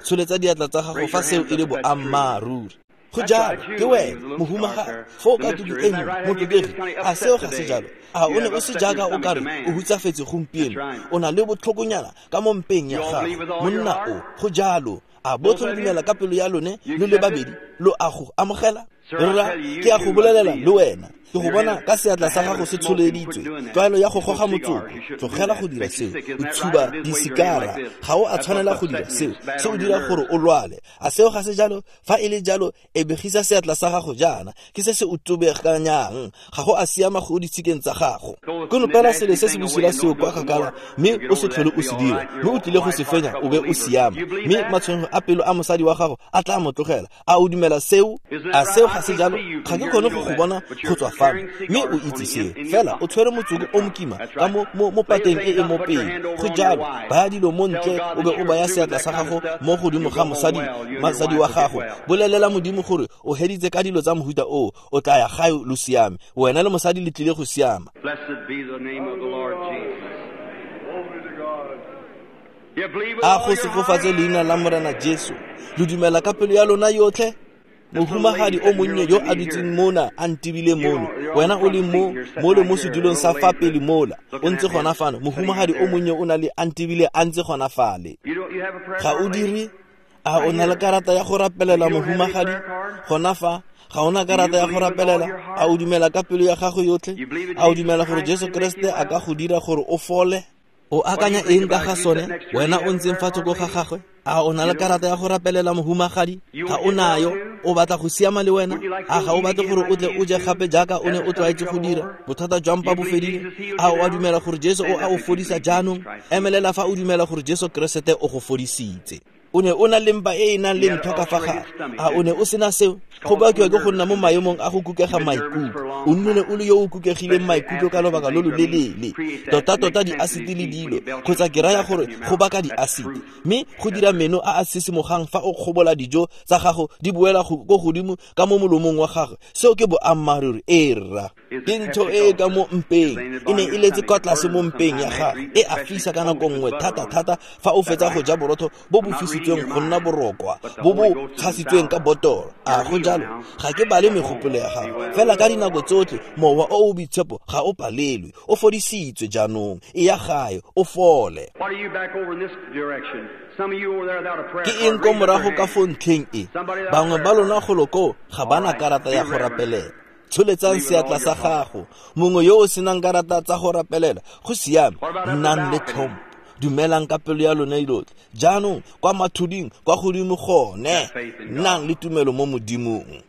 Tsholetsa diatla tsa gago fa seo e le boammaaruri. Go jalo, ke wena mohumagadi fo ka tuku e nngwe motlotlegi. A seo ga se jalo? A o ne o se jaaka o kare o hutsafetse gompieno? O na le botlhokonyana ka mo mpeng ya gago, monna o. Go jalo. A botlhe lo dumela ka pelo ya lone lo le babedi, lo a go amogela? Rra, ke a go bolelela le wena, ke go bona ka seatla sa gago se tsholeditswe. Tlwaelo ya go goga motsoko, tlogela go dira seo. O tshuba disikara, ga o a tshwanela go dira seo. Se o dira gore o lwale. A seo ga se jalo? Fa e le jalo, e begisa seatla sa gago jaana. Ke se se o tobeganyang. Ga go a siama go ditshikeng tsa gago. Konopela selo se se bosula seo kwa kgakala, mme o se tlhole o se dira. Mme o tlile go se fenya, o be o siama. Mme matshwenyego a pelo a mosadi wa gago a tla mo tlogela. A o dumela seo? A seo ga se jalo? Ga ke kgone go go bona go tswa fano, mme o itse seo. Fela o tshwere motsoko o mokima ka mo mo pateng e e mo pele. Go jalo, baya dilo mo ntle, o be o baya seatla sa gago mo godimo ga mosadi mosadi wa gago. Bolelela Modimo gore o heditse ka dilo tsa mohuta oo, o tla ya gae lo siame. Wena le mosadi le tlile go siama. A go segofatse leina la Morena Jesu. Lo dumela ka pelo ya lona yotlhe? Mohumagadi o monnye yo a dutseng mona a ntebile mono, wena o le mo mo le mo sedulong sa fa pele mola, o ntse gona fano. Mohumagadi o monnye o na le a ntebile a ntse gona fale. Ga o dire? A o na le karata ya go rapelela mohumagadi gona fa? Ga ona karata ya go rapelela? A o dumela ka pelo ya gago yotlhe? A o dumela gore Jesu Kriste a ka go dira gore o fole? O akanya eng ka ga sone? Wena o ntseng fa thoko ga gagwe? A o na le karata ya go rapelela mohumagadi? Ga o nayo? O batla go siama le wena? A ga o batle gore o tle o je gape jaaka o ne o tlwaetse go dira? Bothata jwa mpa bo fedile? A o a dumela gore Jesu o a o fodisa jaanong? Emelela fa o dumela gore Jesu Keresete o go fodisitse. O ne o na le mpa e e nang le ntho ka fa gare. A o ne o sena seo? Go bakiwa ke go nna mo maemong a go kukega maikutlo. O nnile o le yo o kukegileng maikutlo ka lobaka lo lo lelele. Tota-tota diasiti le dilo, kgotsa ke raya gore go baka diasiti. Mme go dira meno a a sisimogang fa o kgobola dijo tsa gago di boela ko godimo ka mo molomong wa gagwe. Seo ke boammaaruri. Ee rra. Ke ntho e e ka mo mpeng. E ne e letse kwa tlase mo mpeng ya gago. E a fisa ka nako nngwe thata-thata fa o fetsa go ja borotho bo bo fisitsweng fetotsweng go nna borokwa bo bo tshasitsweng ka botoro. A go jalo? Ga ke bale megopolo ya gago, fela ka dinako tsotlhe mowa o o boitshepo ga o palelwe. O fodisitswe jaanong, e ya gae, o fole. Ke eng ko morago ka fo ntlheng e? Bangwe ba lona golo koo ga ba na karata ya go rapelela. Tsholetsang seatla sa gago. Mongwe yo o senang karata tsa go rapelela, go siame, nnang le tlhompho. Dumelang ka pelo ya lona yotlhe. Jaanong kwa mathuding kwa godimo gone, nnang le tumelo mo Modimong.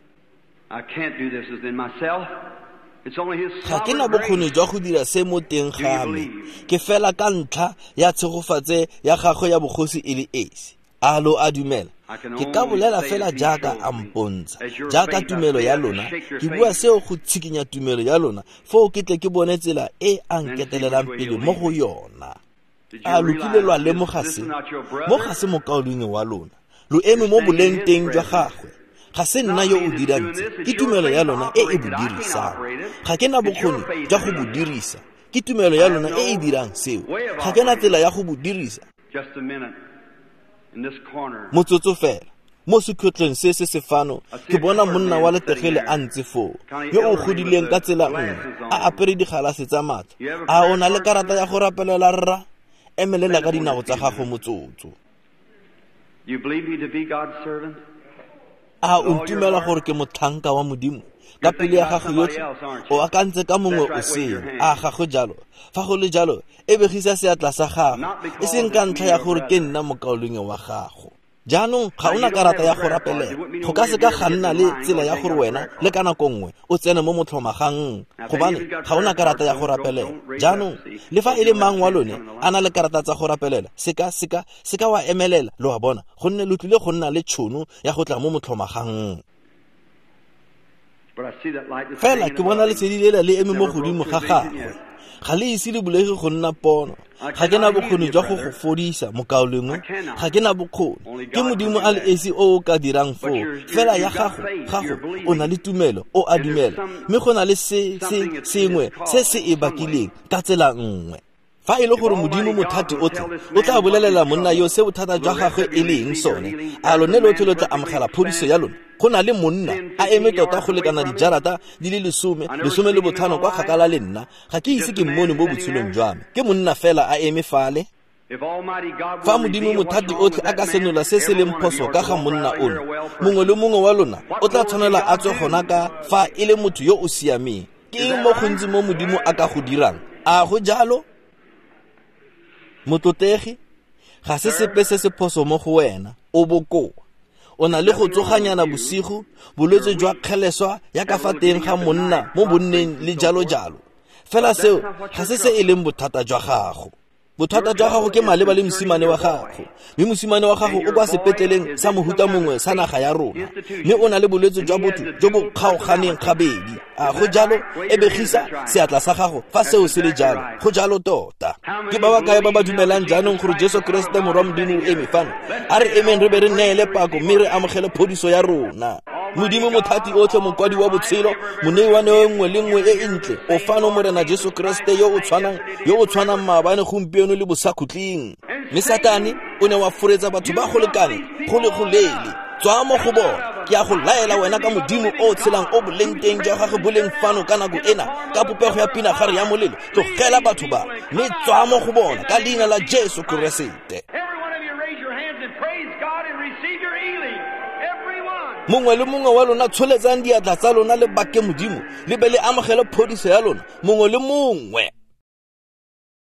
Ga ke na bokgoni jwa go dira se mo teng ga me, ke fela ka ntlha ya tshegofatse ya gagwe ya bogosi e le esi. A lo a dumela? Ke ka bolela fela jaaka a mpontsha, jaaka tumelo ya lona. Ke bua seo go tshikinya tumelo ya lona, foo ke tle ke bone tsela e a nketelelang pele mo go yona. A lo kile lwa lemoga se? Mo ga se mokaulengwe wa lona, lo eme mo boleng teng jwa gagwe. Ga se nna yo o dirang tse, ke tumelo ya lona e e bo dirisang. Ga ke na bokgoni jwa go bo dirisa, ke tumelo ya lona e e dirang seo. Ga ke na tsela ya go bo dirisa. Motsotso fela, mo sekhutlong se se se fano, ke bona monna wa letegele a ntse foo, yo o godileng ka tsela nngwe, a apere digalase tsa matlho. A o na le karata ya go rapelela rra? Emelela ka dinao tsa gago motsotso. A o ntumela gore ke motlhanka wa Modimo ka pelo ya gago yotlhe? O akantse ka mongwe o sele. A ga go jalo? Fa go le jalo, e begisa seatla sa gago, e seng ka ntlha ya gore ke nna mokaulengwe wa gago. Jaanong ga o na karata ya go rapelela. Go ka se ka ga nna le tsela ya gore wena le ka nako nngwe o tsene mo motlhomagang, gobane ga o na karata ya go rapelela. Jaanong le fa e le mang wa lone a na le karata tsa go rapelela, seka seka seka wa emelela, lo a bona, gonne lo tlile go nna le tšhono ya go tla mo motlhomagang. Fela ke bona lesedi lela le eme mo godimo ga gagwe. Ga le ise le bulege go nna pono. Ga ke na bokgoni jwa go go fodisa, mokaulengwe. Ga ke na bokgoni. Ke Modimo a le esi o o ka dirang foo. Fela ya gago, gago, o na le tumelo, o a dumela. Mme go na le se se sengwe se se e bakileng ka tsela nngwe. Fa e le gore Modimo mothati otlhe o tla bolelela monna yo se bothata jwa gagwe e leng sone, a lone lotlhe lo tla amogela phodiso ya lona? Go na le monna a eme tota go lekana dijarata di le lesome, lesome le botlhano kwa kgakala le nna. Ga ke ise ke mmone mo botshelong jwa me. Ke monna fela a eme fale. Fa Modimo mothati otlhe a ka senola se se leng phoso ka ga monna ono, mongwe le mongwe wa lona o tla tshwanela a tswe gona ka fa e le motho yo o siameng. Ke eng mo gontsi mo Modimo a ka go dirang? A go jalo? Motlotlegi, ga se sepe se se phoso mo go wena, o bokoa. O na le go tsoganyana bosigo, bolwetse jwa kgeleswa ya ka fa teng ga monna mo bonneng le jalo jalo. Fela seo ga se se e leng bothata jwa gago. Bothata jwa gago ke maleba le mosimane wa gago, mme mosimane wa gago o kwa sepetleleng sa mohuta mongwe sa naga ya rona, mme o na le bolwetse jwa botho jo bo kgaoganeng gabedi. A go jalo? E begisa seatla sa gago fa seo se le jalo. Go jalo tota. Ke ba ba kae ba ba dumelang jaanong gore Jesu Keresete Morwa Modimo o eme fano? A re emeng re be re neele pako mme re amogele phodiso ya rona. Modimo mothati otlhe, mokwadi wa botshelo, monei wa neo nngwe le nngwe e e ntle, o fano Morena Jesu Keresete yo o tshwanang, yo o tshwanang maabane, gompieno le bosakhutleng. Mme Satane o ne wa foretsa batho ba go lekane go le go leele. Tswa mo go bona. Ke a go laela wena ka Modimo o tshelang o boleng teng jwa gagwe boleng fano ka nako ena, ka popego ya pinagare ya molelo. Tlogela batho ba, mme tswa mo go bona ka leina la Jesu Keresete. Mongwe le mongwe wa lona tsholetsang diatla tsa lona le bake Modimo, le be le amogele phodiso ya lona, mongwe le mongwe.